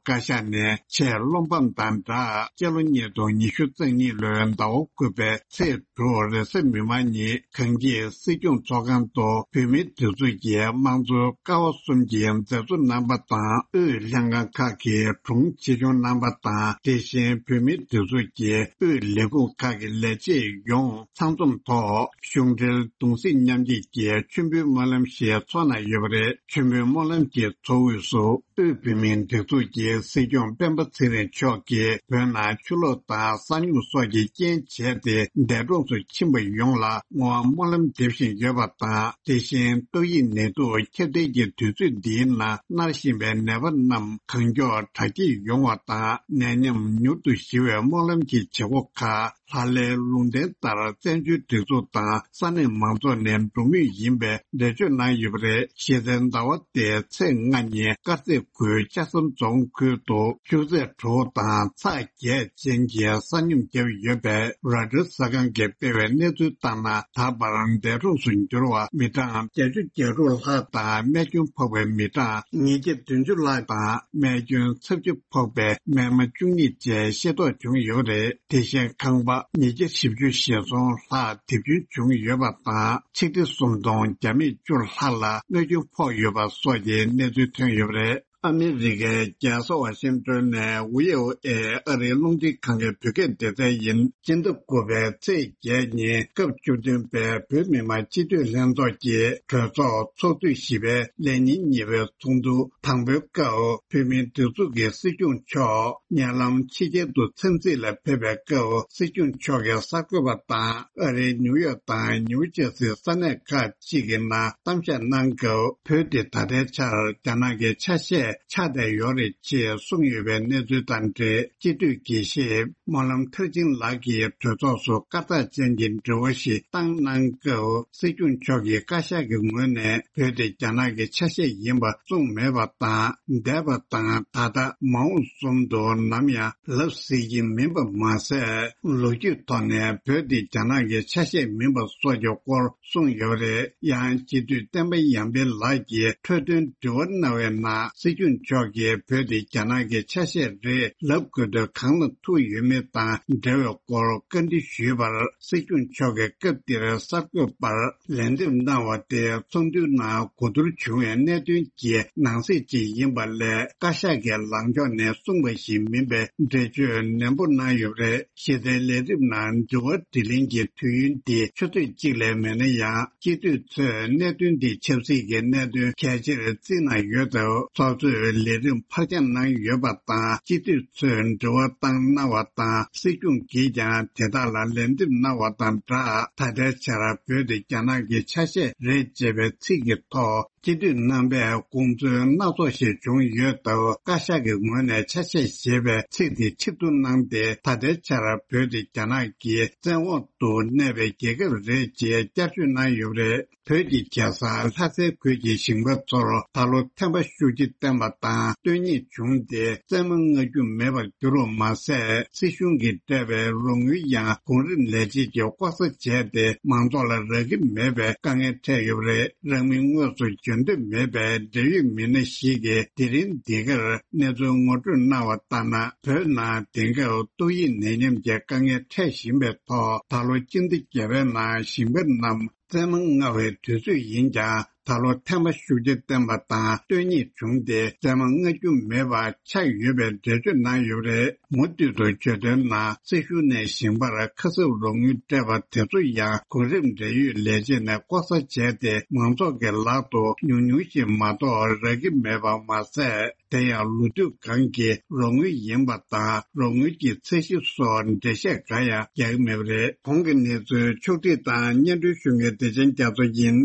བཀའ་ཤག་ནས་ཆེས་བློ་ཕམ་དང་སྦྲགས། སྤྱི་ལོ་ཉིས་སྟོང་ཉི་ཤུ་རྩ་གཉིས་ལོའི་ཟླ་བ་དགུ་པའི་ཚེས་དྲུག་རེས་གཟའ་མིག་དམར་ཉིན། གངས་སྐྱིད་སྲིད་སྐྱོང་ཚོགས་ཁང་དུ་བོད་མིའི་སྒྲིག་འཛུགས་ཀྱི་དམངས་གཙོའི་ཀ་བ་གསུམ་གྱི་མཛད་གཙོ་རྣམ་པ་དང་། དབུས་ལྷན་ཁང་ཁག་གི་དྲུང་ཆེ་ཆུང་རྣམ་པ་དང་། དེ་བཞིན་བོད་མིའི་སྒྲིག་འཛུགས་ཀྱི་དབུས་ལས་ཁུངས་ཁག་གི་ལས་བྱེད་ཡོངས་ཚང་འཛོམས་ཐོག་གཞུང་འབྲེལ་གདུང་སེམས་མཉམ་སྐྱེད་ཀྱི་མཆོད་འབུལ་སྨོན་ལམ་ཞིག་ཚོགས་གནང་ཡོད་པ་རེད། མཆོད་འབུལ་སྨོན་ལམ་གྱི་ཚོགས་དབུས་སུ། དབུས་བོད་མིའི་སྒྲིག་འཛུགས་ཀྱི་སྲིད་སྐྱོང་སྤེན་པ་ཚེ་རིང་མཆོག་གིས། བོད་ནང་ཆུ་ལོག་དང་ས་སྙོམས་སོགས་ཀྱི་རྐྱེན་བྱས་ཏེ། འདས་གྲོངས་སུ་ཕྱིན་པ་ཡོངས་ལ་བསྔོ་བ་སྨོན་ལམ་འདེབས་བཞིན་ཡོད་པ་དང་། དེ་བཞིན་ཏོག་དབྱིབས་ནད་དུག་ཁྱབ་གདལ་གྱི་དུས་ཚོད་འདིའི་ནང་མནར་བཞིན་པའི་ནད་པ་རྣམས་གང་མགྱོགས་དྲག་སྐྱེད་ཡོང་བ་དང་། ནད་ཉམས་མྱུར་དུ་ཞི་བའི་སྨོན་ལམ་གྱི་བྱེད་སྒོ་ཁག་ལྷ་ལྷའི་ལུང་བསྟན་ལྟར་བཙན་བྱོལ་སྒྲིག་འཛུགས་དང་ས་གནས་མང་ཚོགས་ནས་འགྲོ་མུས་ཡིན་པའི་འགྲེལ་བརྗོད་གནང་ཡོད་པ་རེད། གཞི་རྩའི་ཟླ་བ་འདིའི་ཚེས་ལྔ་ཉིན་དཀར་མཛེས་ཁུལ་ལྕགས་ཟམ་རྫོང་ཁུལ་དུ་ཆུ་ཚད་དྲུག་དང་ཚད་བརྒྱད་ཅན་གྱི་ས་སྙོམས་བརྒྱབ་ཡོད་པས། རོའི་ཊར་གསར་ཁང་གིས་སྤེལ་བའི་གནས་ཚུལ་ལྟར་ན། ད་བར་འདས་གྲོངས་སུ་གྱུར་བ་མི་གྲངས་བརྒྱད་ཅུ་གྱ་དྲུག་ལྷག་དང་། རྨས་སྐྱོན་ཕོག་པའི་མི་གྲངས་ཉིས་བརྒྱ་བདུན་ཅུ་ལྷག་དང་། རྨས་སྐྱོན་ཚབས་ཆེ་ཕོག་པའི་རྨས་མ་བཅུ་གཉིས་བཅས་ཤེས་རྟོགས་བྱུང་ཡོད་པ་རེད། དེ་བཞིན་ཁང་པ་ཉིས་བརྒྱ་བཞི་བཅུ་ཞེ་གསུམ་ལྷག་རྡིབ་སྐྱོན་བྱུང་ཡོད་པ་དང་། ཆིག་ཁྲི་སུམ་སྟོང་བརྒྱ་མེད་བཅུ་ལྷག་ལ་རྨས་སྐྱོན་ཕོག་ཡོད་པ་སོགས་ཀྱི་གནས་ཚུལ་ཐོན་ཡོད་པ་རེད། ཨ་མི་རི་ཀའི་རྒྱལ་ས་ཝ་ཤིང་ཏོན་ནས་ཝི་ཨོ་ཨེ་ཨ་རིའི་རླུང་འཕྲིན་ཁང་གི་བོད་སྐད་སྡེ་ཚན་ཡིན། སྤྱི་ཟླ་དགུ་པའི་ཚེས་བརྒྱད་ཉིན་སྐབས་བཅུ་བདུན་པའི་བོད་མི་མང་སྤྱི་འཐུས་ལྷན་ཚོགས་ཀྱི་གྲོས་ཚོགས་ཚོགས་དུས་བཞི་པའི་ལས་ཉིན་གཉིས་པའི་ཚོགས་འདུ་དང་པོའི་སྐབས། བོད་མིའི་སྒྲིག་འཛུགས་ཀྱི་སྲིད་སྐྱོང་མཆོག་ཉེ་ལམ་ཕྱི་རྒྱལ་དུ་འཚམས་གཟིགས་ལ་ཕེབས་པའི་སྐབས། སྲིད་སྐྱོང་མཆོག་གིས་གསར་འགོད་པ་དང་ཨ་རིའི་ནིའུ་ཡོག་དང་ནིའུ་ཇར་སིའི་ས་གནས་ཁག་ཅིག་གི་ནང་གཏམ་བཤད་གནང་སྐབས། བོད་དེ་ད་ལྟའི་ཆར་རྒྱ་ནག་གི་ཆ་ཤས་ཆགས་བསྡད་ཡོད་རེད་ཅེས་གསུངས་ཡོད་པའི་གནས་ཚུལ་དང་འབྲེལ། སྤྱི་འཐུས་དགེ་བཤེས་སྨོན་ལམ་མཐར་ཕྱིན་ལགས་ཀྱིས་གྲོས་ཚོགས་སུ་སྐར་རྟགས་ཅན་གྱི་དྲི་བ་ཞིག་བཏང་གནང་སྐབས། སྲིད་སྐྱོང་མཆོག་གིས་བཀའ་ཤག་གི་ངོས་ནས་བོད་དེ་རྒྱ་ནག་གི་ཆ་ཤས་ཡིན་པ་གསུངས་མེད་པ་དང་། འདས་པ་དང་ད་ལྟ་མ་འོངས་གསུམ་དུ་ནམ་ཡང་ལབ་སྲིད་ཀྱི་མིན་པ་མ་ཟད། ལོ་རྒྱུས་ཐོག་ནས་བོད་དེ་རྒྱ་ནག་གི་ཆ་ཤས་མིན་པ་སོགས་ཀྱི་སྐོར་གསུངས་ཡོད་རེད། ཡང་སྤྱི་འཐུས་བསྟན་པ་ཡར་འཕེལ་ལགས་ཀྱིས་འཕྲོས་དོན་དྲི་བ་གནང་བའི་ནང་སྲིད་སྐྱོང་མཆོག་གིས་བོད་དེ་རྒྱ་ནག་གི་ཆ་ཤས་རེད་ལབ་དགོས་དོན་གང་ལ་ཐུག་ཡོད་མེད་དང་འབྲེལ་བའི་སྐོར་བཀའ་འདྲི་ཞུས་པར། སྲིད་སྐྱོང་མཆོག་གིས་སྐབས་དེར་གསར་འགོད་པར། ལན་འདེབས་གནང་བ་དེ་ཚོགས་འདུའི་ནང་གོ་བསྡུར་བྱུང་བའི་གནད་དོན་གྱི་ནང་གསེས་ཅིག་ཡིན་པ་ལས། བཀའ་ཤག་གི་ལངས་ཕྱོགས་ནས་གསུངས་པ་ཞིག་མིན་པའི་འགྲེལ་བརྗོད་ནན་པོ་གནང་ཡོད་པ་རེད། གཞི་རྩའི་ལས་རིམ་ནང་དྲི་བ་དྲིས་ལན་གྱི་དུས་ཡུན་འདི་ཆུ་ཚོད་གཅིག་ལས་མེད་ན་ཡང་། སྤྱི་འཐུས་ཚོས་གནད་དོན་འདི་ཆབ་སྲིད་ཀྱི་གནད་དོན་གལ་ཆེར་བརྩིས་གནང་ཡོད་སྟབས། ཚོགས་གཙོས་ལས་རིམ་ཕར་འགྱངས་གནང་ཡོད་པ་དང་། སྤྱི་འཐུས་ཚོས་དྲི་བ་བཏང་གནང་བ་དང་། སྲིད་སྐྱོང་གིས་ཀྱང་དེ་དག་ལ་ལན་འདེབས་གནང་བ་དང་སྦྲགས། ད་ལྟའི་ཆར་བོད་དེ་རྒྱ་ནག་གི་ཆ་ཤས་རེད་ཅེས་པའི་ཚིག་གི་ཐོག་སྤྱི་འཐུས་རྣམ་པས་དགོངས་ཚུལ་སྣ་ཚོགས་ཤིག་བྱུང་ཡོད་སྟབས། བཀའ་ཤག་གི་ངོས་ནས་ཆ་ཤས་ཞེས་པའི་ཚིག་དེ་ཕྱིར་བསྡུ་གནང་སྟེ། ད་ལྟའི་ཆར་བོད་དེ་རྒྱ་ནག་གི་བཙན་འོག་ཏུ་གནས་པའི་རྒྱལ་ཁབ་རེད་ཅེས་བསྐྱར་བརྗོད་གནང་ཡོད་པ་རེད། བོད་ཀྱི་རྒྱལ་ས་ལྷ་སའི་ཁུལ་གྱི་ཞིང་པ་ཚོར་ད་ལོ་ཐན་པ་ཤུགས་ཆེ་བསྟན་པ་དང་བསྟོད་རྙེད་བྱུང་སྟེ། བཙན་མ་མངའ་རྒྱུ་མེད་པར་གྱུར་བ་མ་ཟད། སྲིད་གཞུང་གིས་སྤྲད་པའི་རོགས་དངུལ་ཡང་གོང་རིམ་ལས་བྱེད་ཀྱིས་ལྐོག་ཟ་བྱས་ཏེ། མང་ཚོགས་ལ་རག་གི་མེད་པའི་དཀའ་ངལ་འཕྲད་ཡོད་པ་རེད། རང་མིང་དངོས་སུ་བརྗོད་འདོད་མེད་པའི་འབྲེལ་ཡོད་མི་སྣ་ཞིག་གིས་དེ་རིང་འདི་གར་གནས་ཚུལ་ངོ་སྤྲོད་གནང་བ་ལྟར་ན། བོད་ནང་དེང་སྐབས་ཏོག་དབྱིབས་ནད་ཡམས་ཀྱི་དཀའ་ངལ་འཕྲད་བཞིན་པའི་ཐོག་ད་ལོ་སྤྱི་ཟླ་བརྒྱད་པའི་ནང་ཞིང་པ་རྣམས་བཙན་མ་མངའ་བའི་དུས་ཚོད་ཡིན་ཀྱང་། ད་ལོ་ཐན་པ་ཤུགས་ཆེ་བསྟན་པ་དང་བསྟོད་རྙེད་བྱུང་སྟེ། བཙན་མ་མངའ་རྒྱུ་མེད་པ་ཆགས་ཡོད་པའི་འགྲེལ་བརྗོད་གནང་ཡོད་པ་རེད། མུ་མཐུད་དུ་བརྗོད་དོན་ནང་། སྲིད་གཞུང་ནས་ཞིང་པར་ཁ་གསབ་རོགས་དངུལ་སྤྲད་པ་དེ་ཚོ་ཡང་གོང་རིམ་འབྲེལ་ཡོད་ལས་བྱེད་ནས་ལྐོག་ཟ་བྱས་ཏེ། མང་ཚོགས་ཀྱི་ལག་ཏུ་ཉུང་ཉུང་ཞིག་མ་གཏོགས་རག་གི་མེད་པ་མ་ཟད། དེ་ཡང་ལོ་དུས་གང་གི་རོགས་དངུལ་ཡིན་པ་དང་། རོགས་དངུལ་གྱི་ཚད་གཞི་སོགས་འགྲེལ་བཤད་གང་ཡང་རྒྱག་གི་མེད་པ་རེད། གོང་གི་གནས་ཚུལ་ཕྱོགས་བསྒྲིགས་དང་སྙན་སྒྲོན་ཞུ་མཁན་བདེ་ཆེན་རྒྱ་མཚོ་ཡིན།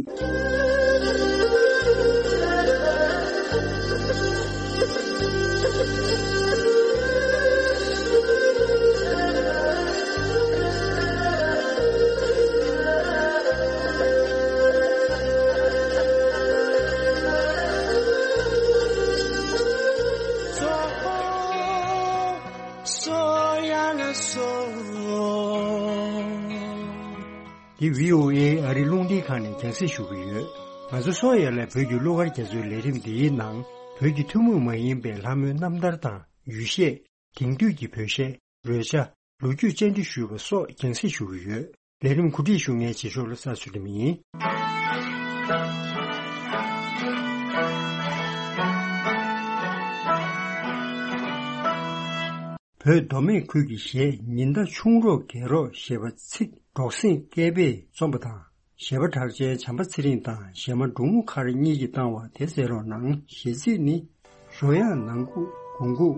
འདི་བྷི་ཨོ་ཨེ་ཨ་རིའི་རླུང་འཕྲིན་ཁང་ནས་རྒྱང་སྲིང་ཞུ་གི་ཡོད། ང་ཚོ་སོང་ཡ་ལ་བོད་ཀྱི་གླུ་གར་རྒྱ་མཚོའི་ལས་རིམ་འདིའི་ནང་། བོད་ཀྱི་ཐུན་མོང་མ་ཡིན་པའི་ལྷ་མོའི་རྣམ་ཐར་དང་། ཡུལ་གཞས། དེང་དུས་ཀྱི་བོད་གཞས། རོལ་ཆ། ལོ་རྒྱུས་བཅར་འདྲི་ཞུས་པ་སོགས་རྒྱང་སྲིང་ཞུ་གི་ཡོད། ལས་རིམ་གོ་སྒྲིག་ཞུ་མཁན་རྗེས་ཕྱོགས་ལ་ས་ཚུལ་ཁྲིམས་ཡིན། བོད་མདོ་སྨད་ཁུལ་གྱི་གཞས་ཉི་ཟླ་ཆུང་རོགས་རྒྱལ་རོགས་ཞེས་པ་ཚིག་འབྲོག་སེང་སྐལ་པས་རྩོམ་པ་དང་། གཞས་པ་གྲགས་ཅན་བྱམས་པ་ཚེ་རིང་དང་གཞས་མ་འབྲོང་མོ་མཁར་གཉིས་ཀྱིས་བཏང་བ་དེ་གསན་རོགས་གནང་། གཞས་ཚིག་ནི། ཞོ་ཡང་ནང་ཁུག་གོང་ཁུག་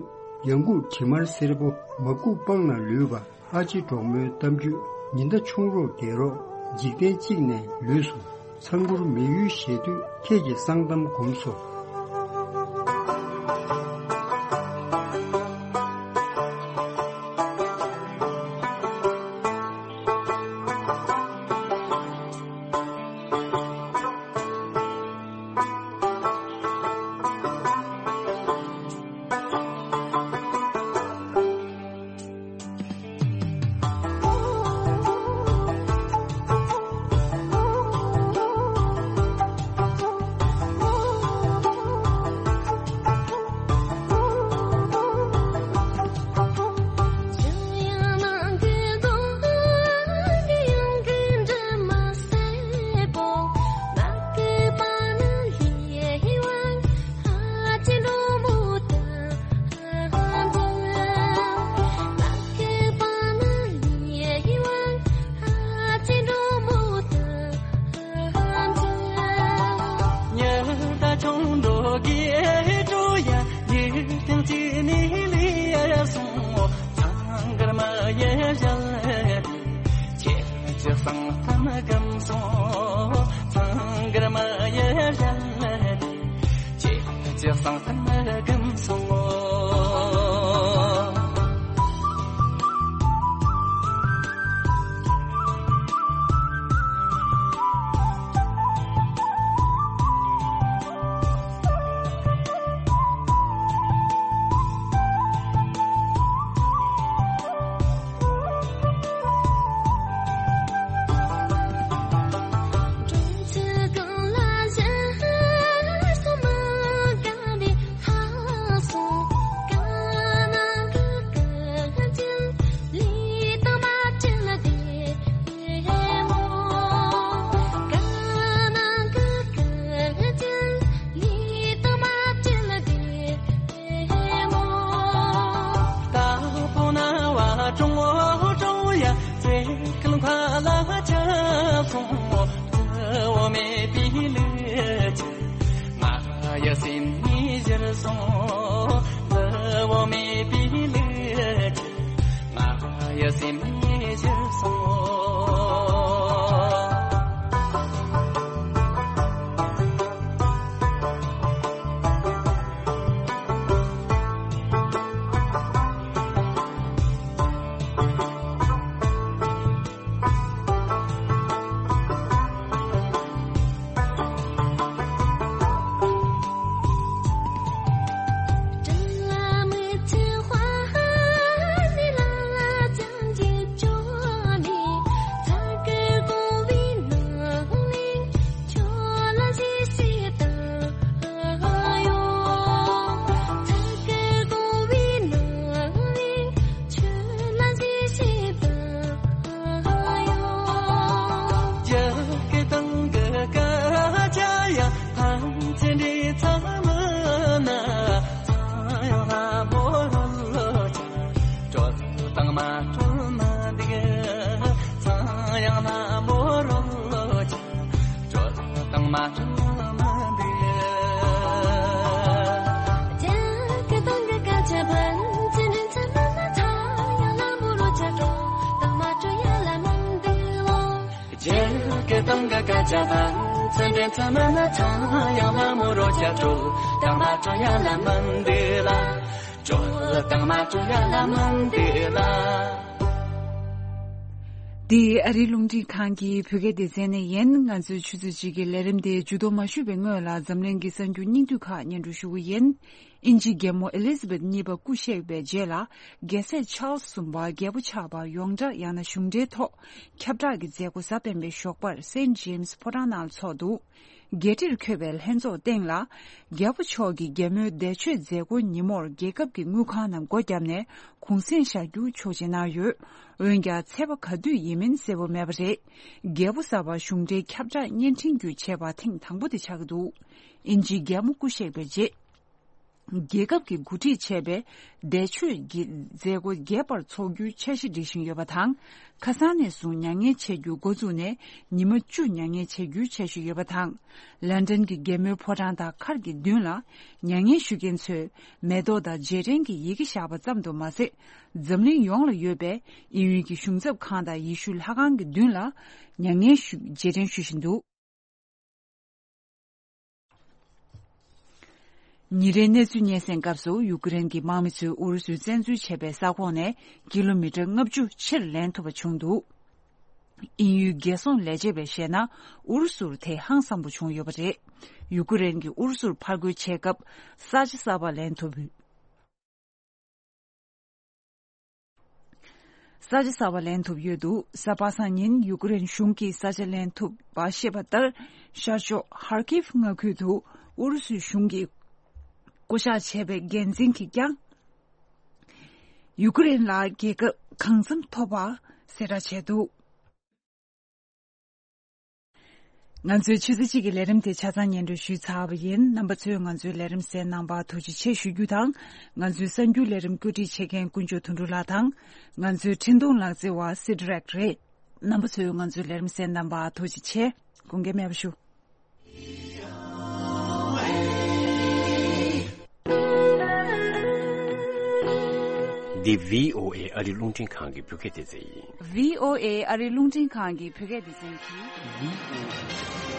ཡང་ཁུག་དྲི་དམར་སེར་པོ་མ་ཁུག་སྤང་ན་ལུས་པ། ཨ་ཅེ་གྲོགས་མོའི་གཏམ་རྒྱུད། ཉི་ཟླ་ཆུང་རོགས་རྒྱལ་རོགས། འཇིག་རྟེན་གཅིག་ནས་ལུས་སོ། ཚང་གུར་མི་ཡུལ་ཞེ་དུས་ཁྱེད་ཀྱི་གསང་གཏམ་གོམས་སོ། དགེ་སྤྲོ་ཡ་ཡིད་ཐང་ཅི་ནི་ལི་ཡ་སོང་། ཚང་གར་མ་ཡ་ཞལ་ལེ། ཁྱེད་ཀྱི་གསང་གཏམ་སྒམ་སོང་། ཚང་གར་མ་ཡ་ཞལ་ལེ། ཁྱེད་ཀྱི་གསང་གཏམ་སྒམ་སོང་། འདི་ཨ་རིའི་རླུང་འཕྲིན་ཁང་གི་བོད་སྐད་སྡེ་ཚན་ནས་ཡིན། ང་ཚོའི་ཆུ་ཚོད་གཅིག་གི་ལས་རིམ་དེ་མཇུག་སྡོམ་མ་ཞུས་པའི་སྔོན་ལ་འཛམ་གླིང་གི་གསར་འགྱུར་སྙིང་བསྡུས་ཁག་སྙན་སྒྲོན་ཞུ་གི་ཡིན། དབྱིན་ཇིའི་རྒྱལ་མོ་ཨེ་ལི་ཛ་བེད་གཉིས་པ་སྐུ་གཤེགས་པའི་རྗེས་ལ། རྒྱལ་སྲས་ཆཱལ་སི་གསུམ་པ་རྒྱལ་པོ་ཆགས་པར་ཡོངས་གྲགས་ཡང་ན་གཞུང་འབྲེལ་ཐོག་ཁྱབ་བསྒྲགས་ཀྱི་མཛད་སྒོ་གཟའ་སྤེན་པའི་ཞོགས་པར་སེན་ཇེམ་སི་ཕོ་བྲང་ནང་ལ་འཚོགས་འདུག་རྒྱལ་ཁྲིར་འཁོད་པའི་ལྷན་ཚོགས་སྟེང་ལ། རྒྱལ་པོ་མཆོག་གི་རྒྱལ་མོའི་འདས་མཆོད་མཛད་སྒོ་ཉིན་མོར་རྒྱལ་ཁབ་ཀྱི་དངུལ་ཁང་རྣམས་སྒོ་བརྒྱབ་ནས་གུང་སེང་བཞག་རྒྱུ་ཆོག་མཆན་གནང་ཡོད། འོན་ཀྱང་ཚེས་པ་ག་དུས་ཡིན་མིན་གསལ་པོ་མེད་པ་རེད། རྒྱལ་པོ་གསར་པ་གཞུང་འབྲེལ་ཁྱབ་བསྒྲགས་བརྙན་འཕྲིན་བརྒྱུད་བྱས་པ་ཐེངས་དང་པོ་དེ་ཆགས་ཀྱི་འདུག་དབྱིན་ཇིའི་རྒྱལ་མོ་སྐུ་གཤེགས་པའི་རྗེས། རྒྱལ་ཁབ་ཀྱིས་གོ་སྒྲིག་བྱས་པའི་འདས་མཆོད་ཀྱི་མཛད་སྒོ་རྒྱས་པར་འཚོགས་རྒྱུའི་འཆར་གཞི་སྒྲིག་བཞིན་ཡོད་པ་དང་། ཁ་སང་ནས་བཟུང་མྱ་ངན་བྱེད་རྒྱུ་འགོ་བཙུགས་ནས་ཉི་མ་བཅུ་མྱ་ངན་བྱེད་རྒྱུའི་འཆར་གཞི་ཡོད་པ་དང་། ལན་ཀྲན་གྱི་རྒྱལ་མོའི་ཕོ་བྲང་དང་མཁར་གྱི་མདུན་ལ་མྱ་ངན་ཞུ་མཁན་ཚོས་མེ་ཏོག་དང་རྗེས་དྲན་གྱི་ཡི་གེ་བཞག་པ་ཙམ་དུ་མ་ཟད། འཛམ་གླིང་ཡོངས་ལ་ཡོད་པའི་དབྱིན་ཡུལ་གྱི་གཞུང་ཚབ་ཁང་དང་ཡེ་ཤུ་ལྷ་ཁང་གི་མདུན་ལ་མྱ་ངན་ཞུ་རྗེས་དྲན་ཞུ་བཞིན་འདུག་ཉིན་རེའི་གནས་ཚུལ་སྙན་སེང་སྐབས་སུ་ཡུ་ཀེ་རེན་གྱི་དམག་མི་ཚོས་ཨུ་རུ་སུས་བཙན་འཛུལ་བྱས་པའི་ས་ཁོངས་ནས་ཀི་ལོ་མི་ཊར་ལྔ་བཅུ་ཕྱིར་ལེན་ཐུབ་པ་བྱུང་འདུག་དབྱིན་ཡུལ་རྒྱལ་སྲུང་ལས་བྱེད་པས་བཤད་ན། ཨུ་རུ་སུར་དེ་ཧང་སངས་པོ་བྱུང་ཡོད་པ་རེད། ཡུ་ཀེ་རེན་གྱིས་ཨུ་རུ་སུར་ཕར་རྒོལ་བྱེད་སྐབས་ས་ཆ་གསར་པ་ལེན་ཐུབ། ས་ཆ་གསར་པ་ལེན་ཐུབ་ཡོད་འདུག་གཟའ་པ་སངས་ཉིན་ཡུ་ཀེ་རེན་གཞུང་གིས་ས་ཆ་ལེན་ཐུབ་པ་བཤད་པ་ལྟར། ཤར་ཕྱོགས་ཧར་ཀིབ་མངའ་ཁུལ་དུ་ཨུ་རུ་སུའི་གཞུང་གིས་བསྐོ་གཞག་བྱས་པའི་འགན་འཛིན་གྱིས་ཀྱང་ཡུ་ཀེ་རེན་ལ་རྒྱལ་ཁ་གང་འཚམ་ཐོབ་པ་གསལ་བསྒྲགས་བྱས་འདུག་ང་ཚོའི་ཆུ་ཚོད་གཅིག་གི་ལས་རིམ་དེ་ཆ་ཚང་སྙན་སྒྲོན་ཞུས་ཚར་བ་ཡིན། རྣམ་པ་ཚོས་ང་ཚོའི་ལས་རིམ་གསན་གནང་བར་ཐུགས་རྗེ་ཆེ་ཞུ་རྒྱུ་དང་། ང་ཚོའི་གསར་འགྱུར་ལས་རིམ་བཀོད་སྒྲིག་བྱེད་མཁན་དཀོན་མཆོག་དོན་གྲུབ་ལགས་དང་། ང་ཚོའི་འཕྲིན་གཏོང་ལག་རྩལ་བ་སི་ཌི་རེག་རེད། རྣམ་པ་ཚོས་ང་ཚོའི་ལས་རིམ་གསན་གནང་བར་ཐུགས་རྗེ་ཆེ། དགོངས་འགལ་མེད་པ་ཞུ། འདི་བྷི་ཨོ་ཨེ་ཨ་རིའི་རླུང་འཕྲིན་ཁང་གི་བོད་སྐད་སྡེ་ཚན་ཡིན། བྷི་ཨོ་ཨེ་ཨ་རིའི་རླུང་འཕྲིན་ཁང་གི་བོད་སྐད་སྡེ་ཚན་གྱིས།